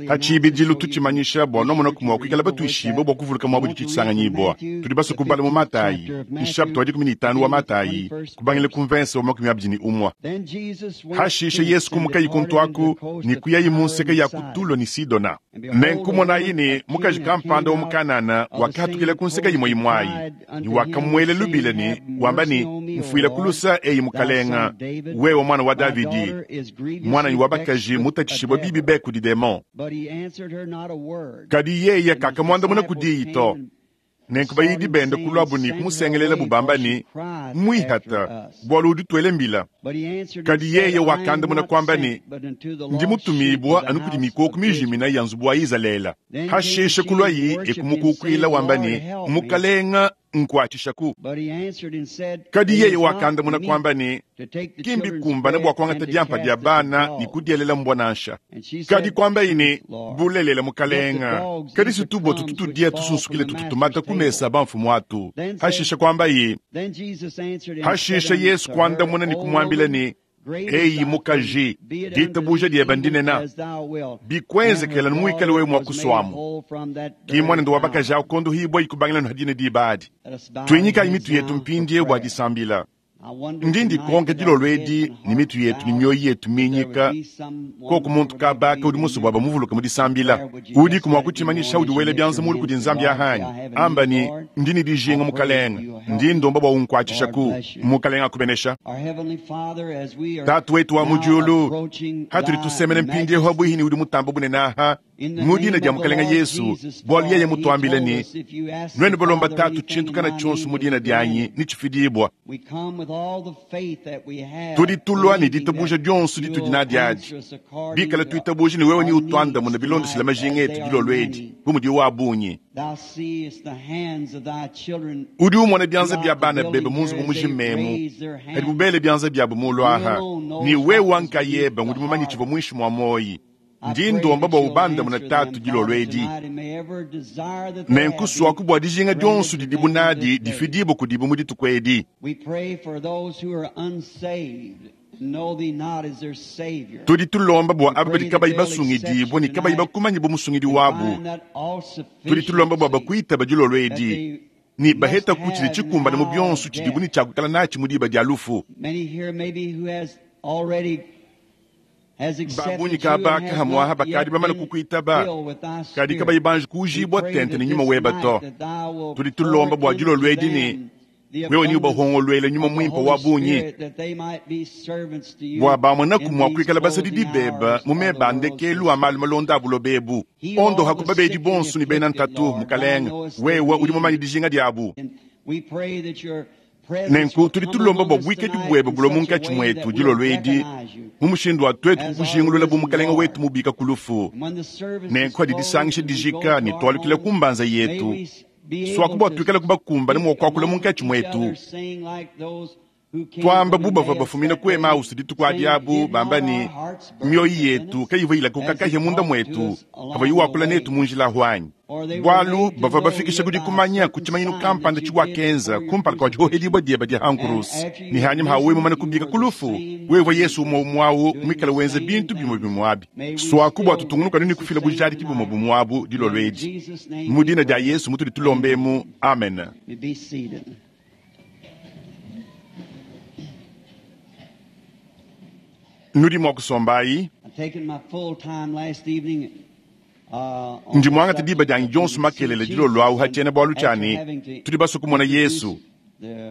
Pa tshibidilu tutshimanyisha bua nuamonaku mua kuikala batuishibue bua kuvuluka muaba udi tshisanganyibua. Tudi basue kubala mu Matayi, nshapita wa 15 wa Matayi, kubangila ku mvense wa 21. Hashishe Yesu kumukayi kuntu aku ne kuyayi mu nseke ya ku Tulo ne Sidona. Nenku monayi ne, mukaji kampanda wa mu Kanana wakahatukila ku nseke imue imue ayi, ne wakamuela lubila ne wamba ne, Mfuila ku lusa, eyi Mukalenga, wewe muana wa Davidi, muananyi wa bakaji mutatshishibue bibi be kudi demon. Kadi yeye kakamuandamuna ku diyi to. Nenku bayidi bende kuluabu ne kumusengelelabu bamba ne, Muihata, bualu udi utuela mbila. Kadi yeye wakandamuna kuamba ne, Ndi mutumibue anu kudi mikoko mijimina ya nzubu wa Izalele. Hashishe kuluayi e kumukukuila wamba ne, Mukalenga, nkuatshishaku. Kadi yeye wakandamuna kuamba ne, Ki mbikumbane bua kuangata diampa dia bana ne kudielela mbua nansha. Kadi kuambaye ne, Bulelela, Mukalenga, kadi si tubua tutu tudia tusunsukile tutu tumata ku mesa a bamfumu atu. Hashishe kuambaye. Hashishe Yesu kuandamuna ne kumuambila ne, Eyi mukaji, ditabuja diebe ndinene, bikuenzekela anu muikale wewe mua kusuamu. Ki muanende wa bakaji awu kondohibua ikubangila anu dine diba adi. Tuinyikayi mitu yetu mpindieu bua disambila. Ndi ndikonka dilolo edi ne mitu yetu ne mioyo yetu minyika, koku muntu kabaka udi musue bua bamuvuluke mu disambila. Udiku mua kutshimanyisha udi wela bianza mulu kudi Nzambi ahanyi? Amba ne, Ndi ne dijinga, Mukalenge. Ndi ndomba bua unkuatshishaku. Mukalenge akubenesha. Tatu wetu wa mu diulu, hatudi tusemena mpindieu habuihi ne udi mutamba bunene aha, mu dina dia Mukalenge Yesu, bualu yeye mutuambile ne, Nuenu balomba Tatu tshintu kana tshionso mu dina dianyi, netshifidibua. Tudi tulua ne ditabuja dionso ditudi nadi adi, bikala tuitabuja ne wewe neutuandamune bilondeshile majinga etu dilolo edi, bu mudiwu a bungi. Udi umona bianza bia bana bebe mu nzubu mujima emu, padibu bele bianza biabu mulu aha, ne wewe nkayebe ngudi mumanye tshivua muinshi mua muoyi. Ndi ndomba bua ubandamune Tatu dilolo edi. Nenku suaku bua dijinga dionso didibu nadi difidibue kudibu mu dituku edi. Tudi tulomba bua aba badi kabayi basungidibue ne kabayi bakumanye bu Musungidi wabu. Tudi tulomba bua bakuitaba dilolo edi ne bahetaku tshidi tshikumbane mu bionso tshidibu ne tshia kuikala natshi mu diba dia lufu. Ba bungi kaba kahamuaha bakadi bamane kukuitaba, kadi kabayi banji kuujibua tente ne nyuma weba to. Tudi tulomba bua dilolo edi ne wewe neubahongoluele nyuma muimpe wa bungi, bua bamonaku mua kuikala basadidi bebe mu meba a ndekelu a malu malonda a buloba ebu. Ondohaku babedi bonso ne bena ntatu, Mukalenge, wewe udi mumanye dijinga diabu. Nenku tudi tulomba bua buikadi buebe bulue munkatshi muetu dilolo edi mu mushindu wa tuetu kukujingulula bu Mukalenge wetu mubika ku lufu. Nenku hadi disangisha dijika ne tualukila ku mbanza yetu, suaku bua tuikale kubakumbane mua kuakula munkatshi muetu, tuamba bu bavua bafumina ku Emausi dituku adi abu, bamba ne, Mioyo yetu kayivua ilakuka kahia munda muetu pavuaye wakula netu mu njila ahu anyi? Bualu bavua bafikisha ku dikumanya ku tshimanyinu kampanda tshiwakenza kumpala kua dihohedibua diebe dia ha nkuruse, ne hanyima ha wewe mumane kubika ku lufu, wewe Yesu umue umue au muikale wenza bintu bimue bimue abi. Suaku bua tutungunuke anu ne kufila bujadiki bumue bumue abu dilolo edi. Mu dina dia Yesu mutudi tulomba emu. Amen. Nudi mua kusombayi. Ndi muangate diba dianyi dionso makelela dilolo awu ha tshiena-bualu tshia ne, Tudi basue kumona Yesu,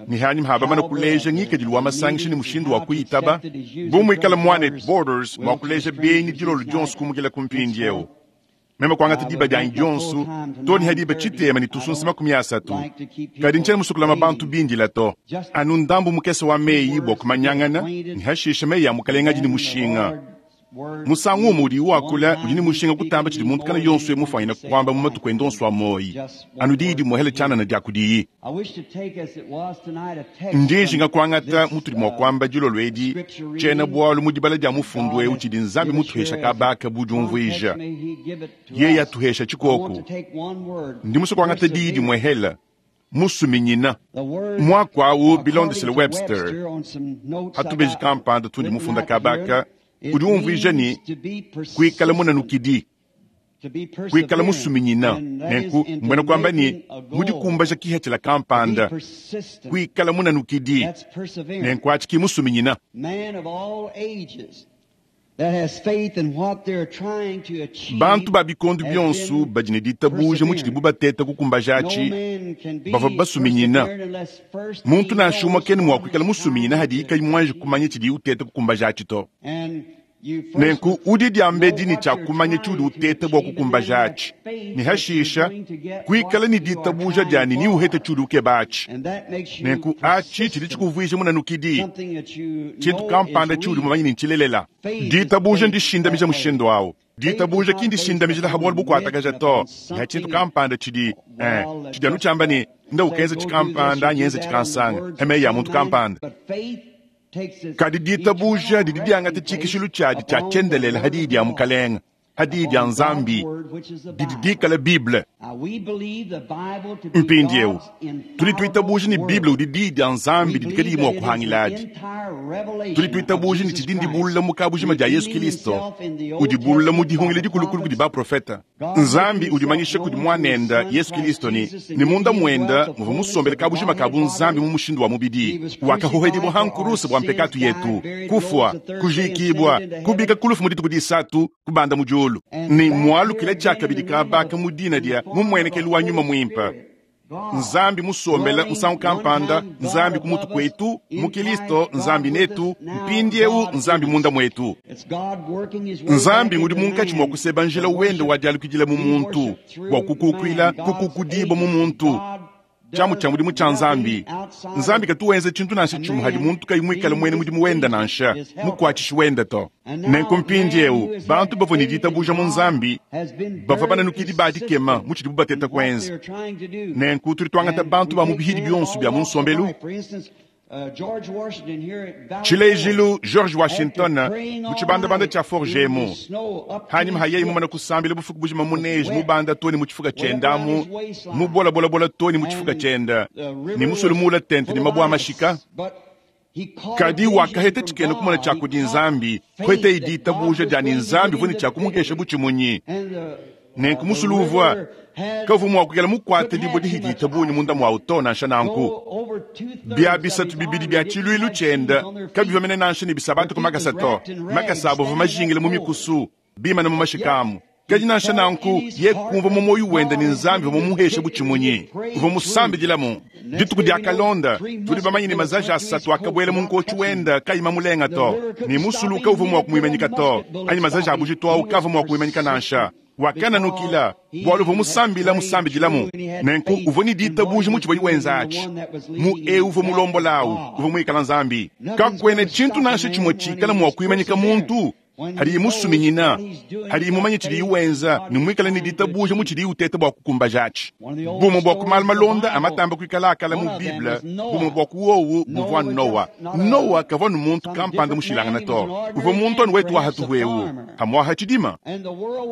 ne hanyima ha bamane kuleja ngikadilu wa masangisha ne mushindu wa kuyitaba, bu muikala muanetu Borders mua kuleja benyi dilolo dionso kumukila ku mpindieu. Meme kuangata diba dianyi dionso too ne ha diba tshitema ne tusunsa 30, kadi ntshiena musue kulama bantu bindila to. Anu ndambu mukese wa meyi bua kumanyangana, ne hashishe meyi a Mukalenge adi ne mushinga. Musangu umue udiyi wakula udi ne mushinga kutamba tshidi muntu kana yonso mufuanyine kuamba mu matuku ende onso a muoyi, anu diyi dimuehela tshianana dia kudiyi. Ndi njinga kuangata mutudi mua kuamba dilolo edi tshiena-bualu mu dibala dia mufundu eu tshidi Nzambi mutuhesha kabaka bu diumvuija. Yeye atuhesha tshikoku. Ndi musue kuangata diyi dimuehela musuminyina. Muaku au bilondeshile Webster pa tubeji kampanda tundi mufunda kabaka udi umvuija ne, kuikala munanukidi. Kuikala musuminyina, nenku mbuena kuamba ne, mu dikumbaja kipatshila kampanda, kuikala munanukidi, nenku atshi ki musuminyina. Bantu ba bikondo bionso badi ne ditabuja mu tshidibu bateta kukumbaja atshi bavua basuminyina. Muntu nansha umue kena mua kuikala musuminyina hadiye kayi muanji kumanya tshidiye uteta kukumbaja atshi to. Nenku udi diambedi ne tshia kumanya tshiudi uteta bua kukumbaja atshi, ne hashisha kuikala ne ditabuja dia ne neuhete tshiudi ukeba atshi. Nenku atshi tshidi tshikuvuija munanukidi, tshintu kampanda tshiudi mumanye ne ntshilelela. Ditabuja ndishindamija mushindu au. Ditabuja ki ndishindamijila ha bualu bukuatakaja to, ne ha tshintu kampanda tshidi tshidi anu tshiamba ne, nda ukenza tshikampanda anyi enza tshikansanga, ha meyi a muntu kampanda. Kadi ditabuja didi diangata tshikishilu tshiadi tshia tshiendelele ha diyi dia Mukalenga, ha diyi dia Nzambi, didi dikala Bible. Mpindieu tudi tuitabuja ne Bible udi diyi dia Nzambi didi kadiyi mua kuhangiladi. Tudi tuitabuja ne tshidi ndibulula mu kabujima dia Yesu Kilisto, udibulula mu dihungila dikulukulu kudi baprofete. Nzambi udimanyisha kudi Muanende Yesu Kilisto ne, ne munda muende muvua musombele kabujima ka bunzambi mu mushindu wa mubidi. Wakahohedibua ha nkuruse bua mpekatu yetu, kufua, kujikibua, kubika ku lufu mu dituku disatu, kubanda mu diulu, ne mualukila tshiakabidi kabaka mu dina dia mu mmuenekelu wa Nyuma Muimpe. Nzambi musombele musangu kampanda, Nzambi ku mutu kuetu, mu Kilisto, Nzambi netu, mpindieu Nzambi munda muetu. Nzambi ngudi munkatshi mua kuseba njila wende wa dialukidila mu muntu, bua kukukuila kukukudibua mu muntu. Tshiamu tshia mudimu tshia Nzambi. Nzambi katu wenza tshintu nansha tshimue hadi muntu kayi muikale muena mudimu wende nansha mukuatshishi wende to. Nenku mpindieu bantu bavua ne ditabuja mu Nzambi bavua bananukidi ba dikema mu tshidibu bateta kuenza. Nenku tudi tuangata bantu ba mu bihidi bionso bia mu nsombelu. Tshilejilu, George Washington mu tshibandabanda tshia Fort Gemo, hanyima ha yeye mumane kusambila bufuku bujima mu neige mubanda to ne mu tshifuka tshiende amu mu bolabolabola to ne mu tshifuka tshiende ne musulu muula tente ne mabue a mashika, kadi wakaheta tshikena kumona tshia kudi Nzambi, kuheteye ditabuja dia ne Nzambi uvua ne tshia kumuhesha butshimunyi. Nenku musulu uvua kavua mua kuikala mukuate dibue dihidi bungi munda muawu to. Nansha nanku, bia bisatu bibidi bia tshiluilu tshiende kabivua mene nansha ne bisabata ku makasa to. Makasa abo avua majingile mu mikusu, bimane mu mashika amu. Kadi nansha nanku, ye kumvua mu muoyo wende ne Nzambi uvua mumuheshe butshimunyi, uvua musambidilamu. Dituku dia kalonda, tudi bamanye ne mazaji asatu akabuela mu nkotshi wende kayi mamulenga to, ne musulu kauvua mua kumuimanyika to, anyi mazaji a bujitu au kavua mua kumuimanyika nansha. Wakananukila bualu uvua musambila musambidilamu. Nenku uvua ne ditabuja mu tshivua wenza atshi, mu eu uvua mulombola au uvua muikala Nzambi. Kakuena tshintu nansha tshimue tshikala mua kuimanyika muntu hadiye musuminyina, hadiye mumanye tshidiye wenza ne muikale ne ditabuja mu tshidiye uteta bua kukumbaja atshi. Bumue bua ku malu malonda a matamba kuikala akala mu Bible, bumue bua ku wowu buvua Noa. Noa kavua nu muntu kampanda mushilangana to, uvua muntu anu wetu wa hatuhu eu, hamuaha tshidima.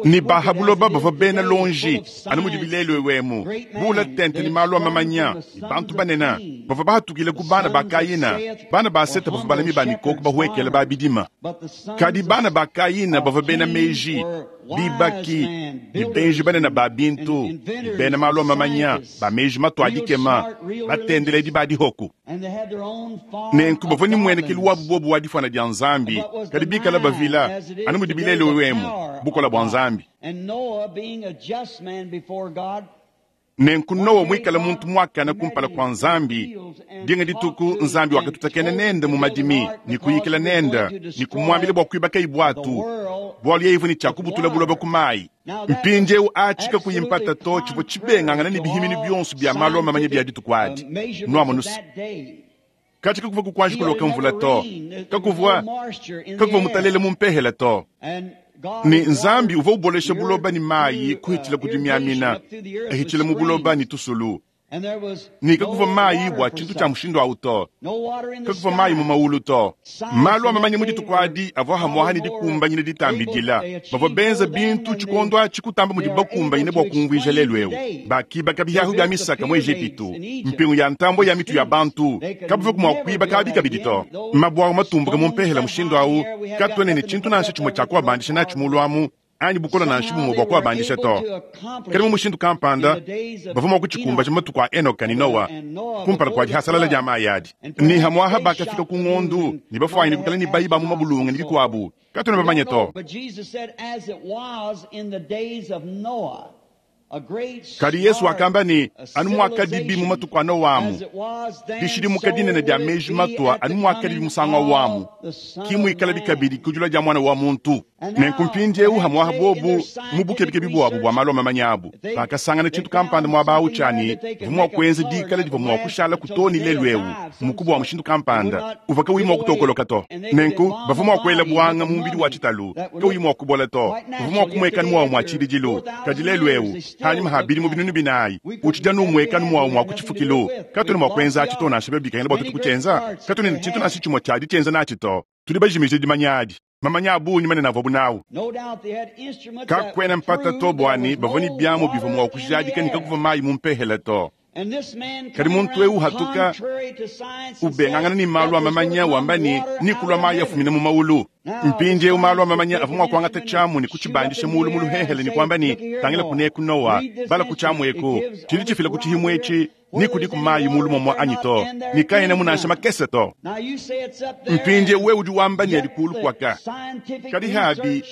Ne baha buloba bavua bena lonji, anu mudi bilelu ewemu, buula tente ne malu a mamanya, ne bantu banene bavua bahatukile ku bana ba Kayina. Bana ba Seta bavua balami ba mikoko bahuekele ba bidima. Kadi bana ba Kayina bavua bena meji, bibaki, ne benji banene ba bintu, ne bena malu a mamanya, ba meji matua dikema, batendeledi ba dihoku. Nenku bavua ne mmuenekelu wabu bobu wa difuana dia Nzambi, kadi bikala bavila, anu mudi bilelu ewemu, bukola bua Nzambi. Nenku Noa muikale muntu muakane kumpala kua Nzambi, dinga dituku Nzambi wakatutakena nende mu madimi ne kuyikila nende ne kumuambila bua kuibaka buatu, bualu yeye uvua ne tshia kubutula buloba ku mayi. Mpindieu atshi kakuyi mpata to tshivua tshibengangana ne bihiminu bionso bia malu a mamanya bia dituku adi. Nuamonusa katshi kakuvua kukuanji kuloka mvula to, kakuvua kakuvua mutalele mu mpehela to. Ne Nzambi uvua ubolesha buloba ne mayi kuhitshila ku dimiamina, ahitshila mu buloba ne tusulu. Ne kakuvua mayi bua tshintu tshia mushindu au to, kakuvua mayi mu maulu to. Malu a mamanya mu dituku adi avua hamuaha ne dikumbanyina ditambidila. Bavua benza bintu tshikondo atshi kutamba mudibu bakumbanyine bua kumvuija lelu eu. Bakibaka bihahu bia misaka mu Ejipitu, mpingu ya ntambue ya mitu ya bantu, kabavua mua kuibaka abi kabidi to. Mabue awu matumbuka mu mpehela mushindu au, katuena ne tshintu nansha tshimue tshia kuabandisha natshi mulu amu. anyi bukole nansha bumue bua kuabandisha to. Kadi mu mushindu kampanda bavua mua kutshikumbaja matuku a Enoka ne Noa kumpala kua dihasalala dia mayi adi. Ne hamuaha bakafika ku ngondu ne bafuanyine kuikala ne bayi ba mu mabulunge ne bikuabu, katuena bamanye to. Kadi Yesu wakamba ne, anu muakadibi mu matuku a Noa amu, dishidimuka dinene dia meji matua anu muakadibi musangu awu amu, ki muikalabi kabidi ku dilua dia Muana wa muntu. Nenku mpindieu hamuaha buobu mu bukebikebi buabu bua malu a mamanya abu, bakasangana tshintu kampanda muaba au tshia ne bavua mua kuenza dikala divua mua kushalaku too ne lelu'eu, mukubu wa mushindu kampanda uvua kauyi mua kutokoloka to. Nenku bavua mua kuela buanga mu mubidi wa tshitalu kauyi mua kubola to, bavua mua kumuekanu muawu mua tshibidilu. Kadi lelu'eu, panyima ha bidimu binunu binayi, utshidi anu umuekanu muawu mua ku tshifukilu. Katuena mua kuenza atshi to nansha biobi bikengela bua tuetu kutshienza. Katuena ne tshintu nansha tshimue tshia ditshienza natshi to. Tudi bajimije dimanya adi. Mamanya a bungi manene avuabu nawu. Kakuena mpata to bua ne, bavua ne biamu bivua mua kujadika ne, kakuvua mayi mu mpehela to. Kadi muntu eu uhatuka, ubengangana ne malu a mamanya, wamba ne, Nekulua mayi afumina mu maulu. Mpindieu malu a mamanya avua mua kuangata tshiamu ne kutshibandisha muulu mu luhehele ne kuamba ne, Tangila kuneku Noa, bala ku tshiamu eku, tshidi tshifila ku tshihimu etshi, ne kudiku mayi muulu muamua anyi to, ne kaenamu nansha makese to. Mpindieu wewe udi wamba ne, adi kuulu kuaka. Kadi habi,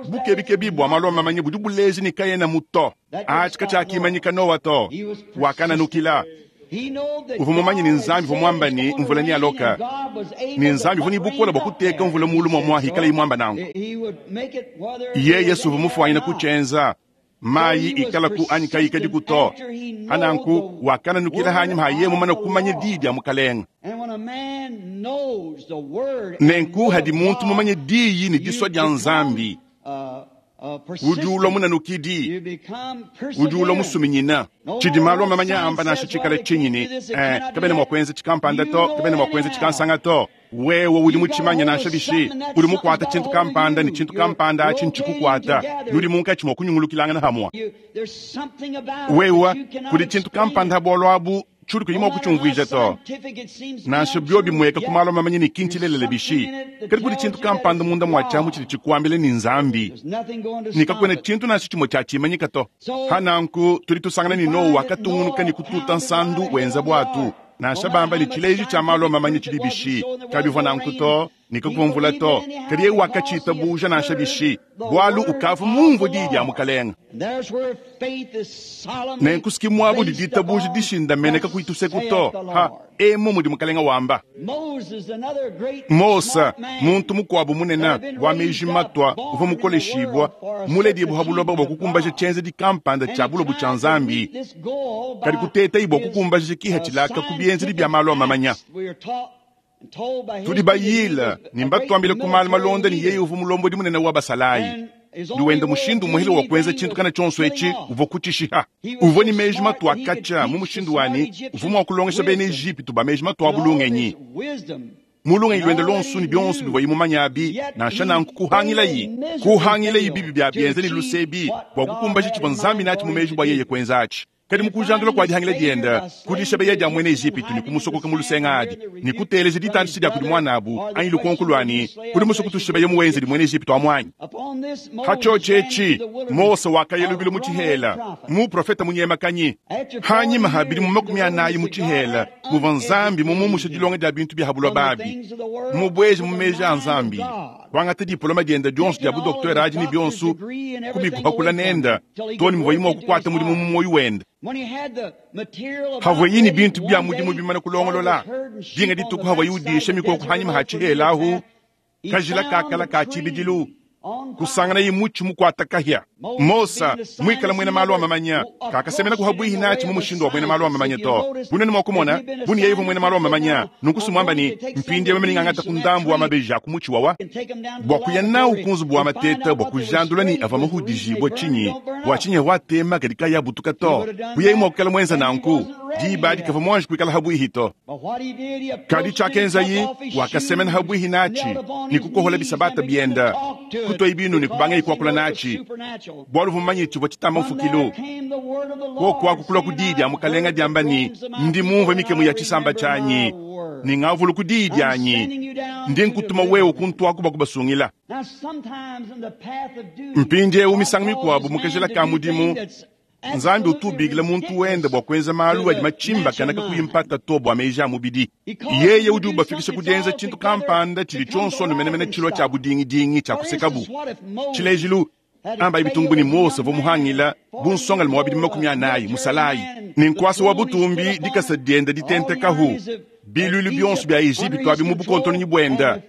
bukebikebi bua malu a mamanya budi buleja ne, kaenamu to. Atshi katshiakimanyika Noa to. Wakananukila. Uvua mumanye ne, Nzambi uvua muamba ne, mvula nealoka, ne Nzambi uvua ne bukole bua kuteka mvula muulu muamua hikalaye muamba nanku. Yeye si uvua mufuanyine kutshienza, mayi ikalaku anyi kayikadiku to. Pananku wakananukila hanyima ha yeye mumane kumanya diyi dia Mukalenge. Nenku hadi muntu mumanye diyi ne disua dia Nzambi, udi ulua munanukidi, udi ulua musuminyina. Tshidi malu a mamanya amba nansha tshikale tshinyi ne, eh, kabena mua kuenza tshikampanda to, kabena mua kuenza tshikansanga to. Wewe udi mutshimanye nansha bishi, udi mukuata tshintu kampanda ne tshintu kampanda atshi ntshikukuata, nudi munkatshi mua kunyungulukilangana hamua. Wewe kudi tshintu kampanda ha bualu abu tshiudi kuyi mua kutshiumvuija to. Nansha biobi bimueka ku malu a mamanya ne ki ntshilelela bishi, kadi kudi tshintu kampanda munda mua tshiamu tshidi tshikuambila ne Nzambi, ne kakuena tshintu nansha tshimue tshia tshimanyika to. Pa nanku tudi tusangana ne Noa wakatungunuka ne kututa nsandu wenza buatu. Nansha bamba ne tshileji tshia malu a mamanya tshidi bishi, kabivua nanku to, ne kakuvua mvula to, kadi yeye wakatshitabuja nansha bishi, bualu ukavua mumvue diyi dia Mukalenge. Nenku si muaba udi ditabuja dishindamene kakuyi tuseku to, ha, emu mudi Mukalenge wamba. Mose, muntu mukuabu munene wa meji matua uvua mukoleshibua, muledibue ha buloba bua kukumbaja tshienzedi kampanda tshia bulobo tshia Nzambi, kadi kutetayi bua kukumbaja kipatshila aka ku bienzedi bia malu a mamanya. Tudi bayile ne mbatuambile ku malu malonda ne yeye uvua mulombodi munene wa basalayi. Ne wenda mushindu umuehele wa kuenza tshintu kana tshionso etshi uvua kutshishiha. Uvua ne meji matua katshia mu mushindu wa ne uvua mua kulongesha bena Ejipitu ba meji matua abu lungenyi. Mu lungenyi luende luonso ne bionso bivuaye mumanye abi, nansha nanku kuhangilayi kuhangilayi bibi bia bienza ne luse ebi bua kukumbaja tshivua Nzambi natshi mu meji bua yeye kuenza atshi. Kadi mu kujandula kua dihangila diende, ku dishabeya dia muena Ejipitu ne kumusokoka mu lusenga adi, ne kuteleja ditandisha dia kudi muanabu anyi lukonko lua ne, Udi musue kutushibeya muwenzedi muena Ejipitu amu anyi? Ha tshiotshi etshi, Mose wakaya lubilu mu tshihela, muprofete munyemakanyi. Hanyima ha bidimu 40 mu tshihela, muvua Nzambi mumumushe dilonga dia bintu bia ha buloba abi, mumubueje mu meji a Nzambi, kuangata dipoloma diende dionso dia bu-doktere adi ne bionso kubikuhakula nende too ne muvuaye mua kukuata mudimu mu muoyo wende. Havuaye ne bintu bia mudimu bimane kulongolola, dinga dituku havuaye udisha mikoko hanyima ha tshihela ahu, kajila kakala ka tshibidilu, kusanganaye mutshi mukuata kahia. Mose, muikale muena malu a mamanya, kakasemenaku habuihi natshi mu mushindu wa buena malu a mamanya to. Bunene mua kumona, bu ne yeye uvua muena malu a mamanya, nunku si muamba ne, Mpindieu meme nengangate ku ndambu wa mabeji a ku mutshi wawa, bua kuya nawu ku nzubu wa mateta bua kujandula ne avua mahudijibue tshinyi, bua tshinyi avua atema kadi kayi abutuka to. Bu yeye mua kuikala muenza nanku, diba adi kavua muanji kuikala habuihi to. Kadi tshiakenzaye, wakasemena habuihi natshi ne kukohola bisabata bienda, kutuaye binu ne kubangaye kuakula natshi, bualu uvua mumanye tshivua tshitamba mfukilu. Kuoku aku kulua ku diyi dia Mukalenga diamba ne, Ndi mumvue mikemu ya tshisamba tshianyi, ne ngavuluku diyi dianyi. Ndi nkutuma wewe kuntuaku bua kubasungila. Mpindieu misangu mikuabu mu kajila ka mudimu, Nzambi utu ubikila muntu wende bua kuenza malu adi matshimbakane kakuyi mpata to bua meji a mubidi. Yeye udi ubafikisha ku dienza tshintu kampanda tshidi tshionso anu menemene tshilua tshia budingidingi tshia kusekabu. Tshilejilu, ambayi bitungu ne Mose uvua muhangila bu nsongalume wa bidimu 40 musalayi ne nkuasa wa butumbi dikasa diende ditentekahu biluilu bionso bia Ejipitu abi mu bukontononyi buenda,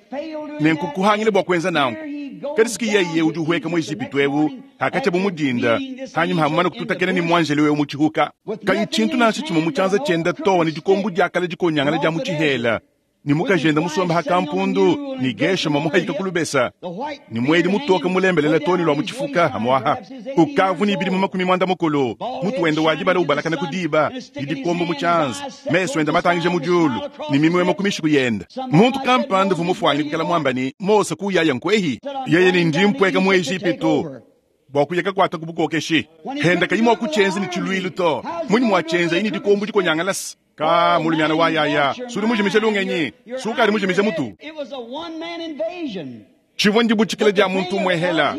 nenku kuhangila bua kuenza nanku. Kadi siki yeye udi uhueka mu Ejipitu eu hakatshia bu mu dinda, hanyima ha mumane kututakena ne muanjelo eu mu tshihuka, kayi tshintu nansha tshimue mu tshianza tshiende too ne dikombo diakala dikonyangala dia mu tshihela, ne mukajende musombe ha kampundu, ne Geshoma muhayika ku lubesa, ne muedi mutoke mulembelela too ne lua mu tshifuka hamuaha. Ukavu ne bidimu 80, mutu wende wa dibala ubalakana ku diba, ne dikombo mu tshianza, mesu ende matangija mu diulu, ne mimuemue ku mishiku yende. Muntu kampanda uvua mufuanyine kuikala muamba ne, Mose kuyaya nkuehi? Yeye ne, Ndi mpueka mu Ejipitu bua kuya kakuata ku bukokeshi. Henda kayi mua kutshienza ne tshiluilu to. Munyi muatshienzaye ne dikombo dikonyangalasa? Ka mulumiana wa yaya, sudi mujimije lungenyi, sukadi mujimije mutu. Tshivua ndibutshikila dia muntu umuehela,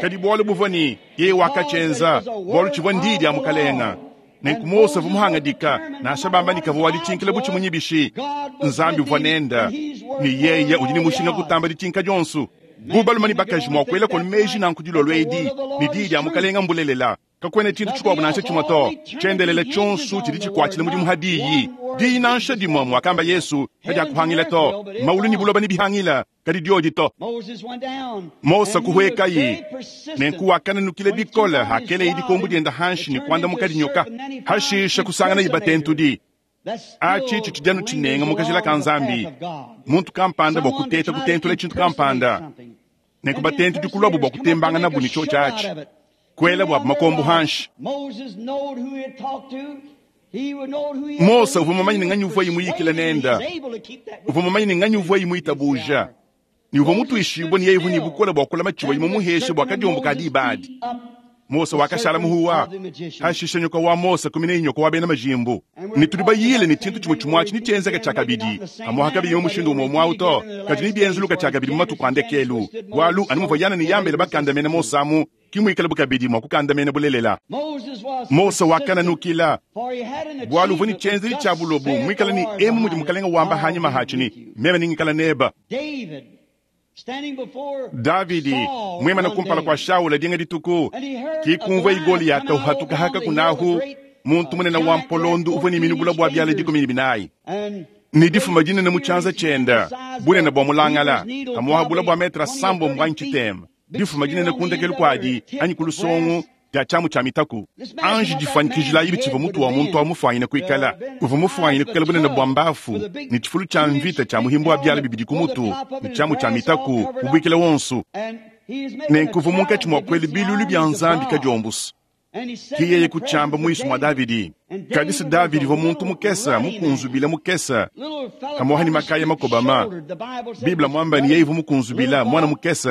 kadi bualu buvua ne yeye wakatshienza, bualu tshivua ndiyi dia Mukalenga. Nenku Mose uvua muhangadika, nansha bamba ne kavua waditshinkila bu tshimunyi bishi, Nzambi uvua nenda, ne yeye udi ne mushinga kutamba ditshinka dionso. Bu balume ne bakaji mua kuela konu meji nanku dilolo edi, ne diyi dia Mukalenga mbulelela. Kakuena tshintu tshikuabu nansha tshimue to. Tshiendelele tshionso tshidi tshikuatshila mudimu ha diyi. Diyi nansha dimue, muakamba Yesu, kadiakuhangila to. Maulu ne buloba nebihangila, kadi diodi to. Mose kuhuekaye, nenku wakananukila bikole hakeleye dikombo diende hanshi ne kuandamuka dinyoka. Hashishe kusanganaye batentudi. Atshi tshitshidi anu tshinenga mu kajila ka Nzambi, muntu kampanda bua kuteta kutentula tshintu kampanda, nenku batentudi kuluabu bua kutembanganabu ne tshiotshi atshi, kuela buabu makombo hanshi. Mose uvua mumanye ne nganyi uvuaye muyikile nende, uvua mumanye ne nganyi uvuaye muitabuja, ne uvua mutuishibue ne yeye uvua ne bukole bua kulama tshivuaye mumuheshe bua kadiombo ka diba adi. Mose wakashala muhuwa. Hashishe nyoka wa Mose kumineye nyoka wa bena majimbu. Ne tudi bayile ne tshintu tshimue tshimue atshi netshienzeke tshiakabidi, pamuapa kabiyi mu mushindu umue umue au to, kadi nebienzuluke tshiakabidi mu matuku a ndekelu, bualu anu muvua Yane ne Yambele bakandamena Mose amu, ke muikalabu kabidi mua kukandamena bulelela. Mose wakananukila, bualu uvua ne tshienzedi tshia bulobo, muikale ne emu mudi Mukalenge wamba hanyima hatshi ne, Meme nengikale nebe. Davidi muimane kumpala kua Shaula dinga dituku, ki kumvuaye Goliyata uhatuka haka kunahu, muntu munene wa mpolondo uvua ne minu bula bua biala 14, ne difuma dinene mu tshianza tshiende, bunene bua mulangala, pamuapa bula bua metre 7 anyi tshitema, difuma dinene ku ndekelu kuadi anyi ku lusongo dia tshiamu tshia mitaku. Anji difuanyikijilayi tshivua mutu wa muntu au mufuanyine kuikala. Uvua mufuanyine kuikala bunene bua mbafu, ne tshifulu tshia mvita tshia muhimbu wa biala bibidi ku mutu, ne tshiamu tshia mitaku mubuikile wonso. Nenku uvua munkatshi mua kuela biluilu bia Nzambi kadiombusu. Ke yeye kutshiamba muinshi mua Davidi. Kadi se Davidi uvua muntu mukese, mukunzubile mukese, kamuaha ne makaya makobama. Bible muamba ne yeye uvua mukunzubila, muana mukese,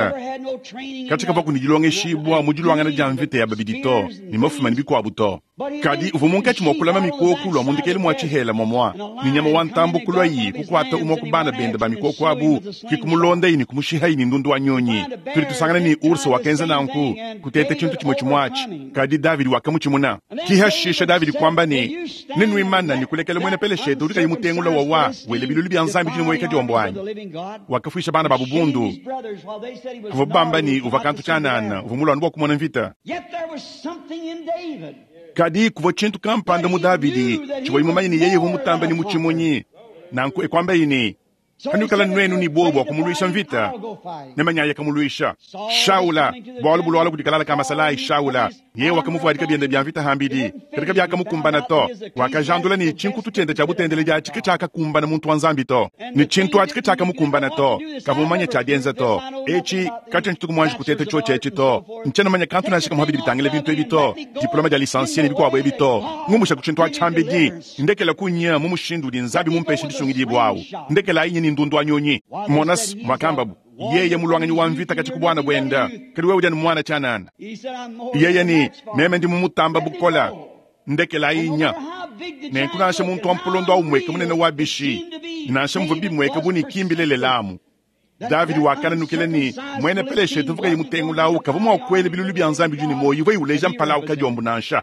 katshia kavua ne dilongeshibua mu diluangana dia mvita ya babidi to, ne mafuma ne bikuabu to. Kadi uvua munkatshi mua kulama mikoko lua mu ndekelu mua tshihela muamua, ne nyama wa ntambu kuluayi kukuata umue ku bana bende ba mikoko abu, ke kumulondayi ne kumushihayi ne ndundu wa nyunyi. Tudi tusangana ne urse wakenza nanku, kuteta tshintu tshimue tshimue atshi, kadi Davidi wakamutshimuna. Ki hashisha Davidi kuamba ne, Nenuimane ne kulekela muena Peleshete udi kayi mutengula wawa wela bilulu bia Nzambi dinu kadiombo anyi? Wakafuisha bana babu bundu bavua bamba ne uvua kantu tshianana, uvua muluanu bua kumona mvita. Kadi kuvua tshintu kampanda mu Davidi tshivuaye mumanye ne yeye uvua mutambe ne mutshimunyi. Nanku e kuambaye ne, Panuikala nuenu ne buowa bua kumuluisha mvita, nemanye kamuluisha. Shaula, bualu bulualua kudi kalala ka masalayi Shaula, yeye wakamuvuadika biende bia mvita hambidi, kadi kabiakamukumbana to. Wakajandula ne tshinkutu tshiende tshia butendeleji atshi ke tshiakakumbana muntu wa Nzambi to, ne tshintu atshi ke tshiakamukumbana to. Kavua mumanye tshia dienza to. Etshi katshiena tshituku muanji kuteta tshiotshi etshi to. Ntshiena mumanye kantu nansha kamue bidi bitangila bintu ebi to, diploma dia lisansie ne bikuabu ebi to. Ngumbusha ku tshintu atshi hambidi, ndekela kunya mu mushindu udi Nzambi mumpeshe disungidibua awu. Ndekelayi nye ne ndundu wa nyunyi. Monas, muakambabu, yeye mulwanganyi wa mvita katshia ku buana buende, kadi wewe udi anu muana tshianana. Yeye ne, meme ndi mumutamba bukola, ndekelayi nya. Nenku nansha muntu wa mpolondo au mueke munene wa bishi, nansha muvua bimueke bu ne kimbilelelamu. Davidi wakananukila ne muena Peleshete uvua kayi mutengula au kavua mua kuela bilulu bia Nzambi udi ne muoyo ivuaye uleja mpala au kadiombo nansha.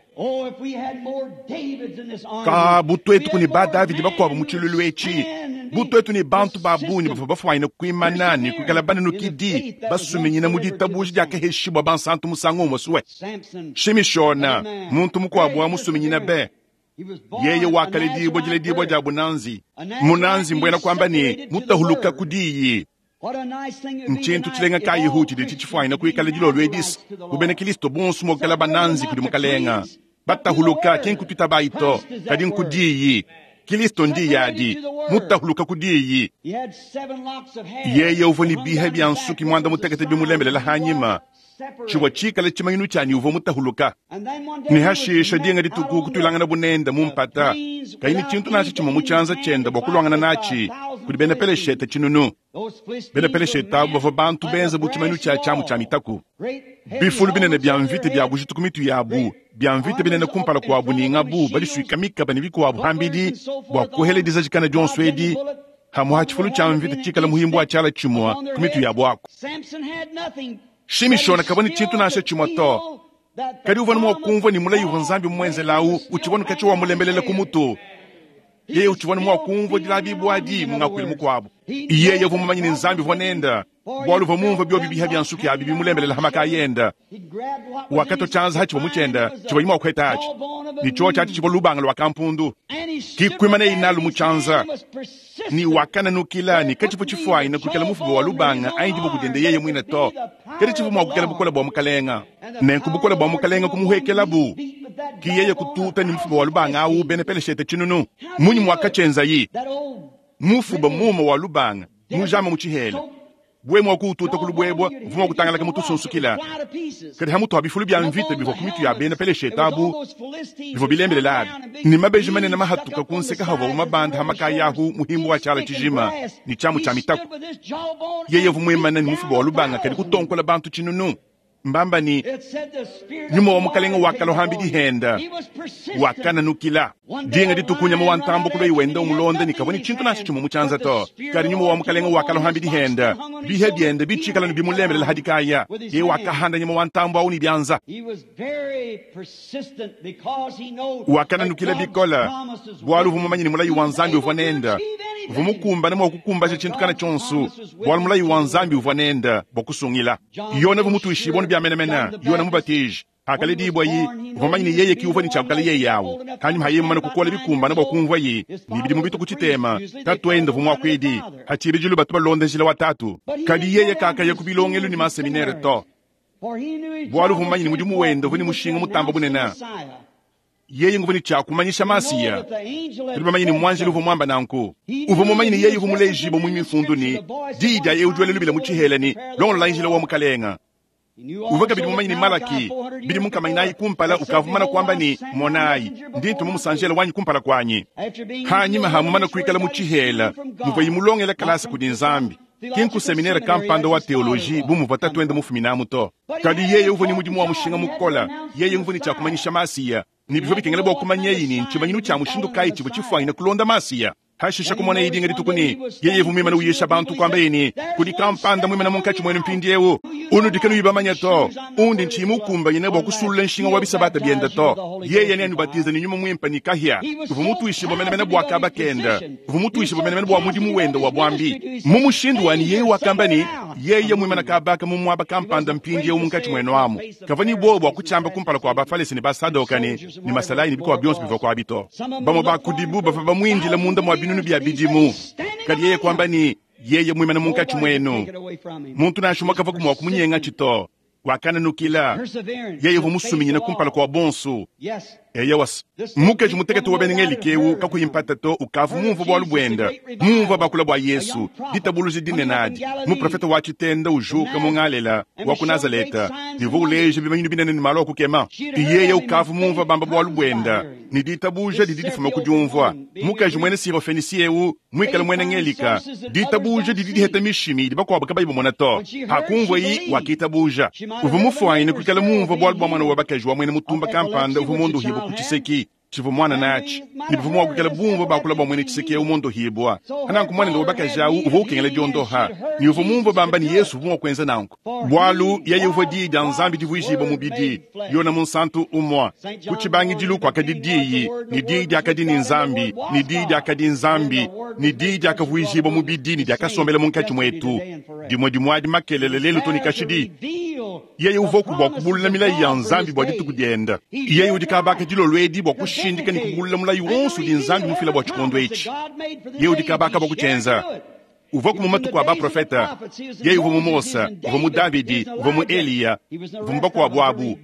Ka bu tuetu ne ba Davidi bakuabu mu tshiluilu etshi, bu tuetu ne bantu ba bungi bavua bafuanyine kuimana ne kuikala bananukidi basuminyina mu ditabuja diakaheshibua bansantu musangu umue sue. Shimishona, muntu mukuabu wa musuminyina be, yeye wakaledibua diledibua dia bunanzi. Munanzi mbuena kuamba ne mutahuluka ku diyi. Ntshintu tshilenga kayihu tshidi tshifuanyine kuikala dilolo edisi bu bena Kristo bonso mua kuikala bananzi kudi Mukalenga. Batahuluka ki nkutuitabayi to, kadi nku diyi. Kristo ndiyi adi, mutahuluka ku diyi. Yeye uvua ne biha bia nsuki muanda mutekete bimulembelela hanyima, tshivua tshikale tshimanyinu tshianyi uvua mutahuluka. Ne hashisha dinga dituku kutuilangana bunenda mu mpata, kayi ne tshintu nansha tshimue mu tshianza tshiende bua kuluangana natshi kudi bena Peleshete tshinunu. Bena Peleshete abo bavua bantu benza bu tshimanyinu tshia tshiamu tshia mitaku, bifulu binene bia mvita bia bujitu ku mitu yabu, bia mvita binene kumpala kuabu ne ngabu badisuika mikaba ne bikuabu pambidi bua kuhela dizajikana dionso edi hamwe ha tshifulu tshia mvita tshikala muhimbu wa tshiala tshimue ku mitu yabu aku. Shimishona kavua ne tshintu nansha tshimue to, kadi uvua mua kumvua ne mulayi uvua Nzambi mumuenzela au utshivua ne katshia wamulembelela ku mutu. Yeye utshivua ne mua kumvua dilabibua adi mu ngakuilu mukuabu. Yeye uvua mumanye ne Nzambi uvua nende, bualu uvua mumvue biobi biha bia nsuki abi bimulembelela ha makaya ende. Wakatua tshianza hatshivua mu tshiende tshivuaye mua kuheta atshi, ne tshiotshi atshi tshivua lubanga lua kampundu. Kikuimanaye nalu mu tshianza, ne wakananukila ne katshivua tshifuanyine kuikala mufuba wa lubanga anyi diboko diende yeye muine to, kadi tshivua mua kuikala bukole bua Mukalenga. Nenku bukole bua Mukalenga kumuhuekelabu, ki yeye kututa ne mufuba wa lubanga au bena Peleshete tshinunu. Munyi muakatshienzayi? Mufuba muuma wa lubanga mujama mu tshihela bue mua kuututa ku lubuebua uvua mua kutangalaka mu tusunsukila, kadi hamutu ha bifulu bia mvita bivua ku mitu ya bena Peleshete abu bivua bilembelela abi ne mabeji manene mahatuka ku nseka havuabu mabanda ha makaya ahu muhimbu wa tshiala tshijima ne tshiamu tshia mitaku. Yeye uvua muimane ne mufuba wa lubanga kadi kutonkola bantu tshinunu. Mbamba ne nyuma wa Mukalenga wakalua hambidi henda, wakananukila. Dinga dituku nyama wa ntambo kulua wenda umulonda ne kavua ne tshintu nansha tshimue mu tshianza to, kadi nyuma wa Mukalenga wakalua hambidi henda, biha biende bitshikala ne bimulembelela hadikaya. Yeye wakahanda nyama wa ntambo au ne bianza. Wakananukila bikole bualu uvua mumanye ne mulayi wa Nzambi uvua nende, uvua mukumbane mua kukumbaja tshintu kana tshionso, bualu mulayi wa Nzambi uvua nende bua kusungila. Yona uvua mutuishibue bia menemene, Yona Mubatiji hakaledibua-yi, uvua mumanye ne yeye ki uvua ne tshiakukala yeye awu. Hanyuma ha yeye mumane kukola bikumbane bua kumvua-yi ne bidimu bitue ku tshitema, tatuende uvua muakuidi, ha tshibidilu batu balonda njila wa tatu. Kadi yeye kakaya ku bilongelu ne maseminere to, bualu uvua mumanye ne mudimu wende uvua ne mushinga mutamba bunene. Yeye nguvua ne tshia kumanyisha Masiya. Tudi bamanye ne muanjelu uvua muamba nanku. Uvua mumanye ne yeye uvua mulejibue mu mifundu ne diyi dia eu udi wela lubila mu tshihela ne, Longolola njila wa Mukalenga. Uvua kabidi mumanye ne Malaki bidimu nkama inayi kumpala ukavua mumane kuamba ne, Monayi, ndi ntuma musanjela wanyi kumpala kuanyi. Hanyima ha mumane kuikala mu tshihela muvuaye mulongela kalasa kudi Nzambi, ki nku seminere kampanda wa teoloji bu muvua tatuende mufuminamu to. Kadi yeye uvua ne mudimu wa mushinga mukole, yeye uvua ne tshia kumanyisha Masiya, ne bivua bikengela bua kumanyaye ne ntshimanyinu tshia mushindu kayi tshivua tshifuanyine kulonda Masiya. Hashisha kumonaye dinga dituku ne yeye uvua muimane uyisha bantu, kuambaye ne, Kudi kampanda muimane munkatshi muenu mpindieu unudi kanuyi bamanye to, undi ntshiyi mukumbanyine bua kusulula nshinga wa bisabata biende to. Yeye neanubatize ne Nyuma Muimpe ne kahia. Uvua mutuishibue menemene bua kaba kende, uvua mutuishibue menemene bua mudimu wende wa buambi. Mu mushindu wa ne yeye wakamba ne, yeye muimane kaba aka mu muaba kampanda mpindieu munkatshi muenu amu, kavua ne buowa bua kutshiamba kumpala kua Bafalese ne Basadoka ne masalayi ne bikuabu bionso bivua kuabi to. Bamue ba kudibu bavua bamuindile munda mua binunu bia bidimu, kadi yeye kuamba ne, yeye muimane munkatshi muenu, muntu nansha umue kavua mua kumunyengatshi to. Wakananukila, yeye uvua musuminyine kumpala kua bonso. Eyowa, mukaji mutekete wa bena Ngelika eu kakuyi mpata to ukavua mumvue bualu buende, mumvue bakula bua Yesu, ditabuluja dinene adi, muprofete wa tshitenda ujuka mu Ngalela wa ku Nazaleta ne uvua uleja bimanyinu binene ne malu a kukema. Yeye ukavua mumvue bamba bualu buende, ne ditabuja didi difuma ku diumvua. Mukaji muena Sirofenisi eu muikale muena Ngelika, ditabuja didi diheta mishimi idi bakuabu kabayi bamona to. Hakumvuayi, wakitabuja. Uvua mufuanyine kuikala mumvue bualu bua muana wa bakaji wa muena mutumba kampanda uvua muondohibue ku tshiseki. Tshivua muana natshi, ne bavua mua kuikala bumvua bakula bua muena tshiseke eu muondohibua. Nanku muanende wa bakaji au uvua ukengela diondoha, ne uvua mumvue bamba ne, Yezu uvua mua kuenza nanku, bualu yeye uvua Diyi dia Nzambi divuijibua mubidi. Yone Munsantu umua, Ku tshibangidilu kuakadi Diyi, ne Diyi diakadi ne Nzambi, ne Diyi diakadi Nzambi, ne Diyi diakavuijibua mubidi ne diakasombela munkatshi muetu. Dimue dimue adi makelela lelu to ne kashidi. Yeye uvuaku bua kubulula milayi ya Nzambi bua dituku diende. Yeye udi kabaka dilolo edi bua kushindika ne kubulula mulayi wonso udi Nzambi mufila bua tshikondo etshi. Yeye udi kabaka bua kutshienza. Uvuaku mu matuku a baprofete. Yeye uvua mu Mose, uvua mu Davidi, uvua mu Eliya, uvua mu bakuabu abu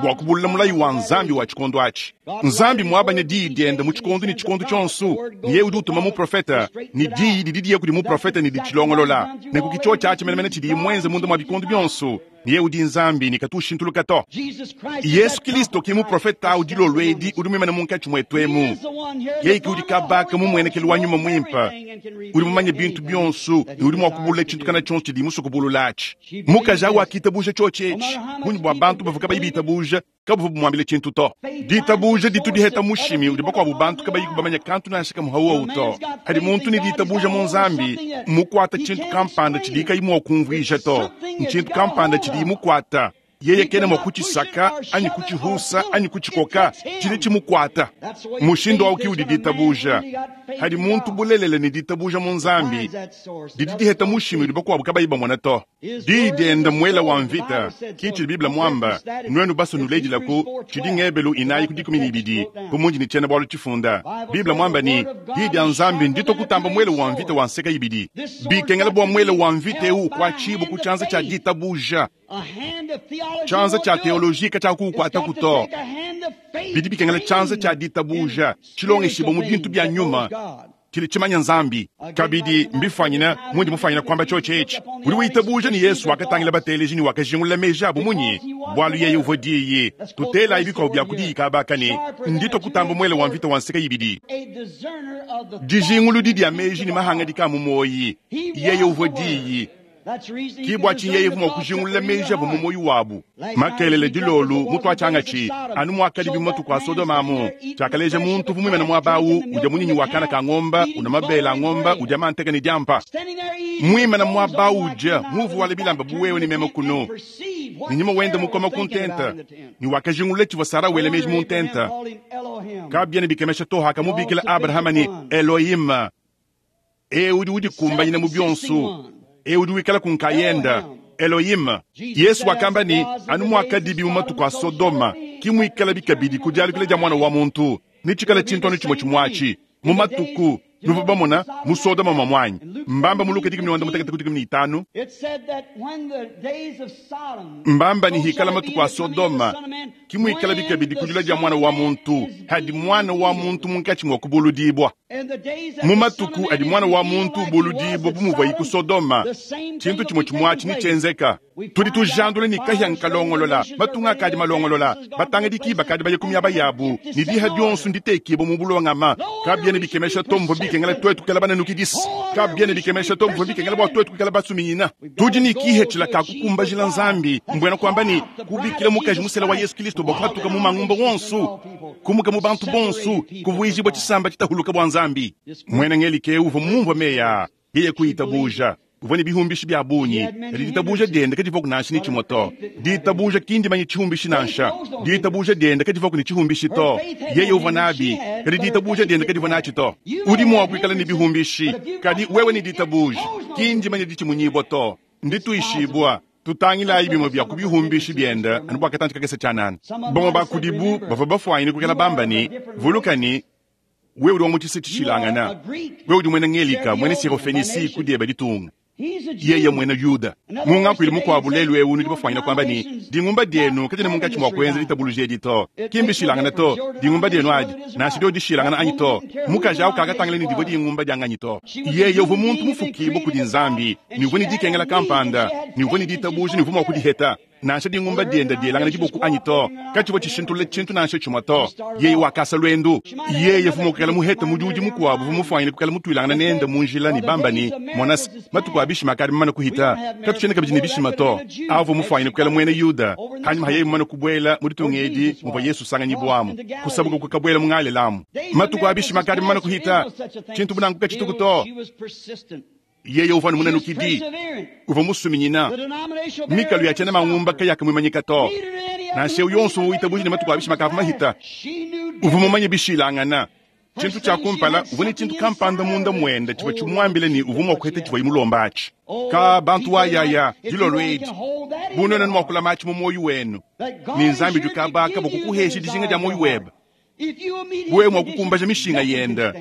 bua kubulula mulayi wa Nzambi wa tshikondo atshi. Nzambi muabanya diyi diende mu tshikondo ne tshikondo tshionso, ne yeye udi utuma muprofete, ne diyi didi diya kudi muprofete ne ditshilongolola. Nenku ke tshiotshi atshi menemene tshidiye muenze munda mua bikondo bionso, ne yeye udi Nzambi ne katu ushintuluka to. Yesu Kilisto ke muprofete au dilolo edi udi muimane munkatshi muetu emu. Yeye ke udi kabaka mu muenekelu wa Nyuma Muimpe, udi mumanye bintu bionso ne udi mua kubulula tshintu kana tshionso tshidiye musue kubulula atshi. Mukaji au wakitabuja tshiotshi etshi, bungi bua bantu bavua kabayi bitabuja kabuvua bumuambile tshintu to. Ditabuja ditu diheta mushimi udi bakuabu bantu kabayiku bamanye kantu nansha kamue hauowu to. Padi muntu ne ditabuja mu Nzambi, mmukuata tshintu kampanda tshidiye kayi mua kumvuija to. Ntshintu kampanda tshidiye mukuata, yeye kena mua kutshisaka anyi kutshihusa anyi kutshikoka, tshidi tshimukuata. Mushindu au ke udi ditabuja. Padi muntu bulelela ne ditabuja mu Nzambi, didi diheta mushimi udi bakuabu kabayi bamona to. Diyi diende mmuele wa mvita, ke tshidi Bible muamba. Nuenu basue nuledilaku tshidi Ngebelu inayi ku 12, bu mundi ne tshiena-bualu tshifunda. Bible muamba ne, Diyi dia Nzambi nditue kutamba muele wa mvita wa nseka ibidi. Bikengela bua muele wa mvita eu ukuatshibue ku tshianza tshia ditabuja. Tshianza tshia teoloji katshiakuukuataku to. Bidi bikengela tshianza tshia ditabuja tshilongeshibue mu bintu bia nyuma. Tshidi tshimanya Nzambi. Kabidi, mbifuanyine mundi mufuanyine kuamba tshiotshi etshi. Udi witabuja ne Yesu wakatangila bateleji ne wakajingulula meji abu munyi? Bualu yeye uvua Diyi. Tutelayi bikuabu bia ku Diyi kaba aka ne, Nditue kutamba muele wa mvita wa nseka ibidi. Dijinguludi dia meji ne mahangadika a mu muoyi. Yeye uvua Diyi. Ki bua tshinyi yeye uvua mua kujingulula meji avua mu muoyo wabu. Makelela dilolu mutuatshiangatshi, anu muakadibi mu matuku a Sodoma amu, tshiakaleja muntu uvua muimane muaba au udia munyinyi wa kana ka ngomba, unua mabele a ngomba, udia manteka ne diampa. Muimane muaba au udia, muvuale bilamba bu wewe ne meme kunu, ne nyuma wende mukoma ku ntenta, ne wakajingulula tshivua Sara wela meji mu ntenta. Kabiena bikemesha to hakamubikila Abrahama ne, Elohim. Eu udi udikumbanyina mu bionso, eu udi wikala ku nkayenda, Elohim. Yesu wakamba ne, anu muakadibi mu matuku a Sodoma, ki muikalabi kabidi ku dialukila dia Muana wa muntu, netshikale tshintu anu tshimue tshimue atshi. Mu matuku nuvua bamona mu Sodoma muamuanyi, mbamba mu Luka 16 ku 15, mbamba ne hikala matuku a Sodoma, ki muikalabi kabidi ku dilua dia Muana wa muntu, hadi Muana wa muntu munkatshi mua kubuludibua. Mu matuku adi Muana wa muntu ubuludibua bu muvuaye ku Sodoma, tshintu tshimue tshimue atshi netshienzeka. Tudi tujandula ne kahia nkalongolola, matunga akadi malongolola, batangadiki bakadi baye ku miaba yabu, ne diha dionso nditekibue mu bulongama. Kabiena bikemesha to muvua bikengela tuetu kuikala bananukidisi. Kabiena bikemesha to muvua bikengela bua tuetu kuikala basuminyina. Tudi ne kihethila ka kukumbajila Nzambi, mbuena kuamba ne, kubikila mukaji musela wa Yesu Kilisto bua kuhatuka mu mangumba wonso, kumuka mu bantu bonso, kuvuijibua tshisamba tshitahuluka bua Nzambi. Muena Ngelika eu uvua mumvue meyi aa, yeye kuitabuja. Uvua ne bihumbishi bia bungi, kadi ditabuja diende kadivuaku nansha ne tshimue to. Ditabuja ki ndimanye tshihumbishi nansha. Ditabuja diende kadivuaku ne tshihumbishi to. Yeye uvua nabi, kadi ditabuja diende kadivua natshi to. Udi mua kuikala ne bihumbishi, kadi wewe ne ditabuja, ki ndimanye ditshimunyibua to, ndituishibua. Tutangilayi bimue bia ku bihumbishi biende anu bua katantshi kakese tshianana. Bamue ba kudibu bavua bafuanyine kuikala bamba ne, Vuluka ne, wewe udi wa mu tshisa tshishilangana, wewe udi muena Ngelika, muena Sirofenisi ku dieba ditunga, yeye muena Yuda. Mu ngakuilu mukuabu lelu eu nudi bafuanyine kuamba ne, dingumba dienu kadiena munkatshi mua kuenza ditabuluja edi to. Ki mbishilangane to, dingumba dienu adi, nansha diodi dishilangana anyi to. Mukaji au kakatangila ne divua dingumba dia nganyi to. Yeye uvua muntu mufukibue kudi Nzambi, ne uvua ne dikengela kampanda, ne uvua ne ditabuja ne uvua mua kudiheta. Nansha dingumba dienda dielangana diboku anyi to, katshivua tshishintulula tshintu nansha tshimue to. Yeye wakasa luendu. Yeye uvua mua kuikala muhete mudiudi mukuabu uvua mufuanyine kuikala mutuilangana nende mu njila ne bamba ne, Mona se, matuku a bishima akadi mamane kuhita, katutshiena kabidi ne bishima to. Avua mufuanyine kuikala muena Yuda panyima ha yeye mumane kubuela mu ditunga edi muvua Yesu usanganyibuamu, kusabuka kukabuela mu Ngalelamu. Matuku a bishima akadi mamane kuhita, tshintu bu nanku katshituku to. Yeye uvua ne munanukidi, uvua musuminyina. Mikalu ya tshiena mangumba kayakamuimanyika to. Nansha eu yonso uvua witabuja ne matuku a bishima akavua mahita, uvua mumanye bishilangana. Tshintu tshia kumpala, uvua ne tshintu kampanda munda muende tshivua tshimuambile ne uvua mua kuheta tshivuaye mulomba atshi. Ka bantu wayaya dilolo edi, bu nuenu mua kulama atshi mu muoyo wenu, ne Nzambi udi kabaka bua kukuhesha dijinga dia muoyo webe, bu wewe mua kukumbaja mishinga yende.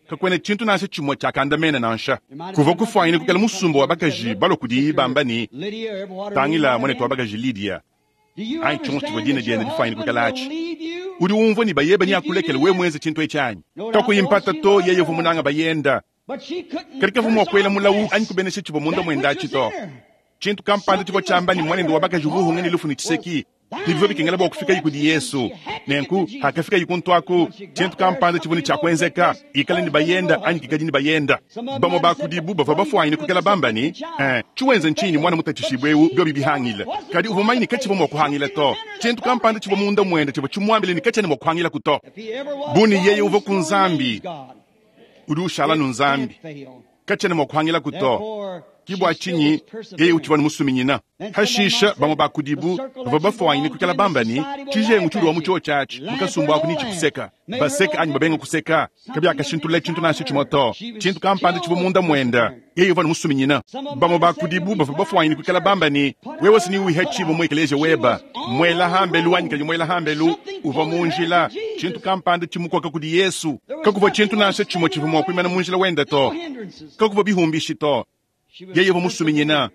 Kakuena tshintu nansha tshimue tshiakandamena nansha. Kuvua kufuanyine kuikala musumba wa bakaji balua kudiye bamba ne, Tangila muanetu wa bakaji Lidia, anyi tshionso tshivua dina diende difuanyine kuikala atshi. Udi umvua ne bayebe neakulekele wewe muenze tshintu etshi anyi? Kakuyi mpata to, yeye uvua munange bayende. Kadi kavua mua kuela mulawu anyi kubenesha tshivua munda muende atshi to. Tshintu kampanda tshivua tshiamba ne, muanende wa bakaji uvua uhunga ne lufu ne tshiseki, ne bivua bikengela bua kufikaye kudi Yesu. Nenku hakafikaye kuntu aku, tshintu kampanda tshivua ne tshia kuenzeka, ikale ne bayenda anyi kikadi ne bayenda. Bamue ba kudibu bavua bafuanyine kuikala bamba ne, Eh, tshiwenza ntshinyi ne muana mutatshishibue eu biobi bihangile? Kadi uvua mumanye ne katshivua mua kuhangila to. Tshintu kampanda tshivua munda muende tshivua tshimuambile ne katshiena mua kuhangilaku to. Bu ne yeye uvua ku Nzambi, udi ushala nu Nzambi, katshiena mua kuhangilaku to. Ki bua tshinyi yeye utshivua ne musuminyina. Hashisha bamue ba kudibu bavua bafuanyine kuikala bamba ne, Tshijengu tshiudi wa mu tshiotshi atshi mu kasumbu aku netshikuseka. Baseka anyi babenga kuseka, kabiakashintulula tshintu nansha tshimue to. Tshintu kampanda tshivua munda muende, yeye uvua ne musuminyina. Bamue ba kudibu bavua bafuanyine kuikala bamba ne, Wewe si neuhatshibue mu ekeleziya webe, muela hambelu anyi kayi muela hambelu, uvua mu njila, tshintu kampanda tshimukoka kudi Yesu. Kakuvua tshintu nansha tshimue tshivua mua kuimana mu njila wende to. Kakuvua bihumbishi to. Yeye uvua musuminyina.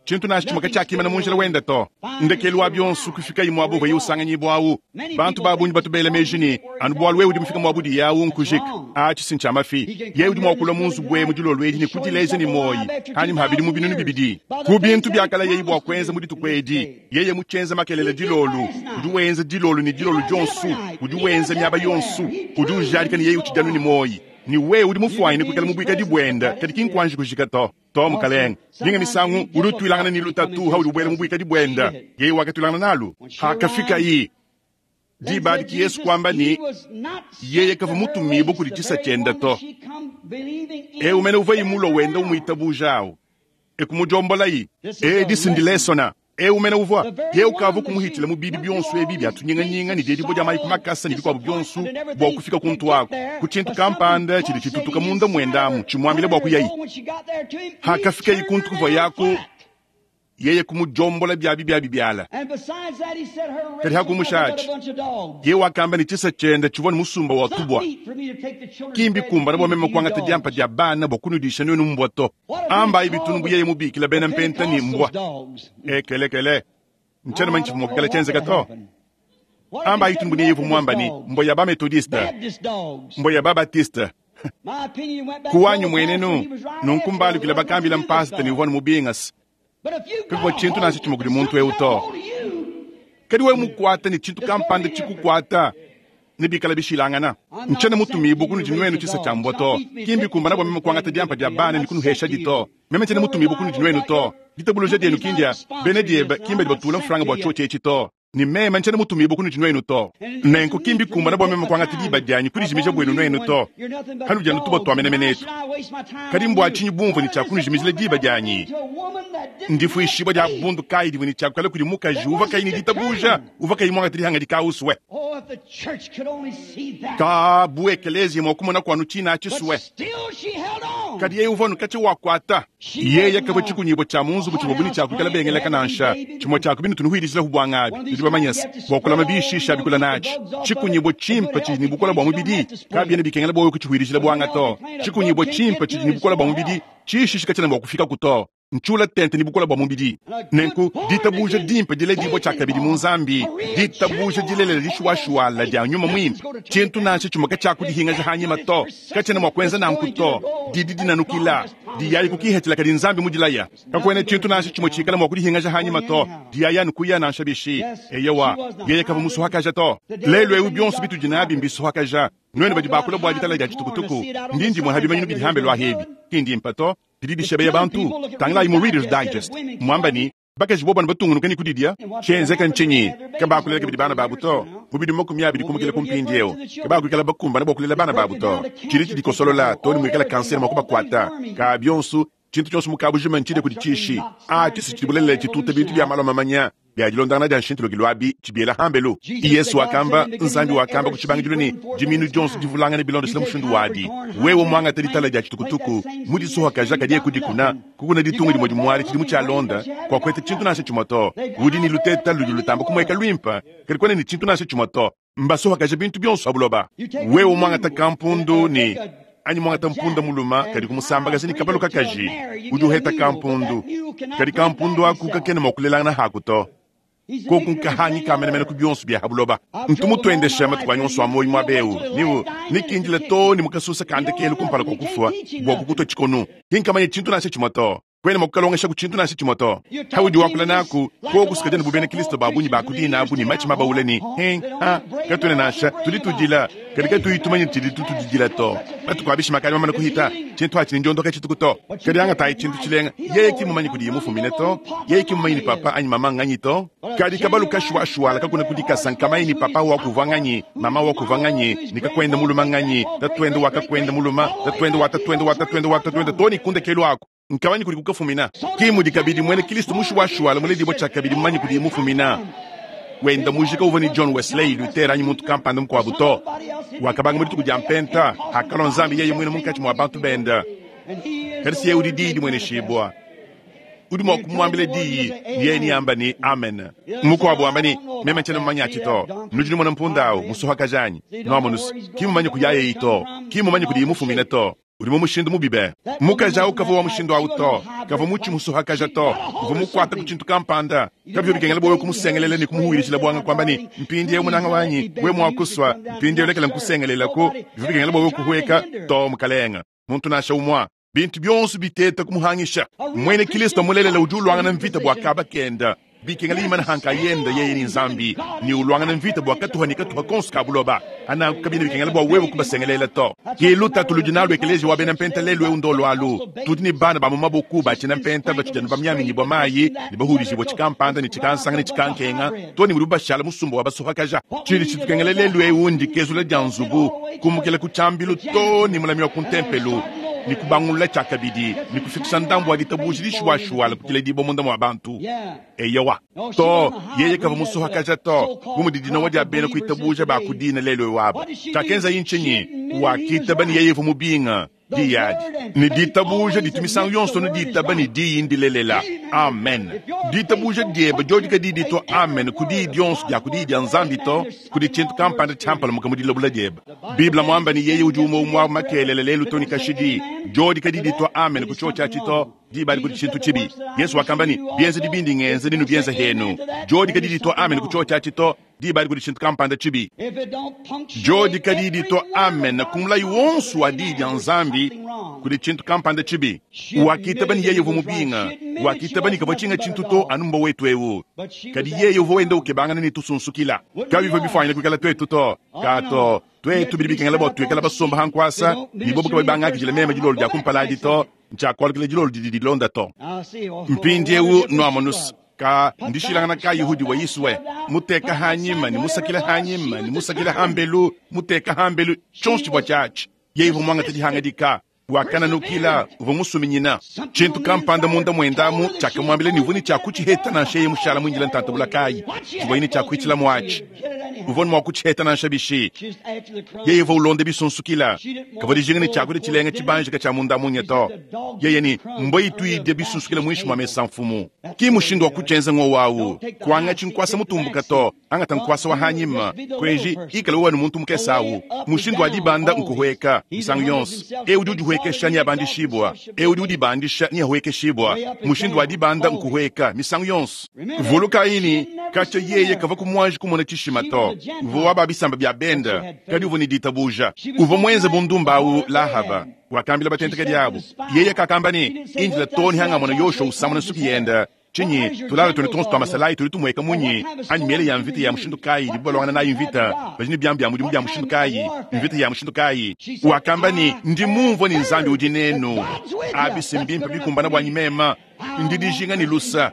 Tshintu nansha tshimue katshiakimana mu njila wende to. Ndekelu wa bionso kufikaye muaba uvuaye usanganyibua au. Bantu ba bungi batu bela meji ne, anu bualu wewe udi mufike muaba udiye au nkujika. Atshi si ntshia mafi. Yeye udi mua kulua mu nzubu emu dilolo edi ne kudileja ne muoyi panyima pa bidimu 2000. Ku bintu biakalayeyi bua kuenza mu dituku edi, yeye mutshienze makelela dilolo. Udi wenza dilolo ne dilolo dionso. Udi wenza miaba yonso. Udi ujadika ne yeye utshidi anu ne muoyi. Ne wewe udi mufuanyine kuikala mu buikadi buende, kadi ki nkuanji kujika to. To, mukalenge. Minga misangu udi utuilangana ne lutatu haudi ubuela mu buikadi buende. Yeye wakatuilangana nalu hakafikayi diba adi. Ki Yesu kuamba ne, yeye kavua mutumibue kudi tshisa tshiende to. Eu mene uvuayi mulue wenda umuitabuja awu, e kumudiombolayi. Edi si ndilesona. Eu mene uvua yeye ukavua kumuhitshila mu bibi bionso ebi bia tunyinganyinga ne diedibua dia mayi ku makasa ne bikuabu bionso bua kufika kuntu aku, ku tshintu kampanda tshidi tshitutuka munda muende amu tshimuambila bua kuyayi. Hakafikayi kuntu kuvuaye aku, yeye kumudiombola biabi biabi biala. Kadi hakumusha atshi, yeye wakamba ne tshisa tshiende tshivua ne musumba wa tubua. Ki mbikumbana bua meme kuangata diampa dia bana bua kunudisha nuenu mbua to. Ambayi bitunu bu yeye mubikila bena mpenta ne mbua. Ekelekele, ntshiena manya tshivua mua kuikala tshienzeka to. Ambayi bitunu bu ne yeye uvua muamba ne mbua ya ba Methodiste, mbua ya ba Baptiste. Ku wanyi muenenu, nunku mbalukile bakambila mpasita ne uvua ne mubingase. Kakuvua tshintu nansha tshimue kudi muntu eu to. Kadi wewe mukuate ne tshintu kampanda tshikukuata, nebikale bishilangana. Ntshiena mutumibue kunudi nuenu tshisa tshia mbua to. Ki mbikumbana bua meme kuangata diampa dia bana ne kunuheshadi to. Meme ntshiena mutumibue kunudi nuenu to. Ditabuluja dienu ki ndia bena diebe, ki mbadi batula mfranga bua tshiotshi etshi to. Ne meme ntshiena mutumibue kunudi nuenu to. Nenku ki mbikumbana bua meme kuangata diba dianyi kudijimija buenu nuenu to. Hanudi anu tubua tua menemene etu. Kadi mbua tshinyi bumvua ne tshia kunujimijila diba dianyi? Ndifuishibua dia bundu kayi divua ne tshia kuikala kudi mukaji uvua kayi ne ditabuja, uvua kayi muangate dihangadika usue? Ka bu ekeleziya mua kumona kuanu tshina atshisue. Kadi yeye uvua anu katshia wakuata. Yeye kavua tshikunyibua tshia mu nzubu tshivua bu ne tshia kuikala bengeleka nansha tshimue tshia ku bintu nuhuidijilahu buangabi. Nudi bamanye se, bua kulama bishisha bikula natshi, tshikunyibua tshimpe tshidi ne bukole bua mubidi kabiena bikengela bua wewe kutshihuidijila buanga to. Tshikunyibua tshimpe tshidi ne bukole bua mubidi tshishishi katshiena mua kufikaku to. Ntshiula tente ne bukole bua mubidi. Nenku, ditabuja dimpe diledibua tshiakabidi mu Nzambi, ditabuja dilelela dishuwashuwala dia Nyuma Muimpe, tshintu nansha tshimue katshiakudihingaja hanyima to, katshiena mua kuenza nanku to. Didi dinanukila, diyayi ku kihetshila kadi Nzambi mudilaya. Kakuena tshintu nansha tshimue tshikala mua kudihingaja hanyima to, diyayi anu kuya nansha bishi. Eyowa, yeye kavua musuhakaja to. Lelu eu bionso bitudi nabi mbisuhakaja. Nuenu badi bakula bua ditala dia tshitukutuku, ndi ndimue ha bimanyinu bidi hambelu ahebi, ki ndimpe to. Didi dishebeya bantu. Tangilayi mu Reader's Digest, muamba ne, Bakaji bobu anu batungunuka ne kudidia, tshienzeka ntshinyi? Kabakulela kabidi bana babu to. Mu bidimu 20 kumukila ku mpindieu, kabakuikala bakumbane bua kulela bana babu to. Tshidi tshidikosolola too ne muikala kansere mua kubakuata. Ka bionso, tshintu tshionso mu kabujima ntshidia kudi tshishi. A Tshisi tshidi bulelela tshituta bintu bia malu a mamanya bia dilondangana dia nshintulukilu abi tshibiela hambelu. Yesu wakamba, Nzambi wakamba ku tshibangidilu ne, Diminu dionso divulangane bilondeshile mushindu wadi. Wewe muangate ditala dia tshitukutuku, mu disuhakaja kadiye kudikuna, kukuna ditunga dimue dimuadi tshidimu tshialonda, kuakueta tshintu nansha tshimue to. Udi ne luteta ludi lutamba kumueka luimpe, kadi kuena ne tshintu nansha tshimue to. Mbasuhakaje bintu bionso pa buloba. Wewe muangata kampundu ne anyi muangata mpunda muluma kadi kumusambakaja ne kabalu kakaji, udi uheta kampundu, kadi kampundu aku kakena mua kulelangana haku to. Koku nkahangi ka menemene ku bionso bia ha buloba. Ntu mutuendesha matuku anyi onso a muoyo muaba eu niu nikindila too ne mu kasusa ka ndekelu kumpala kua kufua bua kukutua tshikonu. Ki nkamanye tshintu nansha tshimue to. Kuena mua kukalongeshaku tshintu nansha tshimue to. Paudi wakula naku, koku sukadi bu bena Kristo ba bungi ba ku dina abu ne matshi mabawule ne hin, ha, katuena nansha tudi tudila, kadi katuyi tumanya tshidi tutudidila to. Matuku a bishima akadi mamane kuhita, tshintu atshi ne ndiondoka tshituku to. Kadi angatayi tshintu tshilenga, yeye ki mumanye kudiye mufumine to, yeye ki mumanye ne papa anyi mama nganyi to. Kadi kabalu kashuashuala kakuna ku dikasa nkamanye ne papa wakuvua nganyi, mama wakuvua nganyi, ne kakuenda muluma nganyi, tatuende wa kakuenda muluma, tatuende wa tatuende wa tatuende wa tatuende to ne kundekelu aku. Nkamanye kudi kukafumina. Ki mudi kabidi muena Kristo mushuwashuwala muledibua tshiakabidi mumanye kudiye mufumina. Wenda mujika uvua ne John Wesley, Luther anyi muntu kampanda mukuabu to. Wakabanga mu dituku dia Mpenta, akalua Nzambi yeye muine munkatshi mua bantu bende. Kadi si yeye udi Diyi dimueneshibua. Udi mua kumuambila diyi, yeye neamba ne, Amen. Mukuabu wamba ne, Meme ntshiena mumanye atshi to. Nudi numona mpunda au musuhakaja anyi? Nuamonus, ki mmumanye kuyayeyi to, ki mmumanye kudiye mufumine to. Udi mu mushindu mubi be. Mukaji au kavua wa mushindu au to, kavua mutshi musuhakaja to, uvua mukuate ku tshintu kampanda. Kabivua bikengela bua wewe kumusengelela ne kumuhuilishila buanga kuamba ne, Mpindieu munanga wanyi, wewe mua kusua, mpindieu lekela nkusengelelaku. Bivua bikengela bua wewe kuhueka to, mukalenga. Muntu nansha umue. Bintu bionso biteta kumuhangisha. Muena Kristo mulelela udi uluangana mvita bua kaba kenda. Bikengela imana ha nkayenda yeye ne Nzambi, ne uluangana mvita bua katuha ne katuha konso ka buloba. Ananku kabiena bikengela bua wewe kubasengelela to. Ke lutatu ludi nalu ekeleziya wa bena mpenta lelu eu ndolu alu. Tudi ne bana ba mu maboku ba tshiena mpenta batshidi anu bamiaminyibua mayi ne bahudijibua tshikampanda ne tshikansanga ne tshikankenga to ne mudibu bashala musumba wa basuhakaja. Tshidi tshitukengela lelu eu ndikezula dia nzubu, kumukila ku tshiambilu to ne mulami wa ku ntempelo, ne kubangulula tshiakabidi ne kufikisha ndambu wa ditabuja dishuwashuwala ku diledibua munda mua bantu. Eyowa. To, yeye kavua musuhakaja to, bu mudi dinowa dia bena kuitabuja ba ku dina lelu eu aba. Tshiakenzaye ntshinyi? Wakitaba ne yeye uvua mubinga diyi adi. Ne ditabuja ditu misangu yonso anu ditaba ne diyi ndilelela. Amen. Ditabuja diebe diodi kadiyi ditua amen ku diyi dionso dia ku Diyi dia Nzambi to, kudi tshintu kampanda tshiampalamuka mu dilabula diebe. Bible muamba ne yeye udi umue umue makelela lelu to ne kashidi. Diodi kadiyi ditua amen ku tshiotshi atshi to, diba adi kudi tshintu tshibi. Yesu wakamba ne, Bienzedi bindi ngenza nenubienze henu. Diodi kadiyi ditua amen ku tshiotshi atshi to, diba adi kudi tshintu kampanda tshibi. Diodi kadiyi ditua amen ku mulayi wonso wa Diyi dia Nzambi, kudi tshintu kampanda tshibi. Wakitaba ne yeye uvua mubinga. Wakitaba ne kavua tshinga tshintu to anu mbua wetu eu. Kadi yeye uvua wenda ukebangana ne tusunsukila. Kabivua bifuanyine kuikala tuetu to. Ka to. Tuetu bidi bikengela bua tuikala basomba ha nkuasa, ne bobu kabayi bangakidile meme dilolo dia kumpala adi to, ntshiakualukila dilolo didi dilonda to. Mpindieu nuamonus, ka ndishilangana kayi hudi wa Yiswe, muteka hanyima ne musakila hanyima ne musakila hambelu, muteka hambelu, tshionso tshivua tshiatshi. Yeye uvua muangate dihangadika, wakananukila, uvua musuminyina. Tshintu kampanda munda muende amu tshiakamuambila ne uvua ne tshia kutshiheta nansha yeye mushala muindile ntanta bula kayi. Tshivuaye ne tshia kuitshila muatshi, uvua ne mua kutshiheta nansha bishi. Yeye uvua ulonda bisunsukila, kavua dijinga ne tshiakudia tshilenga tshibanjika tshia munda munya to. Yeye ne, Mbua itu idia bisunsukila muinshi mua mesa mfumu. Ki mushindu wa kutshienza ngowu awu. Kuangatshi nkuasa mutumbuka to, angata nkuasa wa hanyima. Kuenji, ikala wewe anu muntu mukese awu. Mushindu wa dibanda nkuhueka misangu yonso. Eu udi udihuekesha. udihuekesha neabandishibua, eu udi udibandisha neahuekeshibua. Mushindu wa dibanda nkuhueka misangu yonso. Vulukayi ne, katshia yeye kavua kumuanji kumona tshishima to. Uvua wa ba bisamba bia bende, kadi uvua ne ditabuja. Uvua muenze bundumba au Lahaba wakambila batentekedi abu. Yeye kakamba ne, Indila too ne hangamona Yoshua usamuna nsuki yende. Tshinyi tulala tuende tuonso tua masalayi tudi tumueka munyi? Anyi miele ya mvita ya mushindu kayi idibu baluangana nayi mvita? Badi ne biamu bia mudimu bia mushindu kayi? Mvita ya mushindu kayi? Wakamba ne, Ndi mumvue ne Nzambi udi nenu. Abi si mbimpe bikumbana buanyi meme. Ndi dijinga ne lusa.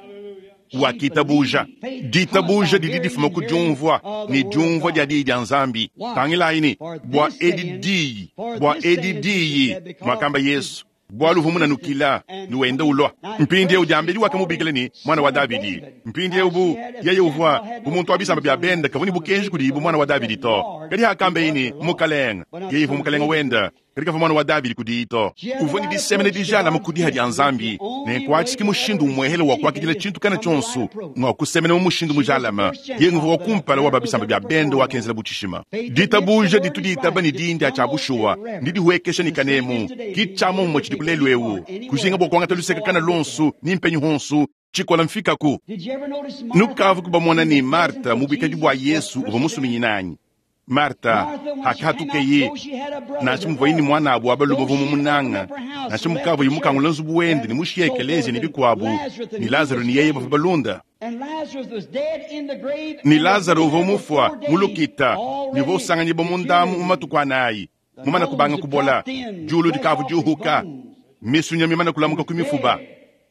Wakitabuja. Ditabuja didi difuma ku diumvua, ne diumvua dia diyi dia Nzambi. Tangilayi ne, bua edi diyi, bua edi diyi, muakamba Yesu, bualu uvua munanukila ne wenda ulua. Mpindieu diambedi wakamubikila ne, Muana wa Davidi. Mpindieu bu yeye uvua bu muntu wa bisamba bia bende, kavua ne bukenji kudiye bu muana wa Davidi to. Kadi hakambeye ne, Mukalenge, yeye uvua mukalenge wende, kadi kavua muana wa Davidi kudiye to. Uvua ne disemena dijalame ku diha dia Nzambi, nenku atshi ki mushindu umuehele wa kuakidila tshintu kana tshionso, ngua kusemena mu mushindu mujalame. Yeye nguvua wa kumpala wa ba bisamba bia bende wakenzela bu tshishima. Ditabuja ditu ditaba ne diyi ndia tshia bushuwa, ndidihuekesha ne kanemu. Ki tshia muomumue tshidiku lelu eu. Kujinga bua kuangata luseke kana luonso ni mpenyi honso, tshikola mfikaku. Nukavu kubamona ne Marta mu buikadi bua Yesu uvua musuminyine anyi? Marta hakahatukeye, nansha muvuaye ne muan'abo wa balume uvua mumunanga, nansha mukavuaye mukangula nzubu wende ne mushiye ekeleziya ne bikuabu, ne Lazaro ne yeye bavua balunda. Ne Lazaro uvua mufua mu lukita ne uvua usanganyibua munda amu mu matuku anayi, mumane kubanga kubola, diulu dikavua diuhuka, misunya mimane kulamuka ku mifuba.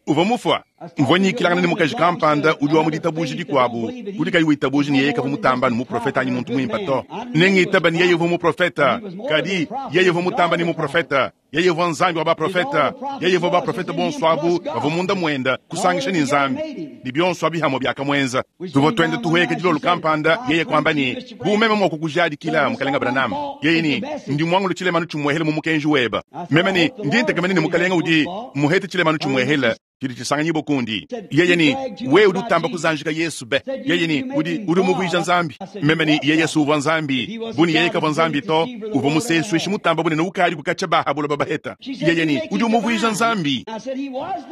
Uvua mufua. Mvua nyikilangana ne mukaji kampanda udi wa mu ditabuja dikuabu, udi kayi witabuja ne yeye kavua mutamba ne muprofete anyi muntu muimpe to. Ne ngitaba ne yeye uvua muprofete, kadi yeye uvua mutamba ne muprofete. Yeye uvua Nzambi wa baprofete. Yeye uvua baprofete bonso abu bavua munda muende, kusangisha ne Nzambi. Ne bionso abi hamue biakamuenza. Tuvua tuenda tuhueka dilolo kampanda, yeye kuamba ne, Bu meme mua kukujadikila, Mukalenge Branham. Yeye ne, Ndi muangule tshilemanu tshimuehele mu mukenji webe. Meme ne, Ndi ntekemena ne Mukalenge udi muhete tshilemanu tshimuehele tshidi tshisanganyibua kundi. Yeye ne, Wewe udi utamba kuzanjika Yesu be. Yeye ne, Udi, udi umuvuija Nzambi. Meme ne, Yeye si uvua Nzambi. Bu ne yeye kavua Nzambi to, uvua musesuishi mutamba bunene ukadi kukatshia ba ha buloba baheta. Yeye ne, Udi umuvuija Nzambi.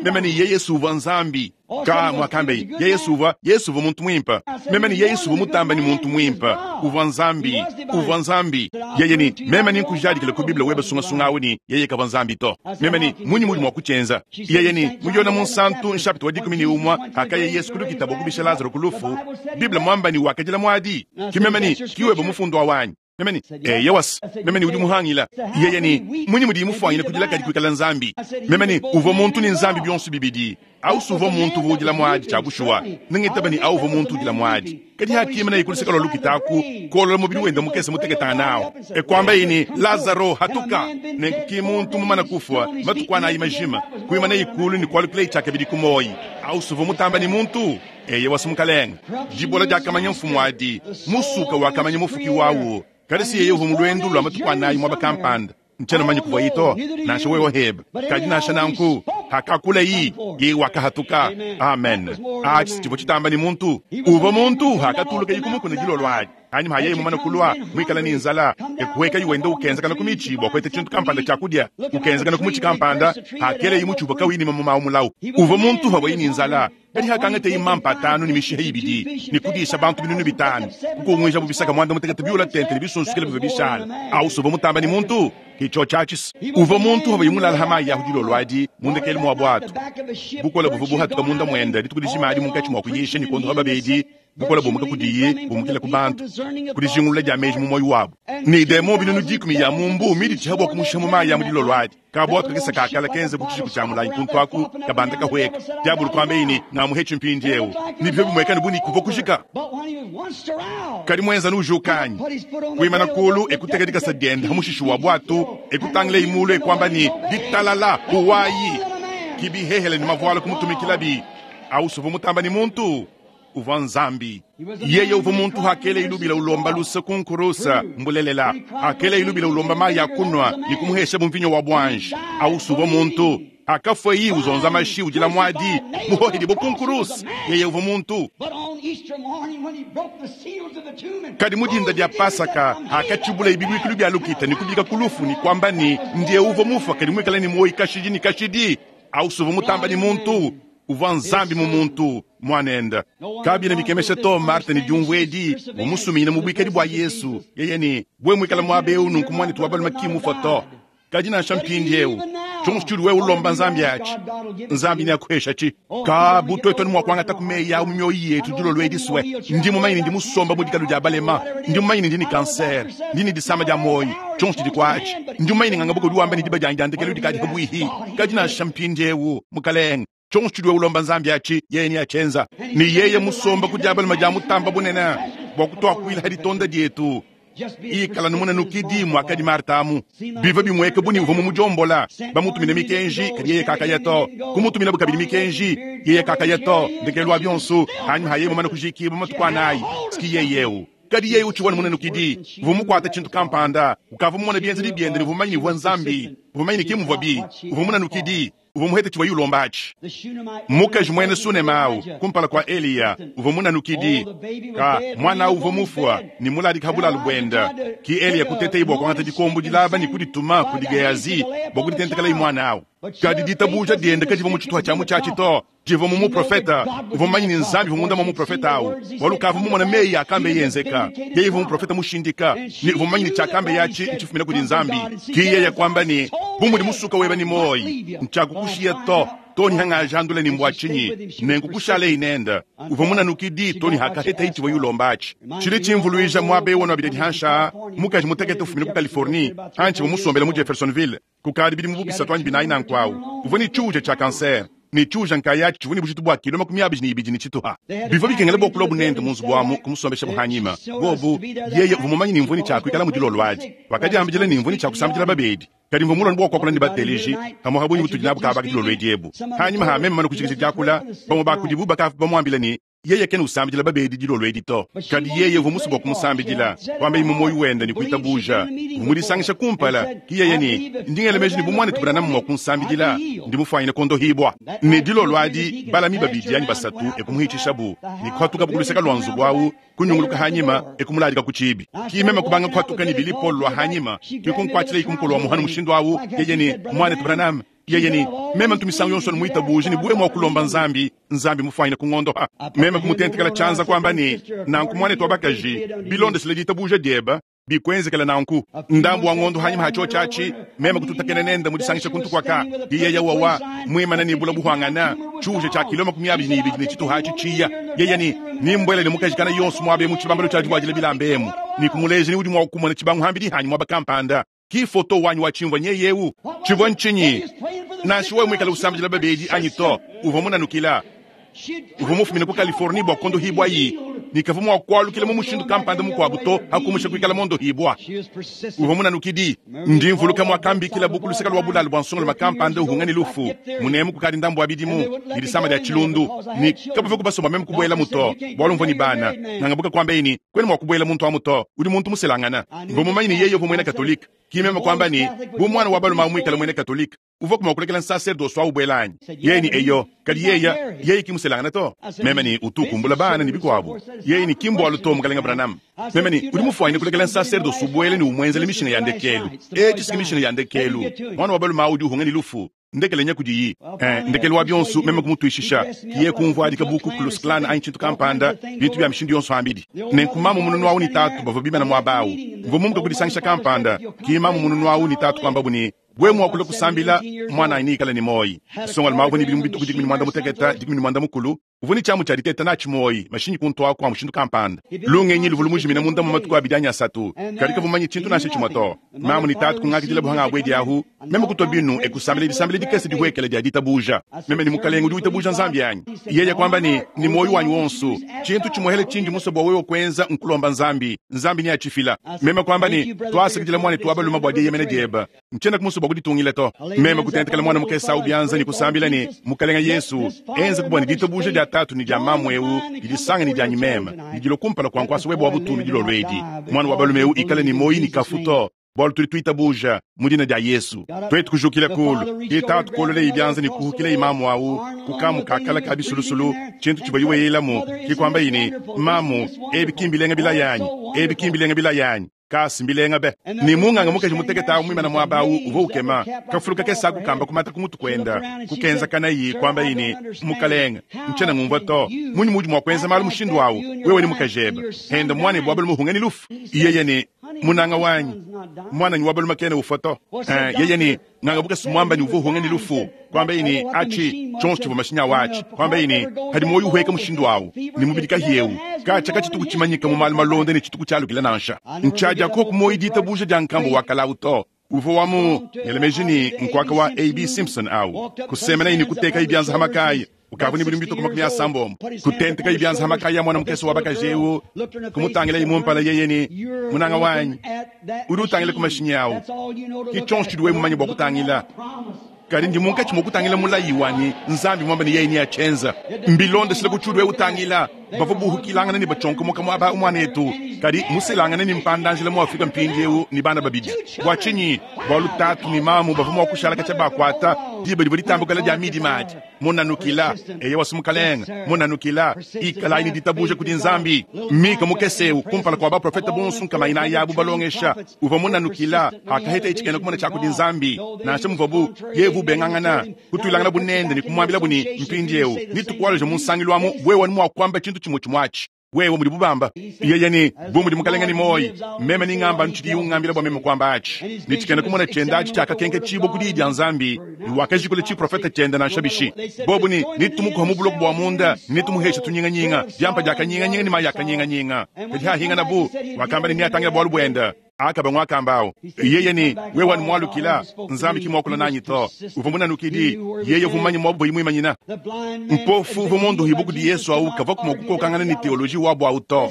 Meme ne, Yeye si uvua Nzambi. Ka muakambeye, yeye si uvua, Yesu uvua muntu muimpe. Meme ne, Yeye si uvua mutamba ne muntu muimpe. Uvua Nzambi. Uvua Nzambi. Yeye ne, Meme nenkujadikile ku Bible webe sungasunga awu ne, yeye kavua Nzambi to. Meme ne, Munyi muudi mua kutshienza? Yeye ne, Mu Yone Munsantu, nshapita wa 11, hakaya Yesu ku lukita bua kubisha Lazaro ku lufu, Bible muamba ne wakadila muadi. Ki meme ne, Ki webe mufundu awu anyi? Meme ne, Eyowa, meme ne udi muhangila. Yeye ne, Munyi mudiye mufuanyine kudila kadi kuikala Nzambi? Meme ne, Uvua muntu ne Nzambi bionso bibidi. Au si uvua muntu uvua udila muadi tshia bushuwa. Nengitaba ne au uvua muntu udila muadi. Kadi hakimanaye ku luseke lua lukita aku, kuolola mubidi wende mukese muteketangane awu, e kuambaye ne, Lazaro, hatuka! Nenku ki muntu mumane kufua matuku anayi majima, kuimanaye kulu ne kualukilaye tshiakabidi ku muoyi. Au si uvua mutamba ne muntu? Eyowa, si Mukalenge. Dibola diakamanya mfumu adi, musuka wakamanya mufuki wawu. Kadi si yeye uvua mu luendu lua matuku anayi muaba kampanda. Ntshiena mumanye kuvuaye to, nansha wewe hebe. Kadi nansha nanku, hakakulayi, yeye wakahatuka. Amen. Atshi tshivua tshitamba ne muntu. Uvua muntu hakatulukaye ku mukuna dilolo adi. Anyima ha yeye mumane kulua, muikale ne nzala, e kuhuekaye wenda ukenzakana ku mitshi bua kuheta tshintu kampanda tshia kudia. Ukenzakana ku mutshi kampanda, hakeleye mutshi uvua kauyi ne mamuma au mulau. Uvua muntu havuaye ne nzala. Kadi hakangateye mampa atanu ne mishiha ibidi ne kudisha bantu 5,000, kukunguijabo bisaka 18 biula tente ne bisunsukile bivua bishala. Au uvua mutamba ne muntu? Ke tshiotshi atshi. Uvua muntu havuaye mulala ha mayi ahu dilolo adi mu ndekelu mua buatu. Bukole buvua buhatuka munda muende dituku dijima adi munkatshi mua kuyisha ne kuondoha babedi. Bukole bumuka kudiye bumukila ku bantu, ku dijingulula dia meji mu muoyo wabu. Ne demon 10,000 ya mu mbu miditshiha bua kumushiha mu mayi a mu dilolo adi. Kabuatu kakese ka kale kenze bu tshijiku tshia mulayi kuntu aku, kabanda kahueka. Diabolo kuambaye ne, Ngamuhetshi mpindieu. Ne bivua bimueka ne bu ne kuvua kujika. Kadi muenza nujuka anyi? Kuimana kulu e kuteka dikasa diende ha mushishi wa buatu, e kutangilayi mulu e kuamba ne, Ditalala, huwayi! Ki bihehele ne mavuala kumutumikilabi. Au suvua mutamba ne muntu uvua Nzambi. Yeye uvua muntu hakela ilubila ulomba luse ku nkurusa, mbulelela. Hakela ilubila ulomba mayi a kunua ne kumuhesha bu mvinyo wa buanji. Au uvua muntu. Hakafueyi uzonza mashi udila muadi, muhohedibue ku nkuruse, yeye uvua muntu. Kadi mu dinda dia Pasaka, hakatshibulaye bibuikilu bia lukita ne kubika ku lufu ne kuamba ne, Ndiye uvua mufua kadi muikale ne muoyo kashidi ne kashidi, au uvua mutamba ne muntu, uvua Nzambi mu muntu, Muanende. Kabiena bikemesha to Marta ne diumvua edi, umusuminyina mu buikadi bua Yesu, yeye ne, Wewe muikale muaba eu nunku muanetu wa balume ki mufua to. Kadi nansha mpindieu, tshionso tshiudi wewe ulomba Nzambi atshi, Nzambi neakuheshatshi. Ka bu tuetu anu mua kuangata ku meyi au mu mioyo yetu dilolo edi sue. Ndi mumanye ne ndi musomba mu dikalu dia balema, ndi mumanye ne ndi ne kansere, ndi ne disama dia muoyo, tshionso tshidi kuatshi. Ndi mumanye ne nganga buka udi wamba ne diba dianyi dia ndekelu dikadi pabuihi. Kadi nansha mpindieu, Mukalenge, tshionso tshiudi wewe ulomba Nzambi atshi, yeye neatshienza. Ne yeye musomba ku dia balume dia Mutamba Bunene bua kutuakuila ha ditonda dietu. Ikala nu munanukidi muakadi Marta amu. Bivua bimueka bu ne uvua mumudiombola. Bamutumina mikenji, kadi yeye kakaya to. Kumutuminabu kabidi mikenji, yeye kakaya to. Ndekelu wa bionso, anyima ha yeye mumane kujikibua matuku anayi, ski yeye eu. Kadi yeye utshivua ne munanukidi. Uvua mukuate tshintu kampanda. Ukavua mumone bienzedi biende ne uvua mumanye ne uvua Nzambi. Uvua mumanye ne ke muvuabi. Uvua munanukidi. Uvua muhete tshivuaye ulomba atshi. Mukaji muena Sunema au kumpala kua Eliya uvua munanukidi. Ka muana au uvua mufua ne muladika ha bulalu buende. Ki Eliya kuteteye bua kuangata dikombo dilaba ne kudituma kudi Gehazi bua kuditentekelayi muana au. Kadi ditabuja diende kadivua mu tshituha tshia mutshiatshi to, divua mu muprofete. Uvua mumanye ne Nzambi uvua munda mua muprofete au, bualu ukavua mumone meyi akambeye enzeka. Yeye uvua muprofete mushindika, ne uvua mumanye ne tshiakambeye atshi ntshifumina kudi Nzambi. Ki yeye kuamba ne, Bu mudi musuka weba ne muoyi, ntshiakukushiya to, to ne hangajandula ne mbua tshinyi, nenku kushaleyi nende. Uvua munanukidi to ne hakahetayi tshivuaye ulomba atshi. Tshidi tshimvuluija muaba eu wa nuabidi hansha, mukaji mutekete ufumina ku Californie, antshivua musombele mu Jeffersonville kukadi bidimu bu bisatu anyi binayi nanku au. Uvua ne tshiuja tshia kansere, ne tshiuja nkayatshi tshivua ne bujitu bua kilo 22. Bivua bikengela bua kuluabu nende mu nzubu amu kumusombeshabu hanyima. Bobu, yeye uvua mumanye ne mvua ne tshia kuikala mu dilolo adi. Wakadiambidila ne mvua ne tshia kusambidila babedi. Kadi mvua mulue bua kuakula ne bateleji pamuapa bungi butudi nabu kaba dilolo edi ebu. Hanyima ha meme mumane kujikija diakula, bamue ba kudibu bakavua bamuambila ne, yeye kena usambidila babedi dilolo edi to. Kadi yeye uvua musue bua kumusambidila, kuambaye mu muoyo wende ne kuitabuja. Uvua mudisangisha kumpala, ki yeye ne, ndi ngela meji ne bu muanetu Branham mua kunsambidila, ndi mufuanyine kuondohibua. Ne dilolo adi, balami babidi anyi basatu e kumuhitshishabu ne kuhatukabu ku luseke lua nzubu au, kunyunguluka hanyima e kumuladika ku tshibi. Ki meme kubanga kuhatuka ne Billy Paul lua hanyima, ki kunkuatshilayi ku mukolo wa muhanu mushindu au, yeye ne, Muanetu Branham, yeye ne, meme ntu misangu yonso nmuitabuje ne buwe mua kulomba Nzambi, Nzambi mufuanyine kungondoha. Meme kumutentekela tshianza kuamba ne, nanku muanetu wa bakaji, bilondeshile ditabuja diebe, bikuenzekela nanku. Ndambu wa ngondo hanyima ha tshiotshi atshi, meme kututakena nende mu disangisha kuntu kuaka. Yeye wawa muimana ne bula buhuangana, tshiuja tshia kilo 22 ne tshituha atshi tshiya. Yeye ne, nimbuele ne mukaji kana yonso muaba emu tshibambalu tshia divuadila bilamba emu, ne kumuleja ne udi mua kumona tshibangu hambidi hanyi muaba kampanda. Ki foto wanyi wa tshimvua nyeye eu. Tshivua ntshinyi? Nansha wewe muikale usambidila babedi anyi to, uvua munanukila. Uvua mufumine ku Californie bua kuondohibua-yi, ne kavua mua kualukila mu mushindu kampanda mukuabu to, pa kumusha kuikala mondohibua. Uvua munanukidi. Ndi mvuluka muakambikilabu ku luseke lua bulalu bua nsongalume kampanda uhunga ne lufu, munemu kukadi ndambu wa bidimu, ne disama dia tshilundu, ne kabavua kubasomba meme kubuelamu to, bualu mvua ne bana. Ngangabuka kuambaye ne, Kuena mua kubuela muntu amu to, udi muntu muselangana. Mvua mumanye ne yeye uvua muena Katolike. Ki meme kuamba ne, Bu muana wa balume awu muikale muena Katolike, uvuaku mua kulekela nsaserdose au ubuela anyi? Yeye ne, Eyo, kadi yeye, yeye ki muselangana to. Meme ne, Utu ukumbula bana ne bikuabu. Yeye ne, Ki mbualu to, Mukalenge Branham. Meme ne, Udi mufuanyine kulekela nsaserdose ubuela ne umuenzela mishinga ya ndekelu. Etshi si mishinga ya ndekelu. Muana wa balume au udi uhunga ne lufu. Ndekele nya kudiyi. Ndekelu wa bionso meme kumutuishisha. Kiye kumvuadika bu Ku Klux Klan anyi tshintu kampanda, bintu bia mishindu yonso ambidi. Nenku mamu mununu awu ne tatu bavua bimana muaba awu. Mvua mumuka ku disangisha kampanda, ki mamu mununu awu ne tatu kuambabu ne, Wewe mua kulua kusambila, muananyi neikale ne muoyi. Nsongalume awu uvua ne bidimu bitue ku 15 14, uvua ne tshiamu tshia diteta natshi muoyi, mashinyi kuntu aku a mushindu kampanda. Lungenyi luvua lumujimina munda mua matuku abidi anyi asatu, kadi kavua mumanye tshintu nansha tshimue to. Mamu ne tatu kungakidila buhanga abuedi ahu, meme kutua binu e kusambila disambila dikese dihuekele dia ditabuja. Meme ne, Mukalenge, udi witabuja Nzambi anyi? Yeye kuamba ne, Ne muoyo wanyi wonso. Tshintu tshimuehele tshindi musue bua wewe kuenza nkulomba Nzambi. Nzambi neatshifila. Meme kuamba ne, Tuasakidila muanetu wa balume bua dieyemena diebe. Ntshiena musue bua kuditungila to. Meme kutentekela muana mukese au bianza ne kusambila ne, Mukalenge Yesu, enza bua ne ditabuja dia tatu ne dia mamu eu didisanga ne dianyi meme, ne dilua kumpala kua nkuasa webe wa butumbi dilolo edi. Muana wa balume eu ikale ne muoyo ne kafu to. Bualu tudi tuitabuja mu dina dia Yesu. Tuetu kujukila kulu, ke tatu kuololeye bianza ne kuhukileye mamu awu ku kamu ka kala ka bisulusulu, tshintu tshivua weyelamu, ke kuambaye ne, Mamu, ebi ki mbilenga bilaya anyi? Ebi ki mbilenga bilaya anyi? Kasi mbilenga be! Ne munganga mukaji mutekete awu muimana muaba awu uvua ukema, kafulu kakese aku kamba kumata ku mutu kuenda, kukenzakanayi, kuambaye ne, Mukalenge, ntshiena ngumvua to. Munyi muudi mua kuenza malu mushindu awu, wewe ne mukajebe, henda muanebe wa balume uhunga ne lufu? Yeye ne, Munanga wanyi, muananyi wa balume kena ufua to. Yeye ne, Nganga bukese muamba ne uvua uhunga ne lufu. Kuambaye ne, Atshi tshionso tshivua mashinyi awu atshi. Kuambaye ne, Padi muoyo uhueka mushindu awu, ne mubidi kahi eu, katshia katshituku tshimanyika mu malu malonda ne tshituku tshialukila nansha. Ntshiadia koku muoyo ditabuja dia nkambua wa kale awu to. Uvua wa mu, ngela meji ne, nkuaka wa A.B. Simpson awu. Kusemenaye ne kutekaye bianza ha makaya. Ukavua ne bidimu bitue ku 80. Kutentekaye bianza ha makaya a muana mukese wa bakaji eu, kumutangilaye mu mpala yeye ne, Munanga wanyi, udi utangila ku mashinyi awu. Ke tshionso tshidi wewe mumanye bua kutangila. Kadi ndi munkatshi mua kutangila mulayi wanyi, Nzambi muambe ne yeye neatshienza. Mbilondeshile ku tshiudi wewe utangila. Bavua buhukilangana ne batshionkomoka muaba au muanetu, kadi muselangane ne mpanda-njila mu Afrika mpindieu ne bana babidi. Bua tshinyi? Bualu tatu ne mamu bavua mua kushala katshia bakuata diba divua ditambukila dia midima adi. Munanukila, eyowa si Mukalenge, munanukila, ikalayi ne ditabuja kudi Nzambi. Mika mukese eu, kumpala kua baprofete bonso nkama inayi abu balongesha, uvua munanukila hakahetaye tshikena kumona tshia kudi Nzambi, nansha muvuabu yeye uvua ubengangana, kutuilanganabu nende ne kumuambilabu ne, Mpindieu netukualeje mu nsangilu amu wewe anu mua kuamba tshintu tshimue tshimue atshi. Wewe mudi bubamba yeye ne, bu mudi Mukalenge ne muoyo, meme ningamba anu tshidiye ungambila bua meme kuamba atshi. Ne tshikena kumona tshiende atshi tshiakakenketshibua ku diyi dia Nzambi, ne wakajikula tshiprofete tshiende nansha bishi. Bobu ne, netumukuha mu buloko bua munda, ne netumuheshe tunyinganyinga, diampa dia kanyinganyinga ne mayi a kanyinganyinga. Kadi hahinganabu, wakamba ne, neatangile bualu buende. Akaba nguakamba awu. Yeye ne, wewe anu mualukila, Nzambi ki muakula nanyi to. Uvua munanukidi, yeye uvua mumanye muabu boyi muimanyina. Mpofu uvua munduhibue kudi Yesu awu kavuaku mua kukokangana ne teoloji wabu awu to.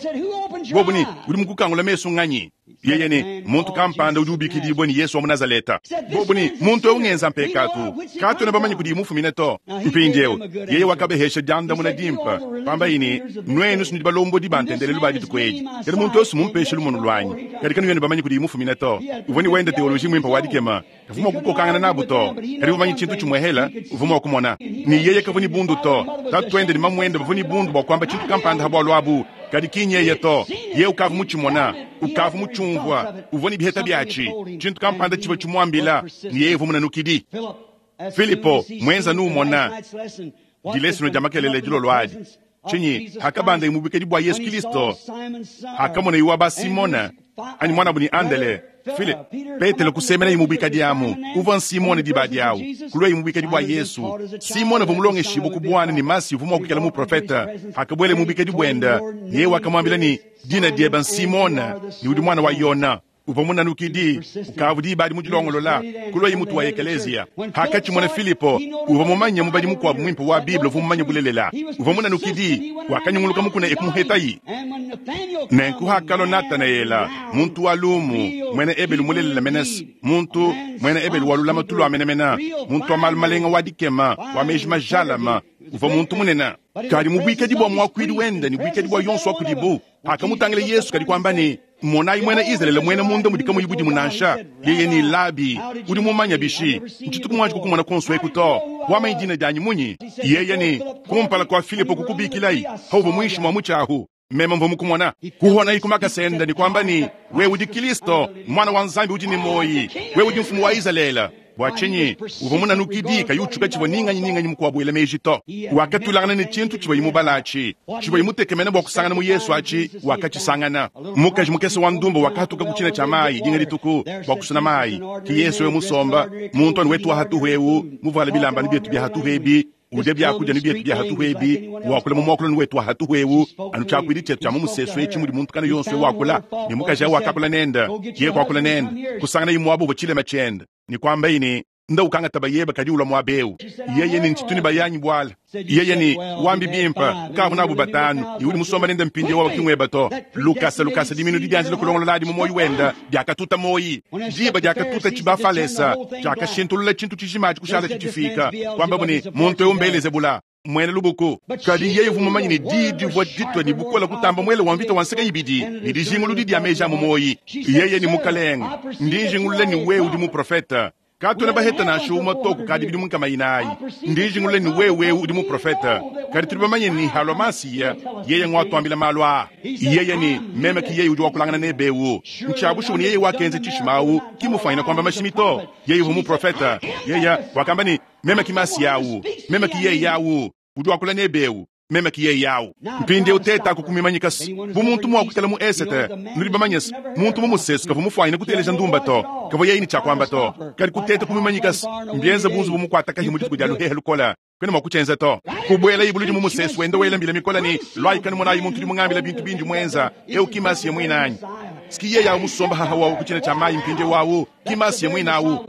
Bobu ne, udi mukukangula mesu nganyi? Yeye ne, muntu kampanda udi ubikidibua ne Yesu wa mu Nazaleta. Bobu ne, muntu eu ngenza mpekatu, katuena bamanye kudiye mufumine to. Mpindieu, yeye wakabehesha diandamuna dimpe, pambaye ne, Nuenu si nudi balombodi ba ntendelelu ba dituku edi, kadi muntu eu si mumpeshe lumonu luanyi, kadi kanuena bamanye kudiye mufumine to. Uvua ne wende teoloji muimpe wa dikema, kavua mua kukokangana nabu to, kadi uvua mumanye tshintu tshimuehela, uvua mua kumona ne yeye kavua ne bundu to. Tatuende ne mamuende bavua ne bundu bua kuamba tshintu kampanda ha bualu abu, kadi ki nyeye to. Yeye ukavua mutshimona, ukavua mutshiumvua, uvua ne biheta biatshi. Tshintu kampanda tshivua tshimuambila ne yeye uvua munanukidi. Filipo muenza numona dilesono dia makelele dilolo adi tshinyi hakabanda mu bukedi bua Yesu Kristo, hakamona iwa ba Simona anyi muanabu ne Andele, Philip, Petelo kusemena mu bikadi amu uvua Simone diba diawu kulua mu bikadi bua Yesu. Simone uvua mulongeshibue ku buana ne Masi uvua mua kuikala muprofete. Hakabuela mu bikadi buende, yeye wakamuambila ne, dina diebe Nsimone ne udi muana wa Yona. Uvua munanukidi, ukavua diba adi mudilongolola kuluaye mutu wa ekeleziya. Hakatshimona Filipo, uvua mumanye mubadi mukuabu muimpe wa Bible uvua mumanye bulelela. Uvua munanukidi, wakanyunguluka mukuna e kumuhetayi. Nenku hakalua Natanaela, muntu wa lumu, muena Ebelu mulelela menes, muntu muena Ebelu wa lulamatu lua menemene, muntu wa malu malenga wa dikema, wa meji majalama, uvua muntu munene. Kadi mu buikadi bua muakuidi wende ne buikadi bua yonso wa kudibu, hakamutangila Yesu kadi kuamba ne, Monayi muena Izalele muena munda mudi kamuyi budimu nansha, yeye ne Labi, udi mumanye bishi? Ntshituku muanji kukumona kuonso eku to. Wamanyi dina dianyi munyi? Yeye ne, kumpala kua Filipo kukubikilayi, hauvua muinshi mua mutshi ahu, meme mvua mukumona. Kuhonayi ku makasa ende ne kuamba ne, wewe udi Kristo, Muana wa Nzambi udi ne muoyi, wewe udi mfumu wa Izalele. Bua tshinyi uvua munanukidi kayi utshuka tshivua ni nganyi ni nganyi mukuabu wela meji to? Wakatulangana ne tshintu tshivuaye mubala atshi, tshivuaye mutekemene bua kusangana mu Yesu atshi, wakatshisangana. Mukaji mukese wa ndumba wakahatuka ku tshina tshia mayi dinga dituku bua kusuna mayi. Ke Yesu eu musomba, muntu anu wetu wa hatuhu eu, muvuale bilamba anu bietu bia hatuhu ebi, udia biakudia anu bietu bia hatuhu ebi, wakula mu muakulu anu wetu wa hatuhu eu, anu tshiakuidi tshietu tshia mu musesu etshi mudi muntu kana yonso eu wakula. Ne mukaji au wakakula nende, yeye kuakula nende, kusanganaye muaba uvua tshilema tshiende, ne kuambaye ne, Nda ukangata bayebe kadi ulua muaba eu. Yeye ne, Ntshitu ne bayanyi buala. Yeye ne, Wambi bimpe, ukavua nabu batanu, ne udi musomba nende mpindieu wawa ki ngueba to. Lukasa lukasa diminu didianjila kulongololadi mu muoyo wende diakatuta muoyi. Diba diakatuta tshibafalesa, tshiakashintulula tshintu tshijima atshi kushalatshi tshifika, kuambabu ne, Muntu eu m'Belezebula. Muena lubuku. Kadi yeye uvua mumanye ne, diyi divua ditua ne bukole kutamba muele wa mvita wa nseke ibidi ne dijinguludi dia meji a mu muoyi. Yeye ne, Mukalenge, ndi njingulula ne wewe udi muprofete. Katuena baheta nansha umue to kukadi bidimu nkama inayi. Ndi njingulula ne wewe udi muprofete. Kadi tudi bamanye ne, halua Masiya, yeye nguatuambila malu aa. Yeye ne, Meme ki yeye udi wakulangana nebe eu. Ntshia bushuwa ne yeye wakenza tshishima au, ki mufwanyine kuamba mashimi to. Yeye uvua muprofete. Yeye wakamba ne, Meme ki Masiya au. Meme ki yeye au udi wakula nebe eu. Meme ki yeye au. Mpindieu tetaku kumimanyika bu muntu mua kuikala mu Esete. Nudi bamanye se, muntu mu musesu kavua mufuanyine kuteleja ndumba to. Kavua yeye ne tshia kuamba to. Kadi kuteta kumimanyika mbienze bu nzubu mukuatakahi mu dituku dia luhehe lukole. Kuena mua kutshienza to. Kubuelayi buludi mu musesu wenda wela mbila mikole ne, Luayi kanumonayi muntu udi mungambila bintu bindi muenza. Eu ki Masiya muinanyi. Ski yeye au musomba haha wawu ku tshina tshia mayi mpindieu au ki Masiya muine au.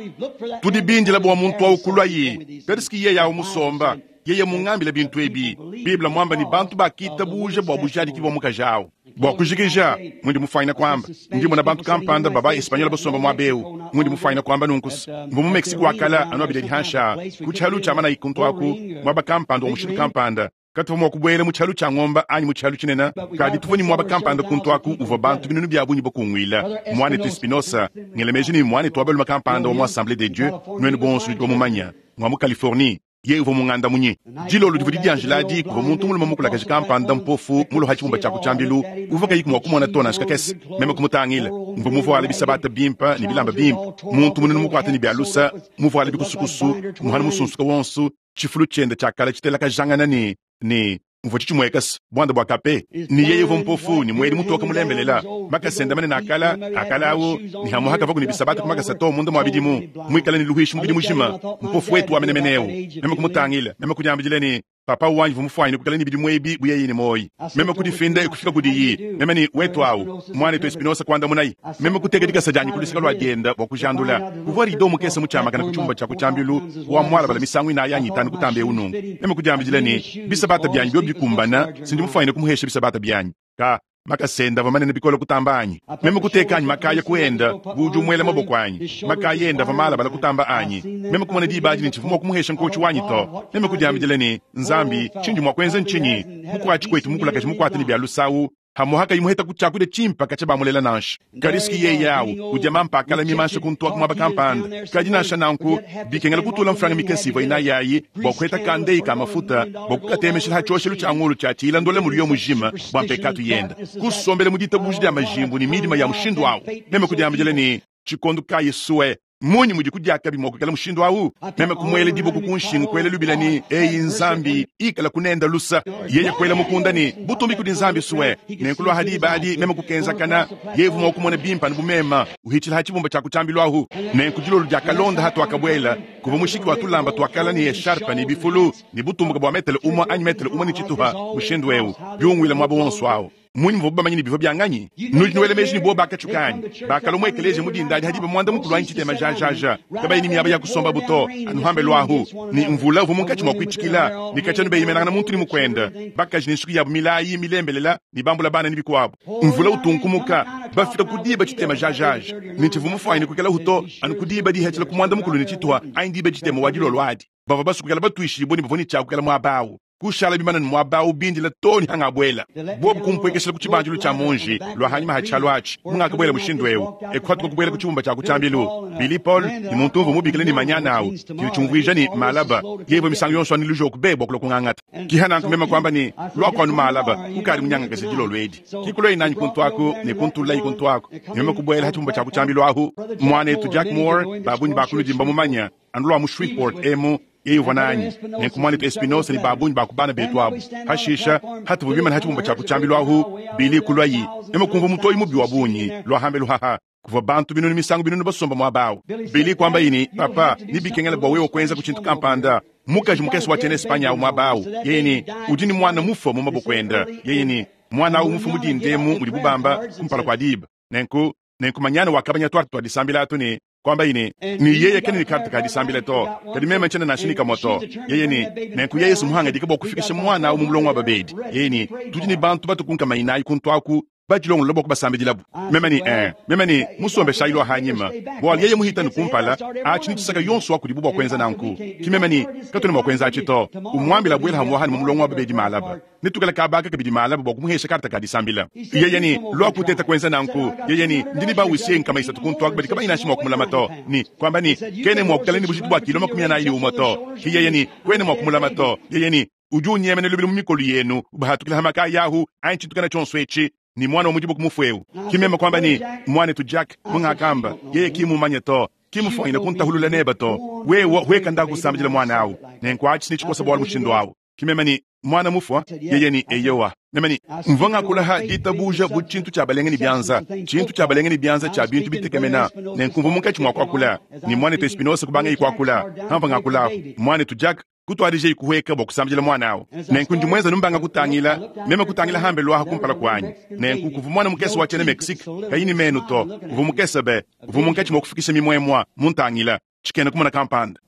Tudi bindila bua muntu au kuluaye. Kadi ski yeye au musomba, yeye mungambila bintu ebi. Bible muamba ne bantu bakitabuja bua bujadiki bua mukaji au. Bua kujikija, mundi mufuanyina kuamba, ndi mona bantu kampanda baba Espanyola basomba muaba eu. Mundi mufuanyina kuamba nunku, mvua mu Mexique wa kala anu abidi adi hanshi aa, ku tshialu tshia manayi kuntu aku, muaba kampanda wa mushindu kampanda. Katuvua mua kubuela mu tshialu tshia ngomba anyi mu tshialu tshinene, kadi tuvua ne muaba kampanda kuntu aku uvua bantu binunu bia bungi bakunguila. Muanetu Espinosa, ngela meji ne muanetu wa balume kampanda wa mu Assemblee de Dieu, nuenu bonso nudi bamumanye, ngua mu Californie. Yeye uvua mungandamunyi. Dilolo divua didianjila adi, kuvua muntu mulume mukulakaje kampanda mpofu mulue ha tshibumba tshia ku tshiambilu, uvua kayiku mua kumona to nansha kakese. Meme kumutangila. Mvua muvuale bisabata bimpe ne bilamba bimpe, muntu mununu mukuate ne bia lusa, muvuale bikusukusu, muhanu musunsuke wonso, tshifulu tshiende tshia kale tshitelakajangana ne ne muvua tshitshimueka se buanda bua kape, ne yeye uvua mpofu ne muedi mutoke mulembelela, makasa ende manene a kala a kala au, ne hamuha kavaku ne bisabata ku makasa to munda mua bidimu, muikale ne luhuishi mubidi mujima, mpofu wetu wa menemene eu. Meme kumutangila, meme kudiambidila ne, Papa wanyi uvua mufuanyine kuikala ne bidimu ebi bu yeye ne muoyi. Meme kudifinda e kufika kudiyi, meme ne, Wetu au, muanetu Espinosa kuandamunaye. Meme kuteka dikasa dianyi ku luseke lua dienda bua kujandula. Kuvua rido mukese mutshiamakane ku tshibumba tshia ku tshiambilu wa mualabala misangu inayi anyi itanu kutamba eu nunku. Meme kudiambidila ne, Bisabata bianyi biobi bikumbana, si ndi mufuanyine kumuhesha bisabata bianyi. Ka, makasa ende avua manene bikole kutamba anyi. Meme kuteka anyi makaya ku enda bu udi umuela maboko anyi. Makaya ende avua malabala kutamba anyi. Meme kumona diba adi ne tshivua mua kumuhesha nkotshi wanyi to. Meme kudiambidila ne, Nzambi, tshindi mua kuenza ntshinyi? Mukuatshi kuetu mukulakaje mukuate ne bia lusawu, Hamuha kayi muhetaku tshiakudia tshimpe katshia bamulela nansha. Kadi siki yeye au udia mampa a kala mimansha kuntu aku muaba kampanda. Kadi nansha nanku, bikengela kutula mfranga mikese ivua inayi ayi bua kuheta kandeyi ka mafuta bua kukatemeshila ha tshioshelu tshia ngolo tshia tshila ndole muliyo mujima bua mpekatu yende. Kusombela mu ditabuja dia majimbu ne midima ya mushindu au, meme kudiambidila ne, Tshikondo kayi sue? Mmunyi mudi kudiakabi mua kuikala mushindu au? Meme kumuela diboko ku nshingu, kuela lubila ne, Eyi Nzambi, ikala kunenda lusa. Yeye kuela mukunda ne, Butumbi kudi Nzambi sue. Nenku lua ha diba adi meme kukenzakana, yeye uvua mua kumona bimpe anu bu meme uhitshila ha tshibumba tshia ku tshiambilu ahu. Nenku dilolo diakalonda hatuakabuela, kuvua mushiki wa tulamba tua kala ne esharpe ne bifulu ne butumbuka bua metele umue anyi metele umue ne tshituha mushindu eu biunguila muaba wonso au. Mmunyi muvuabu bamanye ne bivua bia nganyi? Nudi nuela meji ne bobu bakatshuka anyi? Bakalua mu ekeleziya mu dinda adi ha diba muanda mukulu anyi tshitema jajaja, kabayi ne miaba ya kusombabu to, anu hambelu ahu, ne mvula uvua munkatshi mua kuitshikila, ne katshia anu beyemenangana muntu ne mukuende, bakaji ne nsuki yabu milayi milembelela ne bambula bana ne bikuabu. Mvula utunkumuka, bafika ku diba tshitema jajaja, ne tshivua mufuanyine kuikalahu to, anu ku diba dihetshila ku muanda mukulu ne tshituha anyi diba tshitema wa dilolo adi. Bavua basue kuikala batuishibue ne bavua ne tshia kuikala muaba au. Kushala bimana ne muaba au bindila too ne hangabuela. Bobu kumpuekeshila ku tshibandilu tshia muonji lua hanyima ha tshialu atshi. Mungakabuela mushindu eu, e kuhatuka kubuela ku tshibumba tshia ku tshiambilu. Billy Paul ne muntu umvua mubikile ne manyana au, tshidi tshiumvuija ne, malaba. Yeye uvua misangu yonso anu lujoku be bua kulua kungangata. Ki hananku meme kuamba ne, Luaku anu malaba, kukadi munyangakaje dilolo edi. Ki kuluaye nanyi kuntu aku ne kuntululaye kuntu aku, ne meme kubuela ha tshibumba tshia ku tshiambilu ahu. Muanetu Jack Moore, ba bungi ba kunudi mbamumanye, anu lua mu Shreveport emu, yeye uvua nanyi, nenku muanetu Espinosa ne ba bungi ba ku bana betu abu. Hashisha, hatuvua bimane ha tshibumba tshia ku tshiambilu ahu, Billy kuluayi, meme kumvua mutoyi mubi wa bungi lua hambelu haha. Kuvua bantu binunu misangu binunu basomba muaba au. Billy kuambaye ne, Papa, nebikengele bua wewe kuenzaku tshintu kampanda. Mukaji mukese wa tshiena Espagne au muaba au, yeye ne, udi ne muana mufue mu maboko ende. Yeye ne, muana au mufue mu dinda emu mudibu bamba, kumpala kua diba. Nenku, nenku manyana wakabanya tuarte tua disambila atu ne kuambaye ne, ne yeye kena ne karte ka disambila to, kadi meme ntshiena nansha ne kamue to. Yeye ne, nenku yeye sumuhangadika bua kufikisha muana au mu mulongo wa babedi. Yeye ne, tudi ne bantu batue ku nkama inayi kuntu aku. Badilongolola bua kubasambidilabu. Meme ne, Ee. Meme ne, Musombeshayi lua hanyima, bualu yeye muhita ne kumpala, atshi ne tshisaka yonso wa kudibu bua kuenza nanku. Ki meme ne, Katuena mua kuenza atshi to. Umuambila abuela hamuaha ne mu mulongo wa babedi malaba. Netuikale kaba aka kabidi malaba bua kumuhesha karta ka disambila. Yeye ne, Lua kuteta kuenza nanku. Yeye ne, Ndi ne ba-huissier 300 kuntu aku badi kabayi nansha mua kumulama to. Ne, kuamba ne, Kena mua kuikala ne bujitu bua kilo 41 to. Ki yeye ne, Kuena mua kumulama to. Yeye ne, Udi unyemena lubilu mu mikolo yenu, ubahatukila ha makaya ahu, anyi tshintu kana tshionso etshi, ne muana wa mu diboko mufue eu. Ki meme kuamba ne, Muanetu Jack, mungakamba, yeye ki mumanye to, ki mufuanyine kuntahulula neba to. Wewe hueka nda kusambidila muana au. Nenku atshi ne tshikosa bualu mushindu au. Ki meme ne, Muana mufua? Yeye ne, Eyowa. Meme ne, Mvua ngakula ha ditabuja bu tshintu tshia balenge ne bianza, tshintu tshia balenge ne bianza tshia bintu bitekemena. Nenku mvua munkatshi mua kuakula, ne muanetu Espinosa kubangaye kuakula. Hamvua ngakula apu, muanetu Jack kutuadijayi kuhueka bua kusambidila muana au. Nenku ndi muenza numbanga kutangila, meme kutangila hambelu aha kumpala kuanyi. Nenku kuvua muana mukese wa tshiena Mexique, kayi ne menu to, uvua mukese be, uvua munkatshi mua kufikisha mimuemua, muntangila, tshikena kumona kampanda.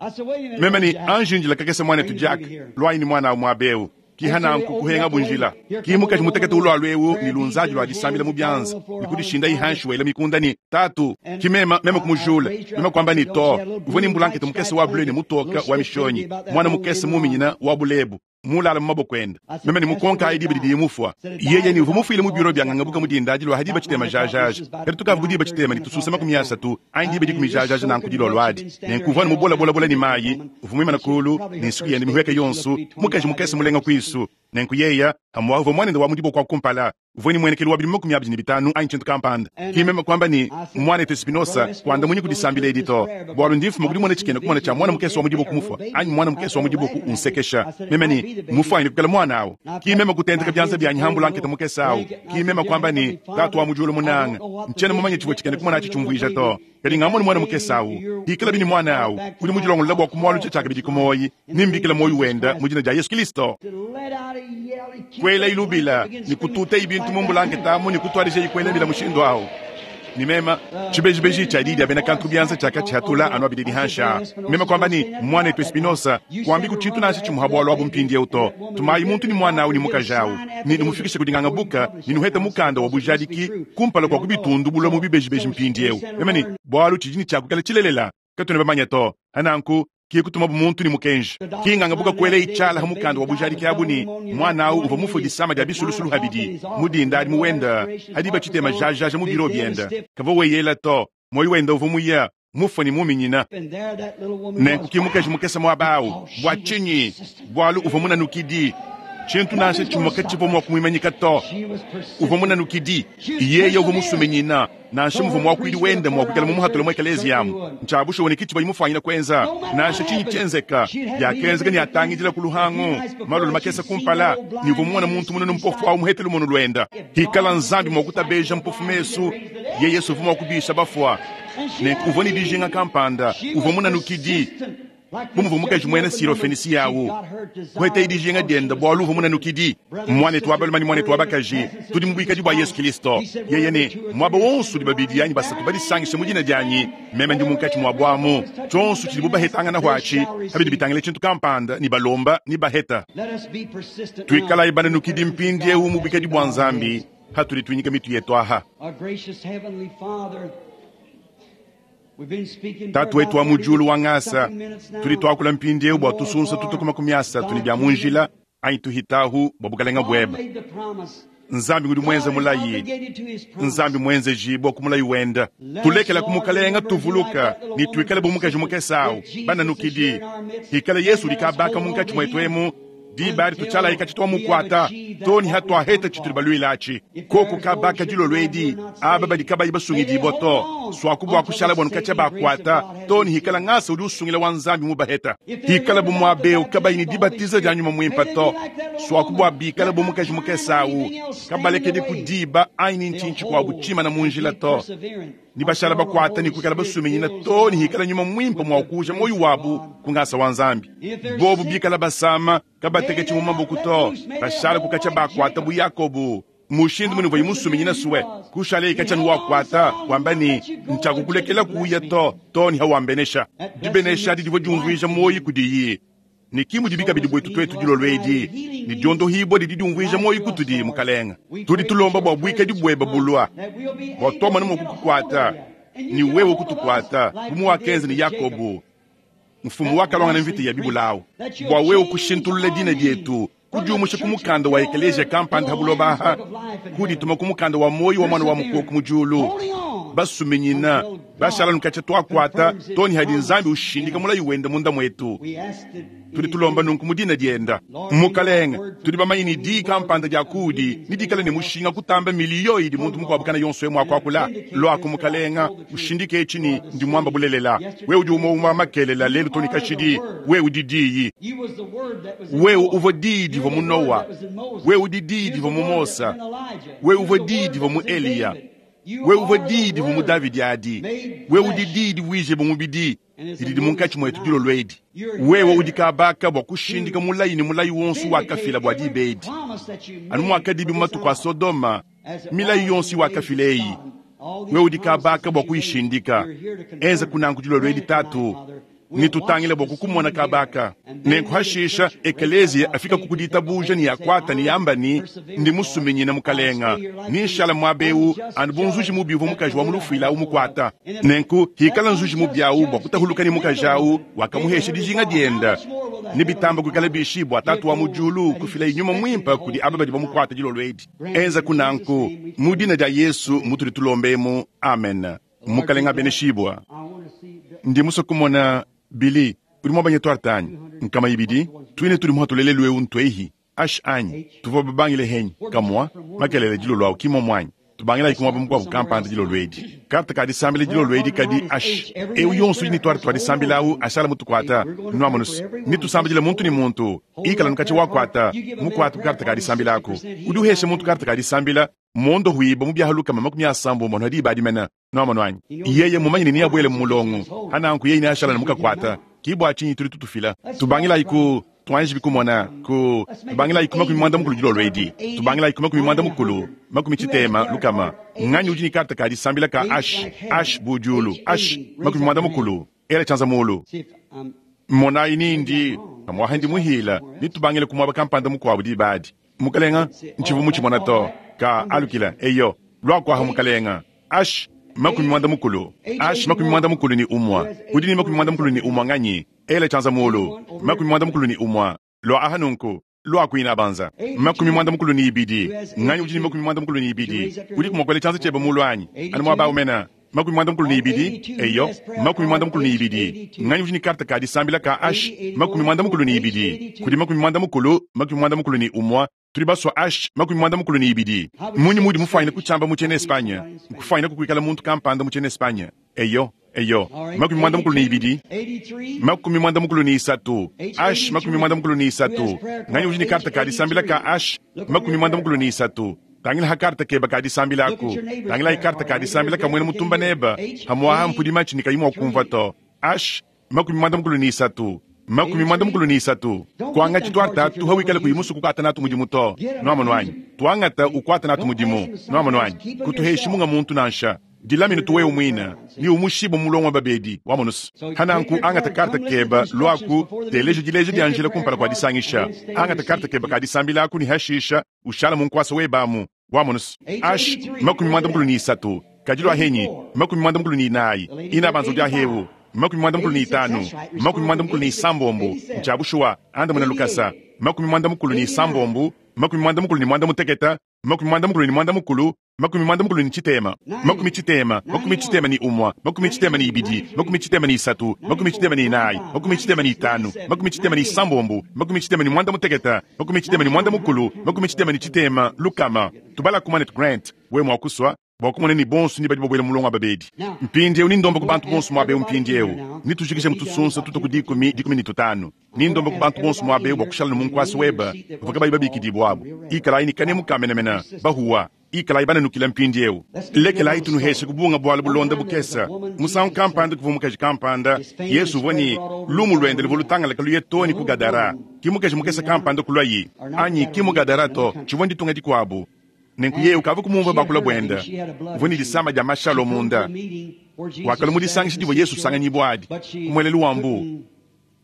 Meme ne, Anji njila kakese muanetu Jack, luayi ne muana au muaba eu. Ki hananku kuhengabu njila. Ki mukaji mutekete ulualu eu ne lunzadi lua disambila mu bianza, ne kudishindayi hanshi wela mikunda ne, Tatu! Ki meme, meme kumujula, meme kuamba ne, To, uvua ne mbulankete mukese wa bleu ne mutoka wa mishonyi, muana mukese muminyina wa bulebu, mulala mu maboko ende. Meme ne mukonkayi diba didiye mufua. Yeye ne uvua mufuile mu biro bia ngangabuka mu dinda adi lua ha diba tshitema jajaja. Kadi tukavua ku diba tshitema ne tususa 30 anyi diba dikumi jajaja nanku dilolo adi. Nenku uvua anu mubolabolabole ne mayi, uvua muimane kulu, ne nsuki yende mihueke yonso, mukaji mukese mulenga kuisu. Nenku yeye, amu uvua muanende wa mu diboko wa kumpala, uvua ne muenekelu wa bidimu 25 anyi tshintu kampanda. Ki meme kuamba ne, Muanetu Espinosa, kuandamunyi ku disambila edi to, bualu ndi mfuma ku dimona tshikena-kumona tshia muana mukese wa mu diboko mufua, anyi muana mukese wa mu diboko unsekesha. Meme ne, Mmufuanyine kuikala muana au. Ki meme kutenteka bianza bianyi ha mbulankete mukese au. Ki meme kuamba ne, Tatu wa mu diulu munanga, ntshiena mumanye tshivua tshikena-kumona atshi tshiumvuija to. Kadi ngamona muana mukese au. Hikalabi ne muana au udi mudilongolola bua kumualuja tshiakabidi ku muoyi, ne mbikila muoyi wenda mu dina dia Yesu Kilisto. Kuelayi lubila ne kutuutayi bintu mu mbulankete amu ne kutuadijayi kuela mbila mushindu au. Ne mema, tshibejibeji tshia diyi dia bena kantu ku bianza tshiakatshihatula anu abidi hanshi aa. Meme kuamba ne, Muanetu Espinosa, kuambiku tshintu nansha tshimue ha bualu abu mpindieu to. Tumayi muntu ne muana au ne mukaji au, ne numufikishe kudi ngangabuka, ne nuhete mukanda wa bujadiki kumpala kua kubitundubula mu bibejibeji mpindieu. Meme ne, Bualu tshidi ne tshia kuikala tshilelela, katuena bamanye to. Hananku, ki kutumabu muntu ne mukenji. Ki ngangabuka kuela tshiala ha mukanda wa bujadiki abu ne, muana au uvua mufue disama dia bisulusulu habidi mu dinda adi mu wenda ha diba tshitema jajaja mu biro bienda. Kavua weyela to, muoyo wenda uvua muya, mufue ne muminyina. Nenku ki mukaji mukese muaba au. Bua tshinyi? Bualu uvua munanukidi. Tshintu nansha tshimue katshivua mua kumuimanyika to. Uvua munanukidi. Yeye uvua musuminyina, nansha muvua muakuidi wende mua kuikala mumuhatule mu ekeleziya amu. Ntshia bushuwa ne ki tshivua mufuanyine kuenza. Nansha tshinyi tshienzeka, biakenzeka ne atangidila ku luhangu malolo makese kumpala, ne uvua mumone muntu mununu mpofu au muhete lumonu luenda. Hikala Nzambi mua kutabeja mpofu mesu, yeye Yesu uvua mua kubisha bafua. Nenku uvua ne dijinga kampanda, uvua munanukidi. Bu muvua mukaji muena Sirofenisiya au kuetaye dijinga diende bualu uvua munanukidi. Muanetu wa balume ne muanetu wa bakaji, tudi mu buikadi bua Yesu Kilisto. Yeye ne, muaba wonso udi babidi anyi basatu badisangisha mu dina dianyi, meme ndi munkatshi muabu amu. Tshionso tshidibu bahetangana atshi, habidi bitangila tshintu kampanda, ne balomba ne baheta. Tuikalayi bananukidi mpindieu mu buikadi bua Nzambi hatudi tuinyika mitu yetu aha. Tatu wetu wa mu diulu wa ngasa, tudi tuakula mpindieu bua tusunsa tutu ku 30 ne bia mu njila anyi tuhitahu bua bukalenga buebe. Nzambi ngudi muenze mulayi, Nzambi muenzejibua ku mulayi wenda. Tulekela ku mukalenga tuvuluka ne tuikale bu mukaji mukese au, bananukidi. Hikala Yesu udi kabaka munkatshi muetu emu, diba adi tutshialayi katshi tuamukuata to ne hatuaheta tshitudi baluila atshi. Koku kabaka dilolo edi, aba badi kabayi basungidibua to, suaku bua kushala buanu katshia bakuata to ne hikala ngasa udi usungila wa Nzambi mubaheta. Hikala bu muabeu kabayi ne dibatiza dia nyuma muimpa to, suaku bua bikala bu mukaji mukese au, kabalekedi ku diba anyi ne ntshinyi tshikuabu tshimana mu njila to, ne bashala bakuata ne kuikala basuminyina to ne hikala nyuma muimpe mua kuuja muoyo wabu ku ngasa wa Nzambi. Bobu bikala basama, kabateketshi mu maboko to, bashala kukatshia bakuata bu Yakobo. Mushindu munuvua musuminyina sue kushala katshia nuwakuata wamba ne, ntshiakukulekela kuya to to ne hawambenesha. Dibenesha adi divua diumvuija muoyo kudiyi. Ne ki mudibi kabidi buetu tuetu dilolo edi, ne diondohibua didi diumvuija muoyo kutudi, Mukalenga. Tudi tulomba bua buikadi bueba bulua, bua tuamona mua kukukuata, ne wewe kutukuata, bu muwakenza ne Yakobo, mfumu wakaluangana mvita ya bibulawu, bua wewe kushintulula dina dietu, kudiumusha ku mukanda wa ekeleziya kampanda ha buloba aha, kudituma ku mukanda wa muoyo wa Muana wa Mukoko mu diulu. Basuminyina, bashala nukatshia tuakuata too ne hadi Nzambi ushindika mulayi wende munda muetu. Tudi tulomba nunku mu dina dienda. Mukalenga, tudi bamanye ne diyi kampanda dia kuudi nedikale ne mushinga kutamba miliyo idi muntu mukuabu kana yonso mua kuakula. Luaku Mukalenga, ushindike etshi ne ndi muamba bulelela. Wewe udi umue umue wa makelela lelu too ne kashidi. Wewe udi Diyi. Wewe uvua Diyi divua mu Noa. Wewe udi Diyi divua mu Mosa. Wewe uvua Diyi divua mu Eliya. Wewe uvua Diyi divua mu Davidi adi. Wewe udi Diyi divuije bu mubidi didi munkatshi muetu dilolo edi. Wewe udi kabaka bua kushindika mulayi ne mulayi wonso wakafila bua diba edi. Anu muakadibi mu matuku a Sodoma, milayi yonso iwakafila eyi, wewe udi kabaka bua kuyishindika. Enza kunanku dilolo edi, Tatu, ne tutangile bua kukumona kabaka. Nenku hashisha ekeleziya afika ku ditabuja ne yakuata ne yamba ne, ndi musuminyina Mukalenga, ne nshala muaba eu anu bu nzuji mubi uvua mukaji wa mu lufuila au mukuata. Nenku hikala nzuji mubi au bua kutahuluka ne mukaji au wakamuhesha dijinga dienda, ne bitamba kuikala bishi bua Tatu wa mu diulu kufila nyuma muimpe kudi aba badi bamukuata dilolo edi. Enza kunanku mu dina dia Yesu mutudi tulombemu, amen. Mukalenga abeneshibua. Ndi musue kumona Billy, udi muabanye tuarte anyi? Nkama ibidi, tuine tudi muhatule lelu eu ntuehi ash anyi? Tuvua babangile henyi kamua makelele dilolo awu ki momu anyi? Tubangilayi ku muaba mukuabu kampanda dilolo edi. Karte ka disambila dilolo edi kadi ash. Eu yonso udi ne tuarte tua disambila awu ashala mutukuata, nuamonus. Ne tusambidila muntu ne muntu, ikala nukatshia wakuata, mukuate ku karte ka disambila aku. Udi uhesha muntu karte ka disambila, mondo huiba mu biaha lukama makumi asambombo anu diba adi mena. Nuamono anyi? Yeye mumanye ne neabuele mu mulongo, hananku yeye neashala ne mukakuata. Ki bua tshinyi tudi tutufila. Tubangilayi ku tuanji bikumona ku tubangilayi ku 40 dilolo edi. Tubangilayi ku 40, 60 lukama. Nganyi udi ne karte ka disambila ka H, H bu diulu, H 40, ela tshianza mulu. Monayi nindi pamuaha ndi muhila, ne tubangile ku muaba kampanda mukuabu diba adi. Mukalenga, ntshivu mutshimona to ka alukila eyo luakuaha mukalenga. H 40, H 41, udi ne 41 nganyi? Ela tshianza mulu. 41, lua aha nunku, lua kuina banza. 42, nganyi udi ne 42? Udi kumuakuela tshianza tshiebe mulu anyi? Anu muaba umena. 42, eyo, 42. Nganyi udi ne karte ka disambila ka H 42? Kudi 90, 81, tudi basua H 42. Munyi mudi mufuanyine kutshiamba mu tshiena Espanye? Nkufuanyine kukuikala muntu kampanda mu tshiena Espanye. Eyo, eyo, 42, 43, H 43. Nganyi udi ne karte ka disambila ka H 43? Tangila ha karte keba ka disambila aku. Tangila ha karte ka disambila ka muena mutumba neba. Hamuaha mpudi matshi ne kayi mua kumvua to. H 43, 43. Kuangatshi tuarte atu hawikala kuyi musu kukuata natu mudimu to. Nuamono anyi? Tuangata ukuata natu mudimu. Nuamono anyi? Kutuheshi munga muntu nansha. Dilamine tuwewe muina, ni umushibo mulongo wa babedi wamonusu. Hananku angata karte keba luaku teleje dileje dia njila kumpala kua disangisha. Angata karte keba ka disambila aku ni hashisha ushala mu nkuasa webamu wamonusu. H 43, kadilwa henyi 44, ina banzo dia hewu 45, 46, nchabushuwa anda muna lukasa 46, 46, 46, 46, 60, 61, 62, 63, 64, 65, 66, 68, 80, lukama. Tubala kumane Grant, we mwakuswa bua kumona ni bonso ni badi babuela mulongo wa babedi. Mpindieu ni ndomba ku bantu bonso muaba eu mpindieu. Ni tujikije mutusunsa tuta ku dikumi, 15. Ni ndomba ku bantu bonso muaba eu bua kushala ne munkuasa weba, bavua kabayi babikidibua abu. Ikalayi ni kanemu ka menemene, bahuwa. Ikalayi bananukila mpindieu. Lekelayi tunuheshe kubunga bualu bulonda bukesa. Musangu kampanda kuvua mukaji kampanda, Yesu uvua ne lumu luende luvua lutangalaka luye too ne ku Gadara. Ki mukaji mukesa kampanda kulwayi. Anyi ki mu Gadara to, tshivua nditunga dikuabu. Nenku yeye ukavua kumumvua bakula buenda. Uvua ne disama dia mashalo munda. Wakala mu disangisha divua Yesu usanganyibua adi, ku muelelu wa mbu.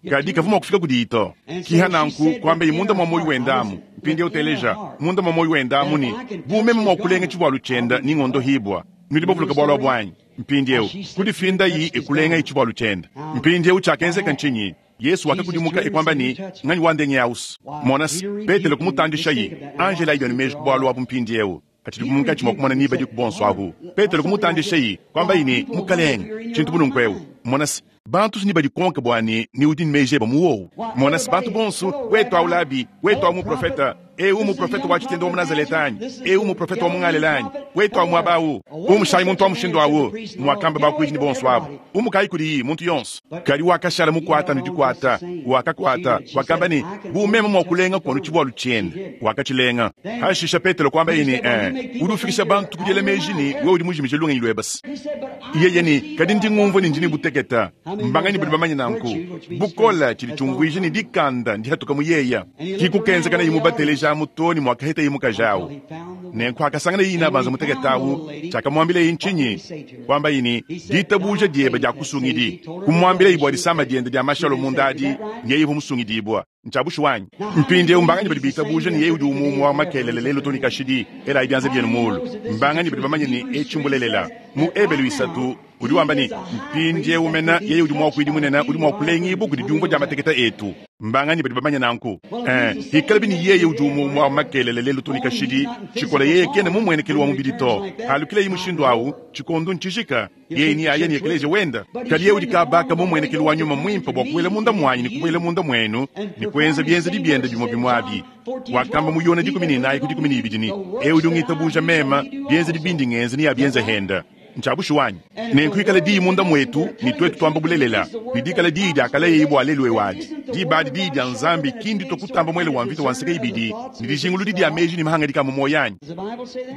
Kadi kavua mua kufika kudiyi to. Kiha nanku kuambaye munda mua muoyo wenda amu, Mpindieu teleja, munda mua muoyo wenda amu ne, Bu meme mua kulenga tshivualu tshienda ne ngondohibua. Nudi bavuluka bualu abu anyi? Mpindieu, kudifindayi e kulengayi tshivualu tshienda. Mpindieu tshiakenzeka ntshinyi? Yesu wakakudimuka e kuamba ne, Nganyi wandengi ausu? Mona se, Petelo kumutandishayi. Angelayi bienu meji ku bualu abu mpindieu. Katshidi munkatshi mua kumona ni badiku bonso abu. Petelo kumutandishayi, kuambayi ne, Mukalenge, tshintu bu nunku eu. Mona se, bantu ni badikonka bua ne ni udi ne meji eba mu wowu. Mona se, bantu bonso, wetu au labi, wetu au muprofeta, eu muprofeta wa tshitende wa mu Nazaleta anyi? Eu muprofeta wa mu Ngalela anyi? Wetu au muaba au. Umushayi muntu wa mushindu au, muakamba bakuidi ne bonso abu. Umukayi kudiyi, muntu yonso. Kadi wakashala mukuata ne dikuata, wakakuata, wakamba ne, Bu meme mua kulenga kuonu tshivualu tshiende. Wakatshilenga. Hashisha Petelo kuambaye ne, Eh, udi ufikisha bantu ku diela meji ne wewe udi mujimije lungenyi luebe. Yeye ne, Kadi ndi ngumvua ne ndi ne buteketa. Mbanganyi badi bamanye nanku? Bukole tshidi tshiumvuija ne dikanda ndihatuka mu yeya. Ki kukenzeka nayi mubatelejamu to ne muakahetaye mukaji awu. Nenku hakasangana yeye inabanza muteketa awu, tshiakamuambilaye ntshinyi? Kuambaye ne, Ditabuja diebe diakusungidi. Kumuambilaye bua disama diende dia mashalo munda adi, ne yeye uvua musungidibua. Ntshia bushuwa anyi? Mpindieu mbanganyi badi bitabuja ne yeye udi umue wa makelele lelu to ne kashidi? Elayi bianza bienu muulu. Mbanganyi badi bamanye ne etshi mbulelela? Mu Ebelu 3 udi wamba ne, mpindieu mena yeye udi muakuidi munene udi mua kulengibua kudi diumvua dia mateketa etu. Mbanganyi badi bamanye nanku? Eh, hikalabi ne yeye udi umue wa makelele lelu to ne kashidi, tshikola yeye kena mumuenekelu wa mubidi to. Halukileyi mushindu awu, tshikondo ntshijika. Yeye ne aya ne ekeleziya wenda. Kadi yeye udi kabaka mumuenekelu wa nyuma muimpe bua kubuela munda muanyi ne kubuela munda muenu ne kuenza bienzedi biende bimue bimue abi. Wakamba mu Yona 14 ku 12 ne, Eu udi ungitabuja meme, bienzedi bindi ngenza neabienze henda. Ntshia bushuwa anyi? Nenku ikala diyi munda muetu ne tuetu tuamba bulelela, ne dikala diyi diakalayeye bua lelu eu adi. Diba adi diyi dia Nzambi ki nditua kutamba muele wa mvita wa nseke ibidi ne dijinguludi dia meji ne mahangadika a mu muoyo anyi?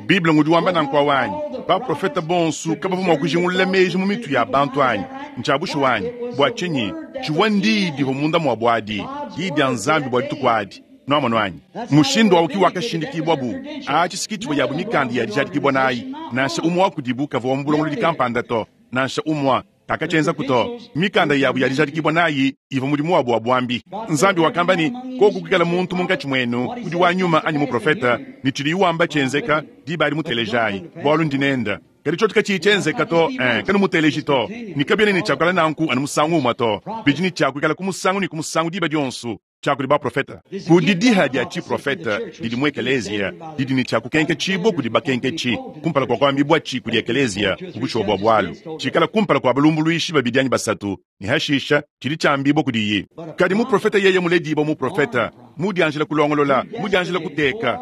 Bible ngudi wamba nanku awu anyi? Baprofete bonso kabavua mua kujingulula meji mu mitu ya bantu anyi? Ntshia bushuwa anyi? Bua tshinyi? Tshivua ndiyi divua munda muabu adi, diyi dia Nzambi bua dituku adi. Nuamonu anyi? Mushindu awu ki wakashindikibua bu atshi si ki tshivua yabu mikanda ya dijadikibua nayi. Nansha umue wa kudibu kavua wa mu bulongolodi kampanda to, nansha umue kakatshienzaku to. Mikanda yabu ya dijadikibua nayi ivua mudimu wabu wa buambi. Nzambi wakamba ne, Koku kuikala muntu munkatshi muenu udi wa nyuma anyi muprofete, ne tshidiye wamba tshienzeka, diba adi mutelejayi, bualu ndi nende. Kadi tshiotshi katshiyi tshienzeka to, kanumuteleji to. Ne kabiena ne tshia kuikala nanku anu musangu umue to, bidi ne tshia kuikala ku musangu ne ku musangu diba dionso. Tshia kudi baprofete. Kudi diha dia tshiprofete didi mu ekeleziya didi ne tshia kukenketshibua kudi bakenketshi kumpala kua kuambibuatshi kudi ekeleziya mu bushuwa bua bualu, tshikala kumpala kua balumbuluishi babidi anyi basatu, ne hashisha tshidi tshiambibua kudiyi. Kadi muprofete yeye muledibua muprofete, mudianjila kulongolola, mudianjila kuteka,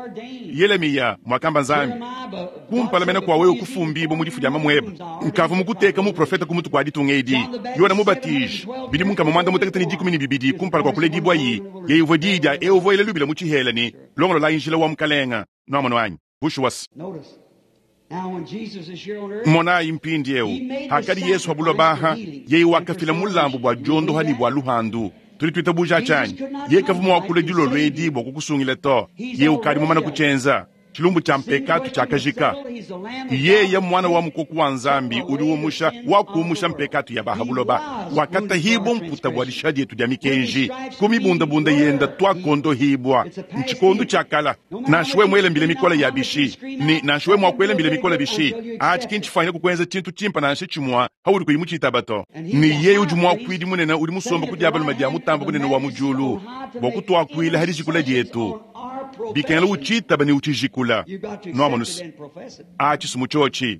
Yelemiya, muakamba Nzambi, kumpala mena kua wewe kufumbibua mu difu dia mamuebe, nkavua mukuteka muprofete ku mutu kua ditunga edi. Yona Mubatiji, bidimu 612 kumpala kua kuledibuayi, yeye uvua diyi dia eu uvua ela lubila mu tshihela ne, Longololayi njila wa Mukalenga. Nuamonu anyi? Bushuwa se. Monayi mpindieu, hakadi Yesu pa buloba aha, yeye wakafila mulambu bua diondoha ne bua luhandu. Tudi tuitabuja tshianyi? Yeye kavua mua kula dilolo edi bua kukusungila to. Yeye ukadi mumane kutshienza. Tshilumbu tshia mpekatu tshiakajika. Yeye muana wa mukoko wa Nzambi udi umusha wakumusha mpekatu ya ba ha buloba. Wakatahibua mputa bua dishiha dietu dia mikenji. Ku mibundabunda yenda tuakondohibua. Ntshikondo tshia kala. Nansha wewe muele mbila mikole ya bishi, ne nansha wewe mua kuela mbila mikole bishi, atshi ki ntshifuanyine kukuenza tshintu tshimpe nansha tshimue paudi kuyi mutshitaba to. Ne yeye udi muakuidi munene udi musombe ku dia balume dia Mutambe Bunene wa mu diulu bua kutuakuila ha dijikula dietu. Bikengela utshitaba ne utshijikula. Nuamonu se, atshi si mu tshiotshi.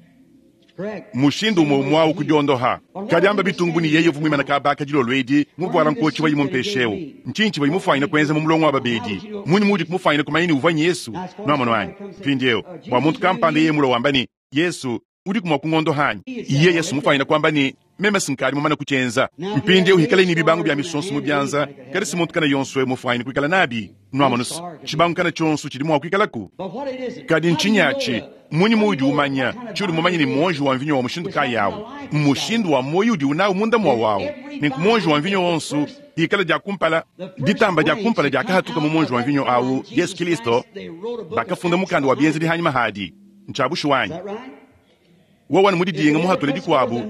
Mushindu umue umue au kudiondoha. Kadi amba bitungu bu ne yeye uvua muimane kaba aka dilolo edi, muvuala nkotshi wayi mumpeshe eu. Ntshinyi tshivuaye mufuanyine kuenza mu mulongo wa babedi? Mmunyi muudi kumufuanyine kumanya ne uvua n'Yesu? Nuamonu anyi? Mpindieu, bua muntu kampanda yeye mulue wamba ne, Yesu, udiku mua kungondoha anyi? Yeye si mufuanyine kuamba ne, Meme si nkadi mumane kutshienza. Mpindieu hikalayi ne bibangu bia misonso mu bianza, kadi si muntu kana yonso eu mufuanyine kuikala nabi. Nuamonu se, tshibangu kana tshionso tshidi mua kuikalaku. Kadi ntshinyi atshi? Mmunyi muudi umanya tshiudi mumanye ne muonji wa mvinyo wa mushindu kayi au? Mmushindu wa muoyo udiwu nawu munda muawu au. Nenku muonji wa mvinyo wonso ikala dia kumpala, ditamba dia kumpala diakahatuka mu muonji wa mvinyo au, Yesu Kilisto, bakafunda mukanda wa bienzedi hanyima hadi. Ntshia bushuwa anyi? Wowa ne mudidinga muhatule dikuabu,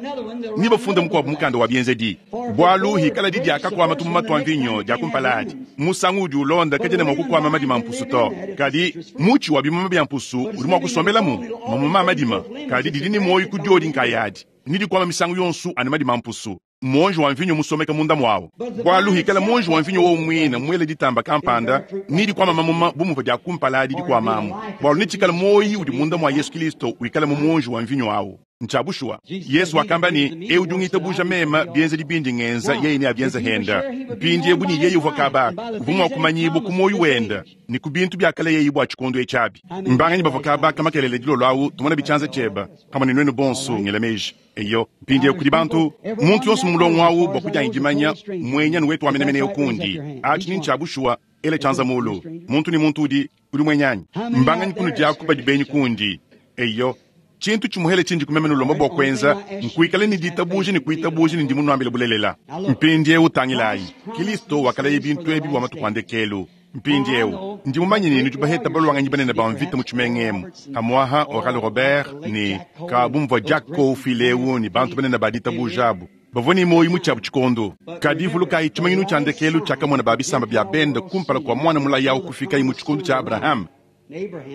ne bafunde mukuabu mukanda wa bienzedi. Bualu hikala di diakakuama tumuma tua mvinyo dia kumpala adi, musangu udi ulonda kadiena mua kukuama madima a mpusu to. Kadi mutshi wa bimuma bia mpusu udi mua kusombelamu mamuma a madima, kadi didi ne muoyo ku diodi nkayadi, ne dikuama misangu yonso anu madima a mpusu. Muonji wa mvinyo musomeka munda muawu. Bualu hikala muonji wa mvinyo wowu muine muele ditamba kampanda, nedikuama mamuma bu muvua dia kumpala adi dikuamamu, bualu netshikale muoyi udi munda mua Yesu Kilisto wikala mu muonji wa mvinyo awu. Ntshia bushuwa. Yesu wakamba ne, Eu udi ungitabuja meme, bienzedi bindi ngenza, yeye neabienze henda. Mpindiewu ne yeye uvua kaba, uvua mua kumanyibua ku muoyi wenda ne ku bintu biakalayeye bua tshikondo etshi abi. Mbanganyi bavua kaba ka makelela dilolo awu? Tumona bi tshianza tshieba pamue ne nuenu bonso, ngela meji. Eyo, mpindieu kudi bantu, muntu yonso mu mulongo awu bua kudianyi dimanya, muenyanu wetu wa menemene eu kundi. Atshi ni ntshia bushuwa, ela tshianza mulu. Muntu ne muntu udi, udi muenyanyi. Mbanganyi kunudi aku badi benyi kundi? Eyo, tshintu tshimuhele tshindi kumeme nulomba bua kuenza nkuikala ne ditabuja ne kuitabuja ne ndi munuambile bulelela. Mpindieu tangilayi, Kilisto wakalaya bintu ebi bua matuku a ndekelu. Mpindieu, ndi mumanye ne nudi baheta baluanganyi banene ba mvita mu tshimenga emu, pamuaha Oral Robert ne ka bu muvua Jack Coe ufuile eu ne bantu banene ba ditabuja abu bavua ne muoyo mu tshiabu tshikondo. Kadi vulukayi tshimanyinu tshia ndekelu tshiakamona ba bisamba bia bende kumpala kua muana mulayi au kufikaye mu tshikondo tshia Abrahame,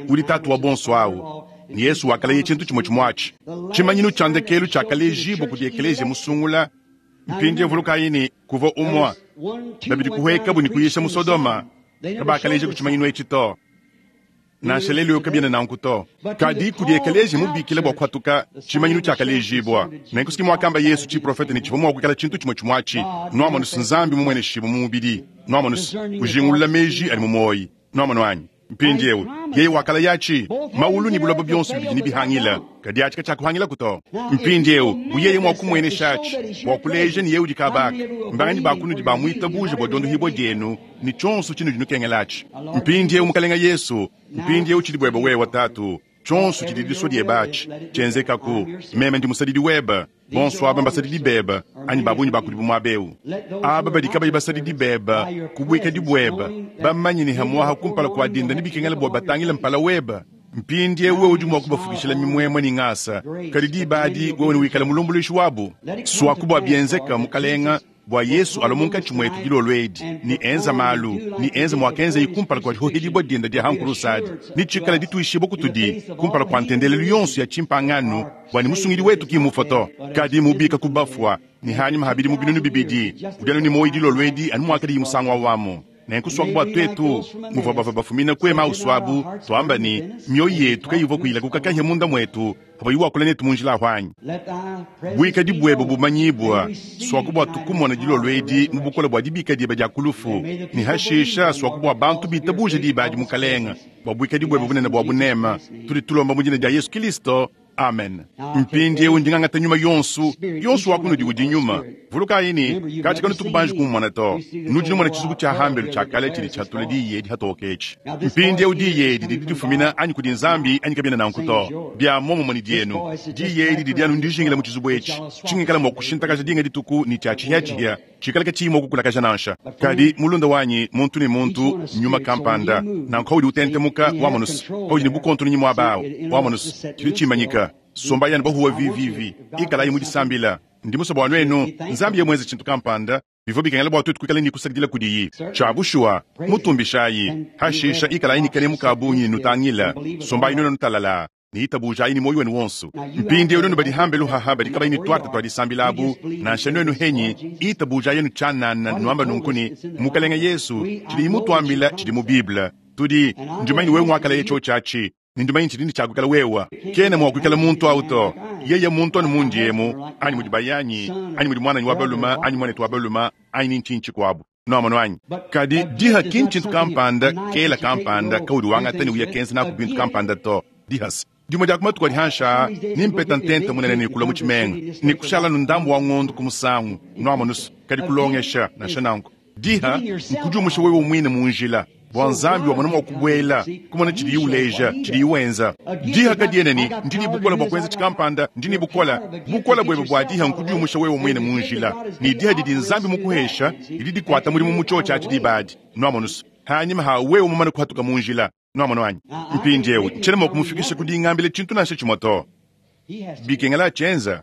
udi tatu wa bonso au, ne Yesu wakalaya tshintu tshimue tshimue atshi. Tshimanyinu tshia ndekelu tshiakalejibua kudi ekeleziya musungula. Mpindieu vulukayi ne, kuvua umue, babidi kuhuekabu ne kuyisha mu Sodoma, kabakaleja ku tshimanyinu etshi to. Nansha lelu eu kabiena nanku to. Kadi kudi ekeleziya mubikila bua kuhatuka, tshimanyinu tshiakalejibua. Nenku si muakamba Yesu tshiprofete ne tshivua mua kuikala tshintu tshimue tshimue atshi. Nuamonu Nzambi mumueneshibue mu mubidi. Nuamonu ujingulula meji adi mu muoyi. Nuamonu anyi? Mpindieu yeye wakalaya atshi, mawulu ne buloba bionso bibidi nebihangile, kadi atshi katshiakuhangilaku to. Mpindieu bu yeye mua kumuenesha atshi bua kuleja ne yeye udi kabaka, mbanganyi ba kunudi bamuitabuja bua diondohibua dienu ne tshionso tshinudi nukengela atshi. Mpindieu Mukalenga Yesu, mpindieu tshidi buebe wewe Tatu, tshionso tshidi disua diebe atshi tshienzekaku. Meme ndi musadidi webe. Bonso aba mbasadidi bebe, anyi ba bungi ba kudibu muaba eu. Aba badi kabayi basadidi bebe, ku buikadi buebe, bamanye ne hamuaha kumpala kua dinda nebikengele bua batangile mpala webe. Mpindieu wewe udi mua kubafukishila mimuemue ne ngasa, kadi diba adi wewe newikale mulumbuluishi wabu. Suaku bua bienzeka, Mukalenga, bua Yesu alua munkatshi muetu dilolo edi ne enza malu ne enza muakenzaye kumpala kua dihohedibua dienda dia hankulusa adi, ne tshikala dituishibua kutudi kumpala kua ntendelelu yonso ya tshimpangano, bua ne musungidi wetu ki mufua to, kadi mubika ku bafua, ne hanyima ha bidimu binunu bibidi udi anu ne muoyo dilolo edi anu muakadiye musangu awamu. Nenku suaku bua tuetu muvua bavua bafumina ku Emausu abu, tuamba ne mioyo yetu kayivua kuyilakuka kahia munda muetu pavua wakula netu mu njila ahu anyi? Buikadi buebe bumanyibua, suaku bua tukumona dilolo edi mu bukole bua dibika diebe dia ku lufu, ne hashisha suaku bua bantu bitabuja diba adi Mukalenga, bua buikadi buebe bunene bua bunema, tudi tulomba mu dina dia Yesu Kilisto. Amen. Mpindieu ndi ngangata nyuma yonso, yonso wa kunudi udi nyuma. Vulukayi ne, katshi kanutu kubanji kumumona to. Nudi numona tshizuku tshia hambelu tshia kale tshidi tshiatula diyi edi hatoke etshi. Mpindieu diyi edi didi difumina anyi kudi Nzambi anyi kabiena nanku to. Bia muomumue ne dienu, diyi edi didi anu ndijingila mu tshizubu etshi, tshingikala mua kushintakaja dinga dituku ne tshia tshihiatshihia tshikala katshiyi mua kukulakaja nansha. Kadi mulunda wanyi, muntu ne muntu nyuma kampanda, nanku paudi utentemuka wamonus, paudi ne bukontononyi muaba awu wamonus, tshidi tshimanyika. Sombayi anu bahuwa vivivi, ikalayi mu disambila. Ndi musue bua nuenu, Nzambi ye muenze tshintu kampanda, bivua bikengela bua tuetu kuikala ne kusakidila kudiyi. Tshia bushuwa, mutumbishayi, hashisha ikalayi ne kanemu ka bungi ne nutangila. Sombayi nuenu nutalala ne itabujayi ne muoyo wenu wonso. Mpindieu nuenu badi hambelu haha badi kabayi ne tuarte tua disambila abu, nansha nuenu henyi, itabujayi anu tshianana nuamba nunku ne, Mukalenga Yesu, tshidi mutuambila tshidi mu Bible. Tudi, ndi mumanye ne wewe nguakalaya tshiotshi atshi, ne ndi mumanye tshidi ne tshiakuikala wewe. Kena mua kuikala muntu au to. Yeye muntu anu mundi emu, anyi mudi bayanyi, anyi mudi muananyi wa balume, anyi muanetu wa balume, anyi ni ntshinyi tshikuabu. Nuamonu anyi? Kadi diha ki ntshintu kampanda kela kampanda kaudi wangata ne uya kenza naku bintu kampanda to. Dihasa dimue dia ku matuku adi hanshi aa, nimpeta ntenta munene ne kulua mu tshimenga ne kushala nu ndambu wa ngondo ku musangu. Nuamonu se, kadi kulongesha nansha nanku. Diha nkudiumusha wewe muine mu njila bua Nzambi wamona mua kubuela, kumona tshidiye uleja, tshidiye wenza. Diha kadiena ne, ndi ne bukole bua kuenza tshikampanda, ndi ne bukole. Bukole buebe bua diha nkudiumusha wewe muine mu njila, ne diha didi Nzambi mukuhesha didi dikuata mudimu mu tshiotshi atshi diba adi. Nuamonu se, hanyima ha wewe mumane kuhatuka mu njila. Nuamonu anyi? Mpindieu ntshiena mua kumufikisha ku dingambila tshintu nansha tshimue to. Bikengela atshienza.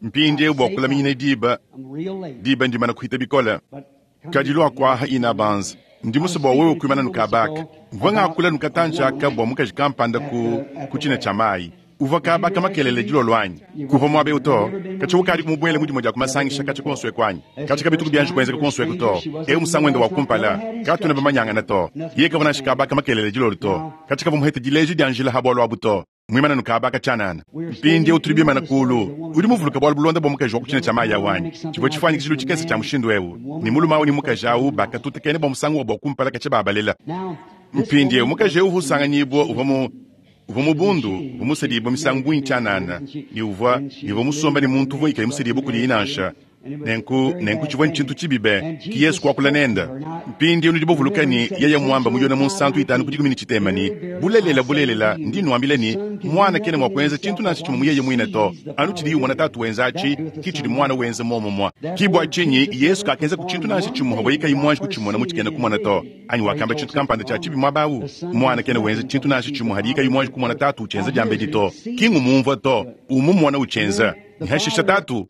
Mpindieu bua kulaminyina diba, diba ndimana kuhita bikole. Kadi lua kuaha inabanza. Ndi musue bua wewe kuimana nukabaka. Mvua ngakula nukatanji aka bua mukaji kampanda ku, ku tshina tshia mayi. Uvua kabaka makelele dilolo anyi? Kuvua muaba eu to. Katshia ukadi kumubuele mu dimue dia kumasangisha katshia kuonso eku anyi? Katshia kabituku bianji kuenzeka kuonso eku to. Eu musangu wende wa kumpala. Katuena bamanyangana to. Yeye kavua nansha kabaka makelele dilolo to. Katshia kavua muhete dileji dia njila ha bualu abu to. Muimana nukabaka tshianana. Mpindieu tudi bimana kulu. Udi muvuluka bualu bulonda bua mukaji wa ku tshina tshia mayi awu anyi? Tshivua tshifuanyikishilu tshikese tshia mushindu eu. Ne mulume awu ne mukaji awu bakatutakena bua musangu wabu wa kumpala katshia babalela. Mpindieu mukaji eu uvua usanganyibua uvua mu uvua mu bundu, uvua musedibue misangu bungi tshianana, ne uvua ne uvua musomba ne muntu uvua kayi musedibue kudiye nansha. Nenku, nenku tshivua ntshintu tshibi be, ki Yesu kuakula nende. Mpindieu nudi bavuluka ne, yeye muamba mu Yone Munsantu itanu ku dikumi ne tshitema ne, Bulelela, bulelela, ndi nnuambila ne, Muana kena mua kuenza tshintu nansha tshimue mu yeye muine to, anu tshidiye umona Tatu wenza atshi, ki tshidi Muana wenza muomumue. Ki bua tshinyi Yesu kakenzaku tshintu nansha tshimue pavuaye kayi muanji kutshimona mu tshikena-kumona to. Anyi wakamba tshintu kampanda tshia tshibi muaba au? Muana kena wenza tshintu nansha tshimue hadiye kayi muanji kumona Tatu utshienza diambedi to. Ki ngumumvua to, umumona utshienza. Ne hashisha Tatu.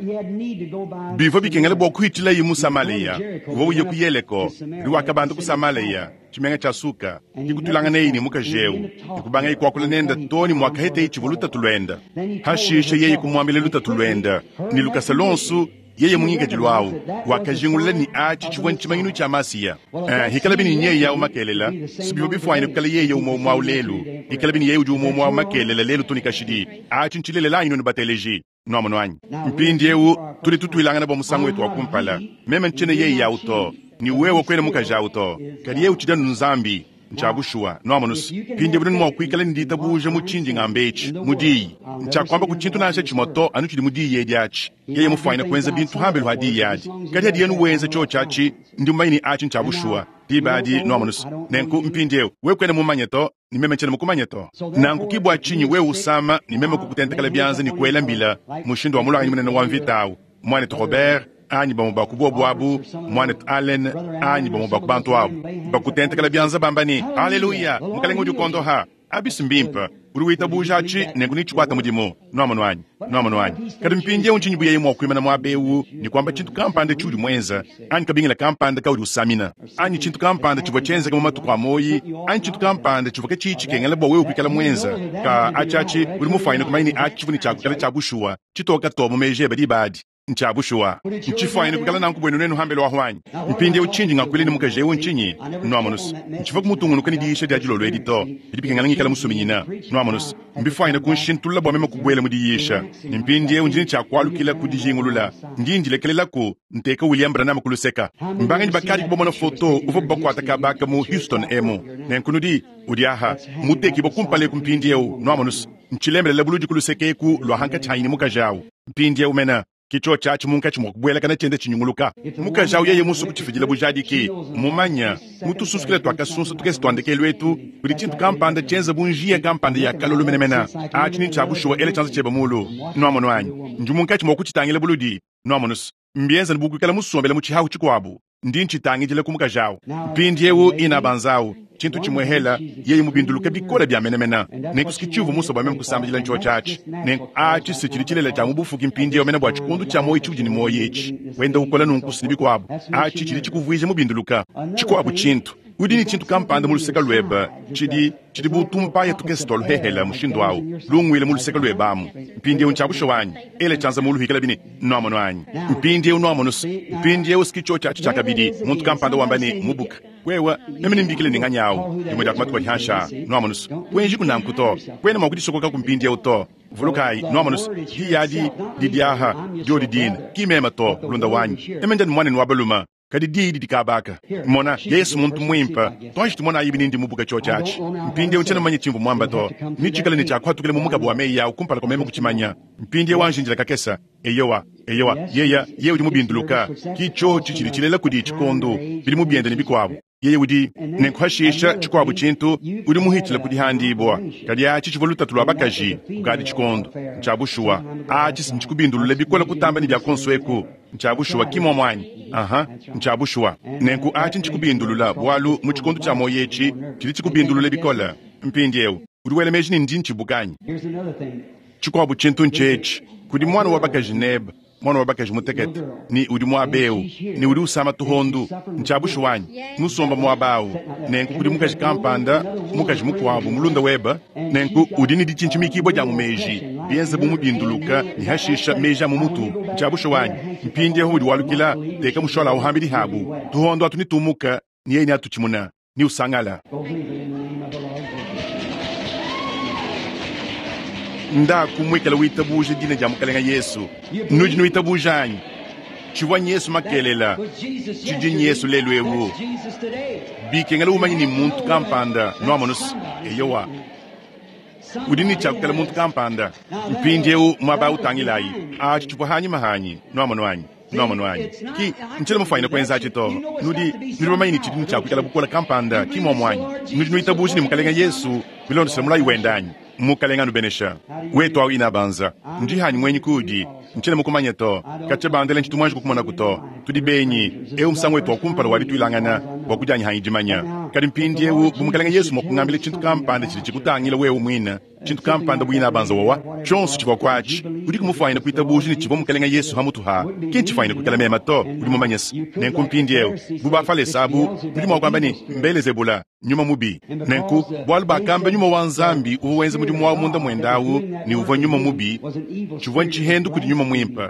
Bivua bikengela bua kuhitshilaye mu Samalea. Uvua uya ku Yeleko, kadi wakabanda ku Samalea, tshimenga tshia Suka. Ke kutuilanganaye ne mukaji eu, ne kubangaye kuakula nende too ne muakaheteye tshivua lutatu luende. Hashisha yeye kumuambila lutatu luende ne lukasa luonso. Yeye mu ngikadilu au wakajingulula ne atshi tshivua ntshimanyinu tshia Masiya. Eh, hikalabi ne nyeye au makelela, si bivua bifuanyine kukala yeye umue umue au lelu. Hikalabi ne yeye udi umue umue au makelela lelu to ne kashidi. Atshi ntshilelela anyi nuenu bateleji? Nuamonu anyi? Mpindieu tudi tutuilangana bua musangu wetu wa kumpala. Meme ntshiena yeye au to, ne wewe kuena mukaji au to. Kadi yeye utshidi anu Nzambi. Ntshia bushuwa. Nuamonu's? Mpindieu nudi mua kuikala ne ditabuja mu tshindi ngamba etshi, mu Diyi. Ntshiakuamba ku tshintu nansha tshimue to anu tshidi mu Diyi edi atshi. Yeye mufuanyine kuenza bintu hambelu ha Diyi adi. Kadi hadiye anu wenza tshiotshi atshi, ndi mumanye ne atshi ntshia bushuwa. Diba adi, nuamonu's? Nenku, mpindieu, wewe kuena mumanye to, ne meme ntshiena mukumanye to. Nanku ki bua tshinyi wewe usama ne meme kukutentekela bianza ne kuela mbila, mushindu wa muluanganyi munene wa mvita awu, Muanetu Robert, anyi bamue ba ku bobu abu, Muanetu Allen, anyi bamue ba ku bantu abu, bakutentekela bianza bamba ne, Aleluya, Mukalenge udi ukondoha. Abi si mbimpe. Udi witabuja atshi, nenku netshikuate mudimu. Nuamonu anyi? Nuamonu anyi? Kadi mpindieu ntshinyi bu yeye mua kuimana muaba eu ne kuamba tshintu kampanda tshiudi muenza, anyi kabingila kampanda kaudi usamina, anyi tshintu kampanda tshivua tshienzeke mu matuku a muoyi, anyi tshintu kampanda tshivua katshiyi tshikengela bua wewe kuikala muenza? Ka, atshi, atshi, udi mufuanyine kumanya ne atshi tshivua ne tshia kuikala tshia bushuwa, tshitoke too mu meji ebe diba adi. Ntshia bushuwa. Ntshifuanyine kuikala nanku buenu nuenu hambelu ahu anyi? Mpindieu tshindi ngakuila ne mukaji eu ntshinyi? Nuamonu's, ntshivua kumutungunuka ne diyisha dia dilolo edi to. Bidi bikengela ngikala musuminyina. Nuamonu's, mbifuanyine kunshintulula bua meme kubuela mu diyisha. Ne mpindieu ndi ne tshia kualukila ku dijingulula. Ndi ndilekelelaku nteka William Branham ku luseka. Mbanganyi bakadi kubamona foto uvuabu bakuata kaba aka mu Houston emu? Nenku nudi, udi aha, mutekibue kumpala eku mpindieu. Nuamonu's, ntshilembelela buludi ku luseke eku lua hankatshi hanyi ne mukaji au. Mpindieu mena, ke tshiotshi atshi munkatshi mua kubuelakana tshienda tshinyunguluka. Mukaji au yeye musue kutshifidila bujadiki, mmumanye mu tusunsukila tua kasunsa tukese tua ndekelu etu kudi tshintu kampanda tshienza bu njiya kampanda ya kalolo menemene. Atshi ni ntshia bushuwa, ela tshianza tshiebe muulu. Nuamonu anyi? Ndi munkatshi mua kutshitangila buludi. Nuamonu's, mbienza anu bu kuikala musombele mu tshihahu tshikuabu. Ndi ntshitangidila ku mukaji awu. Mpindiewu, inabanza awu, tshintu tshimuehela, yeye mubinduluke bikole bia menemene. Nenku s'ki tshiuvua musue bua meme kusambidila ntshiotshi atshi. Nenku atshi si tshidi tshilela tshia mu bufuki mpindiewu mene bua tshikondu tshia muoyi tshiudi ne muoyi etshi, wenda ukola nunku's ne bikuabu. Atshi tshidi tshikuvuija mubinduluka. Tshikuabu tshintu, udi ne tshintu kampanda mu luseke luebe, tshidi, tshidi bu tumpaya tukese tua luhehela mushindu awu, lunguile mu luseke luebe amu. Mpindiewu ntshia bushuwa anyi? Ela tshianza muulu hikalabi ne nuamonu anyi? Mpindiewu nuamonu mpindiewu s'ki tshiotshi atshi tshiakabidi. Muntu kampanda wamba ne, Mubuka wewe, meme nembikile ne nganyi awu dimue dia ku matuku adi hanshi aa. Nuamonu kuenjiku nanku to, kuena mua kudisokokaku mpindiewu to. Vulukayi, nuamonu diyi adi didi aha, diodi dine, ki meme to, mulunda wanyi, meme ndi anu muanenu wa balume. Kadi diyi didi kaba aka. Mona, Yesu muntu muimpe. Tuanji tumonayi bini ndi mubuka tshiotshi atshi. Mpindieu tshiena mumanye tshimvua muamba to. Netshikale ne tshia kuhatukila mu mukaba wa meyi au kumpala kua meme kutshimanya. Mpindieu anji indila kakese. Eyowa, eyowa, yeya, yeye udi mubinduluka. Ki tshiotshi tshidi tshilela kudi tshikondo, bidimu biende ne bikuabu. Yeye udi, nenku hashisha, tshikuabu tshintu, udi muhitshile ku dihandibua. Kadi atshi tshivua lutatu lua bakaji kukadi tshikondo. Ntshia bushuwa. Atshi si ntshikubindulule bikole kutamba ne bia kuonso eku. Ntshia bushuwa, ki muomu anyi? Aha, ntshia bushuwa. Nenku atshi ntshikubindulula, bualu mu tshikondo tshia muoyo etshi, tshidi tshikubindulule bikole. Mpindieu, udi wela meji ne ndi ntshibuka anyi? Tshikuabu tshintu ntshietshi, kudi mwana wa bakaji nebe, mwana wa bakaji mutekete, ne udi muaba eu, ne udi usama tuhondu. Ntshia bushuwa anyi? Musomba muaba au. Nenku kudi mukaji kampanda, mukaji mukuabu, mulunda webe, nenku udi ne ditshintshimikibua dia mu meji, bienze bu mubinduluka ne hashisha meji a mu mutu. Ntshia bushuwa anyi? Mpindieu udi walukila, teka mushola awu hambidi habu, tuhondo atu nitumuka, ne yeye neatutshimuna, ne usangala. Ndaku muikale witabuja dina dia Mukalenge Yesu. Nudi nuitabuja anyi? Tshivua Yesu makelela, tshidi Yesu lelu eu. Bikengela umanye ni muntu kampanda, nuamonusu. Eyowa. Udi ne tshia muntu kampanda. Mpindieu muaba utangilayi. Atshi tshivua hanyima hanyi, nuamono anyi? Nuamono anyi? Ki ntshiena mufuanyine kuenza atshi to. Nudi nudi bamanye ne tshidi ne tshia kuikala bukole kampanda, ki muomu anyi? Nudi nuitabuja ne Mukalenge Yesu bilondeshile mulayi wende anyi? Mukalenge anubenesha. Wetu awu inabanza. Ndi hanyi mwenyi kuudi. Ntshiena mukumanye to. Katshia bandela ntshitu muanji kukumonaku to. Tudi benyi. Eu musangu wetu wa kumpala wa dituilangana bua kudianyi hanyi dimanya. Kadi mpindieu bu Mukalenge Yesu mua kungambila tshintu kampanda tshidi tshikutangila wewe muine, tshintu kampanda bu inabanza wawa, tshionso tshivua kuatshi, udi kumufuanyina kuitabuja ne tshivua Mukalenge Yesu hamutu ha, ki ntshifuanyine kuikala mema to, udi mumanye se. Nenku mpindieu, bu Bafalese abu, nudi mua kuamba ne, Mbelezebula, nyuma mubi. Nenku, bualu bakamba nyuma wa Nzambi uvua wenza mudimu wawu munda muende awu ne uvua nyuma mubi, tshivua ntshihendu kudi nyuma muimpe,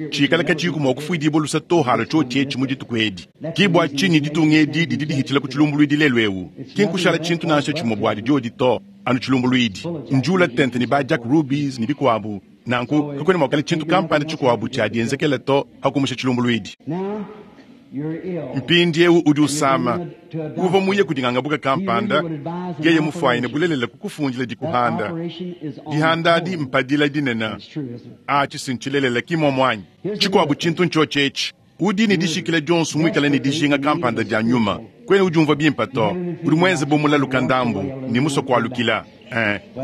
tshikala katshiyiku mua kufuidibua lusa to halo tshiotshi etshi mu dituku edi. Ki bua tshinyi ditunga edi didi dihitshila ku tshilumbuluidi lelu eu, ki nkushala tshintu nansha tshimue buadi diodi to, anu tshilumbuluidi. Njuula tente ne ba Jack Rubies ne bikuabu, nanku kakuena mua kukala tshintu kampanda tshikuabu tshia dienzekela to hakumusha tshilumbuluidi. Mpindieu udi usama. Uvua muye kudi ngangabuka kampanda, yeye mufuanyine bulelela kukufundila dikuhanda. Dihanda adi mpadila dinene. Atshi si ntshilelela, ki muomu anyi? Tshikuabu tshintu ntshiotshi etshi. Udi ne dishikila dionso muikale ne dijinga kampanda dia nyuma. Kuena udiumvua bimpe to. Udi muenze bu mulaluka ndambu ne musue kualukila.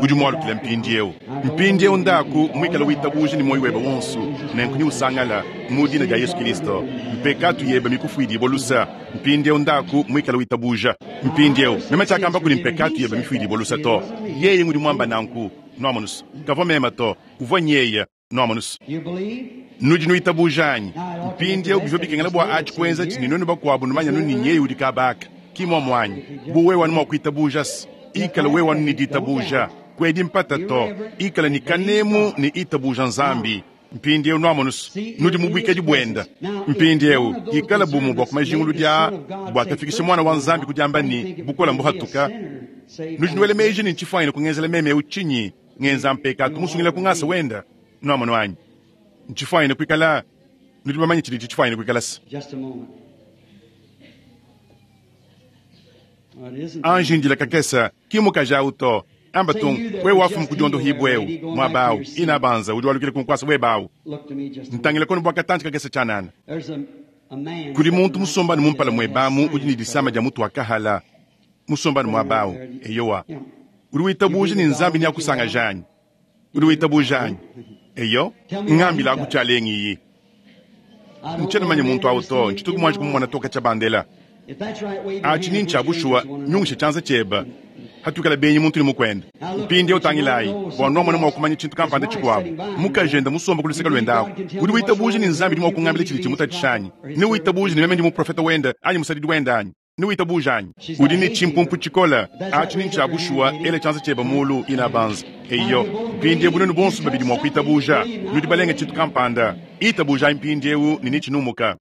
Udi mualukila mpindieu. Mpindieu ndaku muikale witabuja ne muoyo webe wonso, nenku neusangala mu dina dia Yesu Kristo. Mpekatu yebe mikufuidibua lusa. Mpindieu ndaku muikale witabuja. Mpindieu meme tshiakamba kudi mpekatu yebe mifuidibua lusa to. Yeye ngudi muamba nanku. Nuamonusu. Kavua mema to. Uvua nyeye. Nuamonusu. Nudi nuitabuja anyi? Mpindieu bivua bikengela bua atshi kuenza tshini nuenu bakuabu numanya nu ne nyeye udi kabaka. Ki muomu anyi? Bu wewe anu mua kuitabuja se, ikala wewe anu ne ditabuja. Kuedi mpata to. Ikala ne kanemu ne itabuja Nzambi. Mpindieu nuamonusu, nudi mu buikadi buenda. Mpindieu ikala bumue bua ku majinguludi aa buakafikisha mwana wa Nzambi ku diamba ne bukola mbuhatuka. Nudi nuela meji ne ntshifuanyine kungenzela meme eu tshinyi? Ngenza mpekatu musungila ku ngasa wenda. Nuamono anyi? Ntshifuanyine kuikala, nudi bamanye tshidi tshifuanyine kuikala se. Anji ndila kakesa, ki mukaji awu to. Amba tung, wewe wafumu ku diondohibua eu, muaba awu, inabanza, udi walukila ku nkuasa webe awu. Ntangila kono bua katantshi kakesa tshianana. Kudi muntu musombane mu mpala muebe amu udi ne disama dia mutu wa kahala, musombane muaba awu. Eyowa. Udi witabuja ne Nzambi neakusangaja anyi? Udi witabuja anyi? Eyo, ngambila aku tshialengiyi. Ntshiena manya muntu awu to, ntshituku muanji kumumona toka tshia bandela. Atshi ni ntshia bushuwa, nyungisha tshianza tshiebe. Hatuikala benyi muntu ne mukuende. Mpindieu tangilayi, bua nuamona mua kumanya tshintu kampanda tshikuabu. Mukaji enda musomba ku luseke luende aku. Udi witabuja ne Nzambi udi mua kungambila tshidi tshimutatshisha anyi? Ne witabuja ne meme ndi muprofeta wende anyi musadidi wende anyi? Ne witabuja anyi? Udi ne tshimpumpu tshikole. Atshi ni ntshia bushuwa, ela tshianza tshiebe mulu, inabanza. Eyo, mpindieu nuenu bonso babidi mua kuitabuja. Nudi balenga tshintu kampanda. Itabujayi mpindieu ne netshinumuka.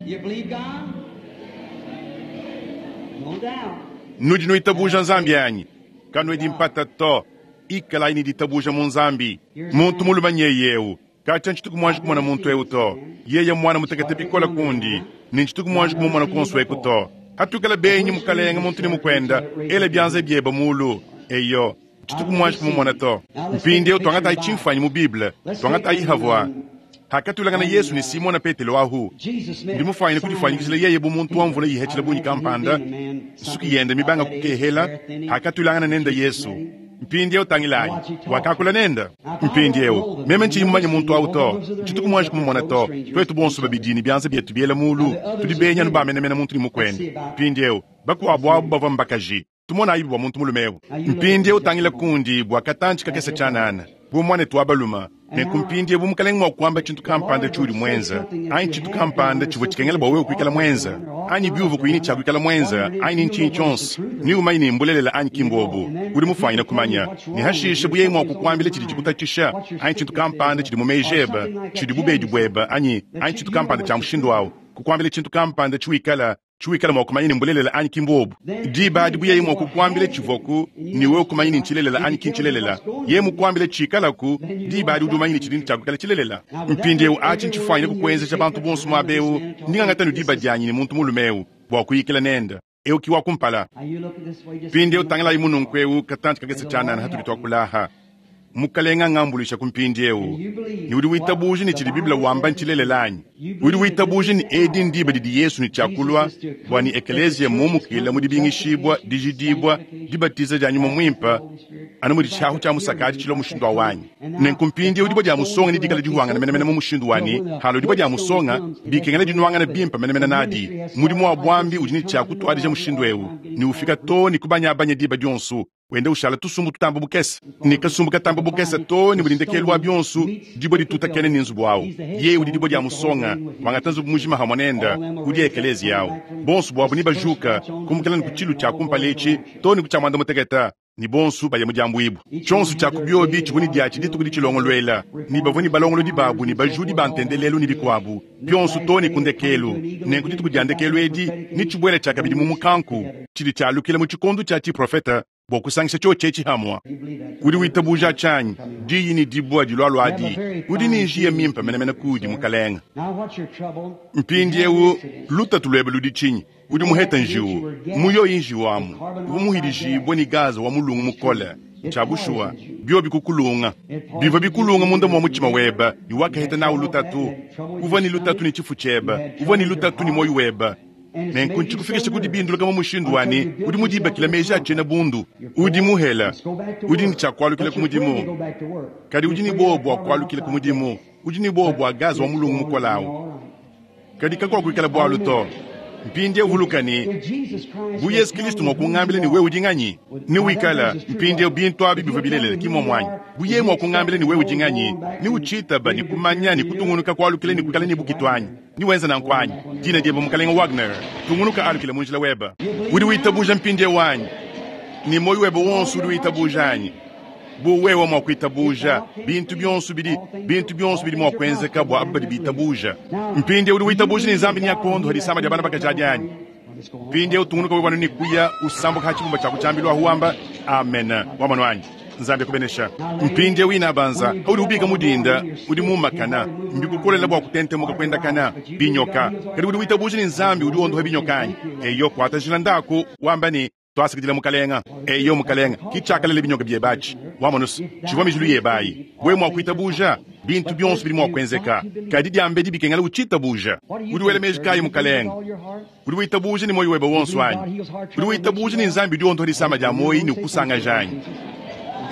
Nudi nuitabuja Nzambi anyi? Kanuedi mpata to. Ikalayi ne ditabuja mu Nzambi. Muntu mulume nyeye eu. Katshia ntshituku muanji kumona muntu eu to. Yeye mwana mutekete bikole kundi, ne ntshituku muanji kumumona kuonso eku to. Hatuikala benyi mukalenge muntu ne mukuenda, ela bianza biebe mulu. Eyo, ntshituku muanji kumumona to. Mpindieu tuangatayi tshimfuanyi mu Bible, tuangatayi havua hakatulangana Yesu ne Simona Petelo ahu. Ndi mufuanyine kudifuanyikijila yeye bu muntu wa mvula yihetshila bungi kampanda, nsuki yende mibanga kukehela, hakatulangana nende Yesu. Mpindieu tangilayi, wakakula nende. Mpindieu meme ntshiyi mumanye muntu awu to, ntshituku muanji kumumona to. Tuetu bonso babidi ne bianza bietu biela mulu, tudi benyi anu bamenemena muntu ne mukuende. Mpindieu bakuabu abu bavua mbakaji. Tumonayibi bua muntu mulume eu. Mpindieu tangila kundi bua katantshi kakese tshianana, bu muanetu wa balume. Nenku mpindieu bu Mukalenge mua kuamba tshintu kampanda tshiudi muenze, anyi tshintu kampanda tshivua tshikengela bua wewe kuikala muenze, anyi biuvua kuyi ne tshia kuikala muenze, anyi ni ntshinyi tshionso, neumanye ne mbulelela anyi ki mbuobu. Udi mufuanyine kumanya. Ne hashishe bu yeye mua kukuambila tshidi tshikutatshisha, anyi tshintu kampanda tshidi mu meji ebe, tshidi bubedi buebe, anyi, anyi tshintu kampanda tshia mushindu au, kukuambila tshintu kampanda tshiwikala, tshiwikala mua kumanya ne mbulelela anyi ki mbuobu. Diba adi bu yeye mua kukuambila tshivuaku ne wewe kumanya ne ntshilelela anyi ki ntshilelela, yeye mukuambile tshikalaku, diba adi udi umanya ne tshidi ne tshia kuikala tshilelela. Mpindieu atshi ntshifuanyine kukuenzeja bantu bonso muaba eu. Ndi ngangata anu diba dianyi ne muntu mulume eu bua kuyikila nende. Eu ki wa kumpala. Mpindieu tangilayi mu nunku eu katantshi kakese tshianana hatudi tuakula aha. Mukalenge angambuluisha ku mpindieu. Ne udi witabuja ne tshidi Bible wamba ntshilelela anyi? Udi witabuja ne edi ndiba didi Yesu ne tshia kulua bua ne ekeleziya mumukila mu dibingishibua, dijidibua, dibatiza dia Nyuma Muimpe, anu mudi tshiahu tshia musaka atshi tshilua mushindu awu anyi? Nenku mpindieu dibua dia musonga nedikale dihuangana menemene mu mushindu wa ne, halua dibua dia musonga, bikengela dinuangana bimpe menemene nadi. Mudimu wa buambi udi ne tshia kutuadija mushindu eu ne ufika too ne kubanyabanya diba dionso, wenda ushala tusumbu tutamba bukese ne kasumbu katamba bukese too ne mudi ndekelu wa bionso dibue ditutakena ne nzubu awu. Yeye udi dibue dia musonga, wangata nzubu mujima hamue nende, udi ekeleziya awu. Bonso buabu nebajuka kumukila ne ku tshilu tshia kumpala etshi too ne ku tshia muanda mutekete, ne bonso baya mu diambuibua. Tshionso tshia ku biobi tshivua ne diatshi dituku ditshilongoluela, ne bavua ne balongolodi babu ne bajudi ba ntendelelu ne bikuabu bionso too ne ku ndekelu. Nenku dituku dia ndekelu edi netshibuele tshiakabidi mu mukanku, tshidi tshialukila mu tshikondo tshia tshiprofete bua kusangisha tshiotshi etshi hamue. Udi witabuja tshianyi diyi ne dibua dilualua adi? Udi ne njiya mimpe menemene kuudi, Mukalenge. Mpindieu lutatu luebe ludi tshinyi? Udi muhete njiwu. Mu yoyi njiwu amu, uvua muhidijibue ne gaza wa mulungu mukole. Ntshia bushuwa, biobi kukulunga. Bivua bikulunga munda mua mutshima webe, ne wakaheta nawu lutatu. Uvua ne lutatu ne tshifu tshiebe, uvua ne lutatu ne muoyo webe. Nenku ntshikufikishe ku dibinduluka mu mushindu wa ne, udi mudibakila meji a tshiena bundu. Udi muhela, udi ne tshia kualukila ku mudimu, kadi udi ne buowa bua kualukila ku mudimu. Udi ne buowa bua gaza wa mulungu mukole awu. Kadi kakuakuikala bualu to. Mpindieu vuluka ne, bu Yezu Kristo mua kungambila ne wewe udi nganyi, newikale mpindieu bintu abi bivua bilelela, ki mmuomu anyi? Bu yeye mua kungambila ne wewe udi nganyi, neutshitaba ne kumanya ne kutungunuka kualukila ne kuikala ne bukitu anyi? Newenze nanku anyi? Dina diebe Mukalenge Wagner. Tungunuka alukila mu njila webe. Udi witabuja mpindieu anyi? Ne muoyo webe wonso udi witabuja anyi? Bu wewe mua kuitabuja, bintu bionso bidi bintu bionso bidi mua kuenzeka bua aba badi bitabuja. Mpindieu udi witabuja ne Nzambi neakuondohe disama dia bana bakaji adi anyi? Mpindieu tungunuka wewe anu ne kuya usambuka ha tshibumba tshia ku tshiambilu ahu wamba amen. Wamonu anyi? Nzambi akubenesha. Mpindieu inabanza, paudi ubika mu dinda, udi muumakana, mbikukolela bua kutentemuka kuendakana, binyoka. Kadi udi witabuja ne Nzambi udi wondoha binyoka anyi? Eyo, kuata njila ndaku, wamba ne, Tuasakidila Mukalenga. Eyo Mukalenga, ki tshiakalela binyoka biebe atshi. Wamonu's, tshivua mijilu yebe ayi. Wewe mua kuitabuja, bintu bionso bidi mua kuenzeka. Kadi diambedi bikengela utshitabuja. Udi wela meji kayi Mukalenga? Udi witabuja ne muoyo webe wonso anyi? Udi witabuja ne Nzambi udi wondoha disama dia muoyi ne ukusangaja anyi?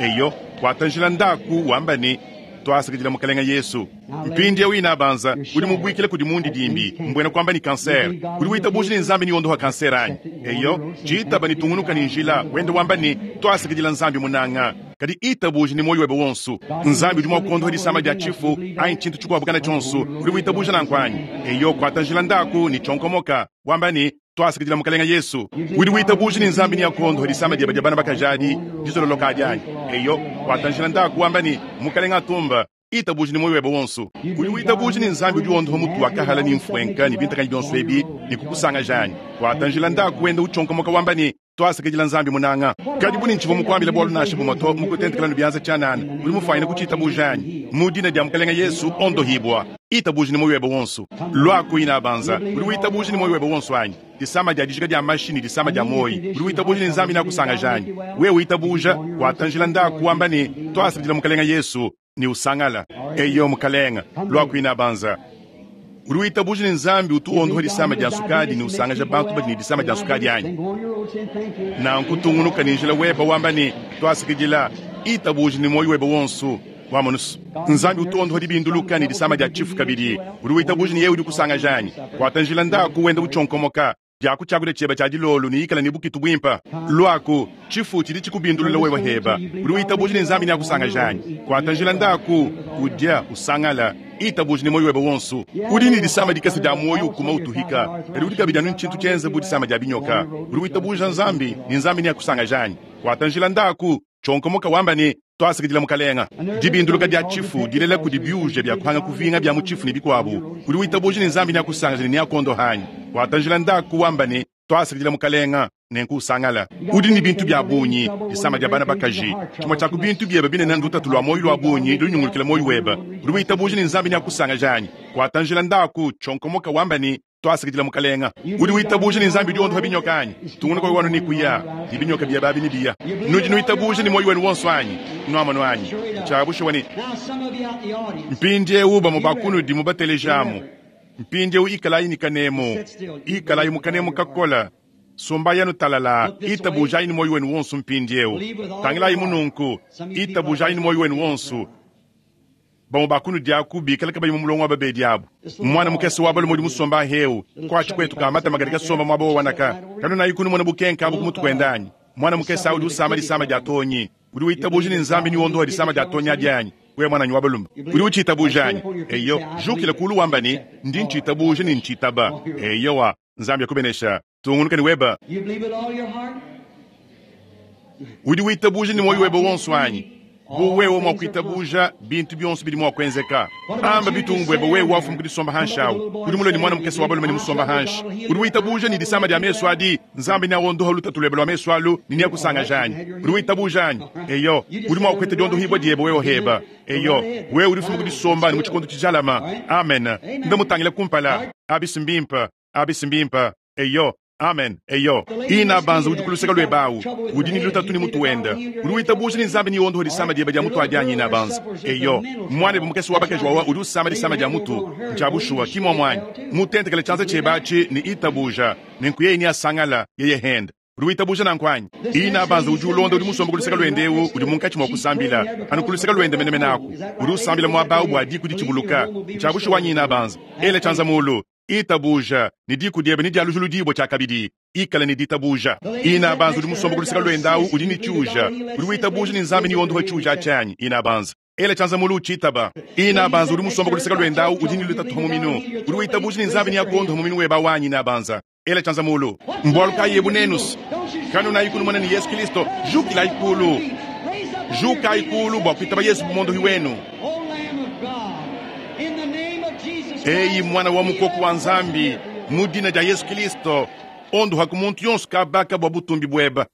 Eyo, kuata njila ndaku wamba ne, Tuasakidila Mukalenga Yesu. Mpindieu inabanza, udi mubuikile kudi mundidimbi, mbuena kuamba ne kansere. Udi witabuja ne Nzambi neondoha kansere anyi? Eyo, tshitaba ne tungunuka ne njila wende wamba ne, Tuasakidila Nzambi munanga. Kadi itabuja ne muoyo webe wonso. Nzambi udi mua kuondoha disama dia tshifu anyi tshintu tshikuabu kana tshionso. Udi witabuja nanku anyi? Eyo, kuata njila ndaku ne tshionkomoka, wamba ne, Tuasakidila Mukalenge Yesu. Udi witabuja ne Nzambi neakuondohe disama diebe dia bana bakaji adi, dizololoka adi anyi? Eyo, kuata njila ndaku wamba ne, Mukalenge atumba. Itabuja ne muoyo webe wonso. Udi witabuja ne Nzambi udi wondoha mutu wa kahala ne mfuenka ne bintakanyi bionso ebi ne kukusangaja anyi? Kuata njila ndaku wenda utshionkomoka wamba ne, Tuasakidila Nzambi munanga. Kadi bu ne ntshivua mukuambile bualu nansha bumue to, mukutentekela ne bianza tshianana, udi mufuanyine kutshitabuja anyi? Mu dina dia Mukalenge Yesu, ondohibua. Itabuja ne muoyo webe wonso. Luaku inabanza. Udi witabuja ne muoyo webe wonso anyi? Disama dia dijika dia mashi ne disama dia muoyo. Udi witabuja ne Nzambi neakusangaja anyi? Wewe witabuja, kuata njila ndaku wamba ne, Tuasakidila Mukalenge Yesu. Ne usangala. Eyo, Mukalenge, luaku inabanza. Udi witabuja ne Nzambi utu wondoha disama dia nsukadi ne usangaja bantu badi ne disama dia nsukadi anyi? Nanku tungunuka ne njila webe wamba ne, Tuasakidila. Itabuja ne muoyo webe wonso. Wamonu's, Nzambi utu wondoha dibinduluka ne disama dia tshifu kabidi. Udi witabuja ne yeye udi ukusangaja anyi? Kuata njila ndaku wenda utshionkomoka. Diaku tshiakudia tshieba tshia dilolo ne ikala ne bukitu buimpa. Luaku, tshifu tshidi tshikubindulula wewe heba. Udi witabuja ne Nzambi neakusangaje anyi? Kuata njila ndaku, udia, usangala. Itabuja ne muoyo webe wonso. Udi ne disama dikese dia muoyo ukuma utuhika, kadi udi kabidi anu ne tshintu tshienze bu disama dia binyoka. Udi witabuja Nzambi ne Nzambi neakusangaje anyi? Kuata njila ndaku, tshionkomoka wamba ne, Tuasakidila Mukalenga. Dibinduluka dia tshifu dilela kudi biuja bia kuhanga kuvinga bia mu tshifu ne bikuabu. Udi witabuja ne Nzambi neakusangaje ne neakuondoha anyi? Kuata njila ndaku wamba ne, Tuasakidila Mukalenga, nenku usangala. Udi ne bintu bia bungi, disama dia bana bakaji. Tshimue tshia ku bintu biebe binene ndutatu lua muoyo lua bungi lunyungulukila muoyo webe. Udi witabuja ne Nzambi neakusangaje anyi? Kuata njila ndaku, tshionkomoka wamba ne, Tuasakidila Mukalenga. Udi witabuja ne Nzambi udi wondopa binyoka anyi? Tungunuka wewe anu ne kuya, ne binyoka biebe abi nebiya. Nudi nuitabuja ne muoyo wenu wonso anyi? Nuamonu anyi? Ntshia bushuwa ne. Mpindiewu bamue ba kunudi mubatelejamu. Mpindiewu ikalayi ne kanemu. Ikalayi mu kanemu kakola. Sombayi anu talalaa. Itabujayi ne muoyo wenu wonso mpindiewu. Tangilayi mu nunku. Itabujayi ne muoyo wenu wonso. Bamue ba kunudi aku bikale kabayi mu mulongo wa babedi abu. Muana mukese wa balume udi musombe ahewu, kuatshi kuetu ka matama kadi kasomba muaba wa wanaka. Kanunayiku numona bukenke abu ku mutu kuende anyi? Muana mukese awu udi usama disama dia tonyi. Udi witabuja ne Nzambi neondohe disama dia tonyi adi anyi? Wewe muananyi wa balume, udi utshitabuja anyi? Eyo, jukila kulu wamba ne, Ndi ntshitabuja ne ntshitaba. Eyowa, Nzambi akubenesha. Tungunuka ne weba. Udi witabuja ne muoyo webe wonso anyi? Bu wewe mua kuitabuja, bintu bionso bidi mua kuenzeka. Amba bitungu buebe wewe wafuma ku disomba hanshi awu. Udi mulue ne muana mukese wa balume ne musomba hanshi. Udi witabuja ne disama dia mesu adi, Nzambi neaondoha lutatu luebe lua mesu alu ne neakusangaja anyi? Udi witabuja anyi? Eyo, udi mua kupeta diondohibua diebe wewe heba. Eyo, wewe udi ufuma ku disomba anu mu tshikondo tshijalama. Amen. Nda mutangile kumpala. Abi si mbimpe. Abi si mbimpe. Eyo. Amen. Eyo. Inabanza udi ku luseke luebe awu. Udi ne lutatu ne mutu wende. Udi witabuja ne Nzambi neondohe disama diebe dia mutu adi anyi, Inabanza? Eyo. Muanebe mukese wa bakaji wawa udi usama disama dia mutu. Ntshia bushuwa, ki muomu anyi? Mutentekele tshianza tshiebe atshi ne itabuja, nenku yeye neasangala, yeye hende. Udi witabuja nanku anyi? Inabanza udi ulonda udi musombe ku luseke luende ewu udi munkatshi mua kusambila, anu ku luseke luende menemene aku. Udi usambila muaba awu bua diku ditshibuluka. Ntshia bushuwa anyi, Inabanza? Ela tshianza mulu. Itabuja, ne diku diebe nedialujuludibue tshiakabidi. Ikala ne ditabuja. Inabanza udi musombe ku luseke luende awu udi ne tshiuja. Udi witabuja ne Nzambi neondohe tshiuja atshi anyi? Inabanza. Ela tshianza mulu utshitaba. Inabanza udi musombe ku luseke luende awu udi ne lutatu pa muminu. Udi witabuja ne Nzambi neakuondohe muminu webe awu anyi? Inabanza. Ela tshianza mulu. Mbualu kayi ebu nenus? Kanunayi kunumona ne Yesu Kilisto. Jukilayi kulu. Jukayi kulu bua kuitaba Yesu bu muondohi wenu. Eyi Muana wa Mukoko wa Nzambi, mu dina dia Yesu Kilisto, ondohaku muntu yonso kabaka bua butumbi bueba.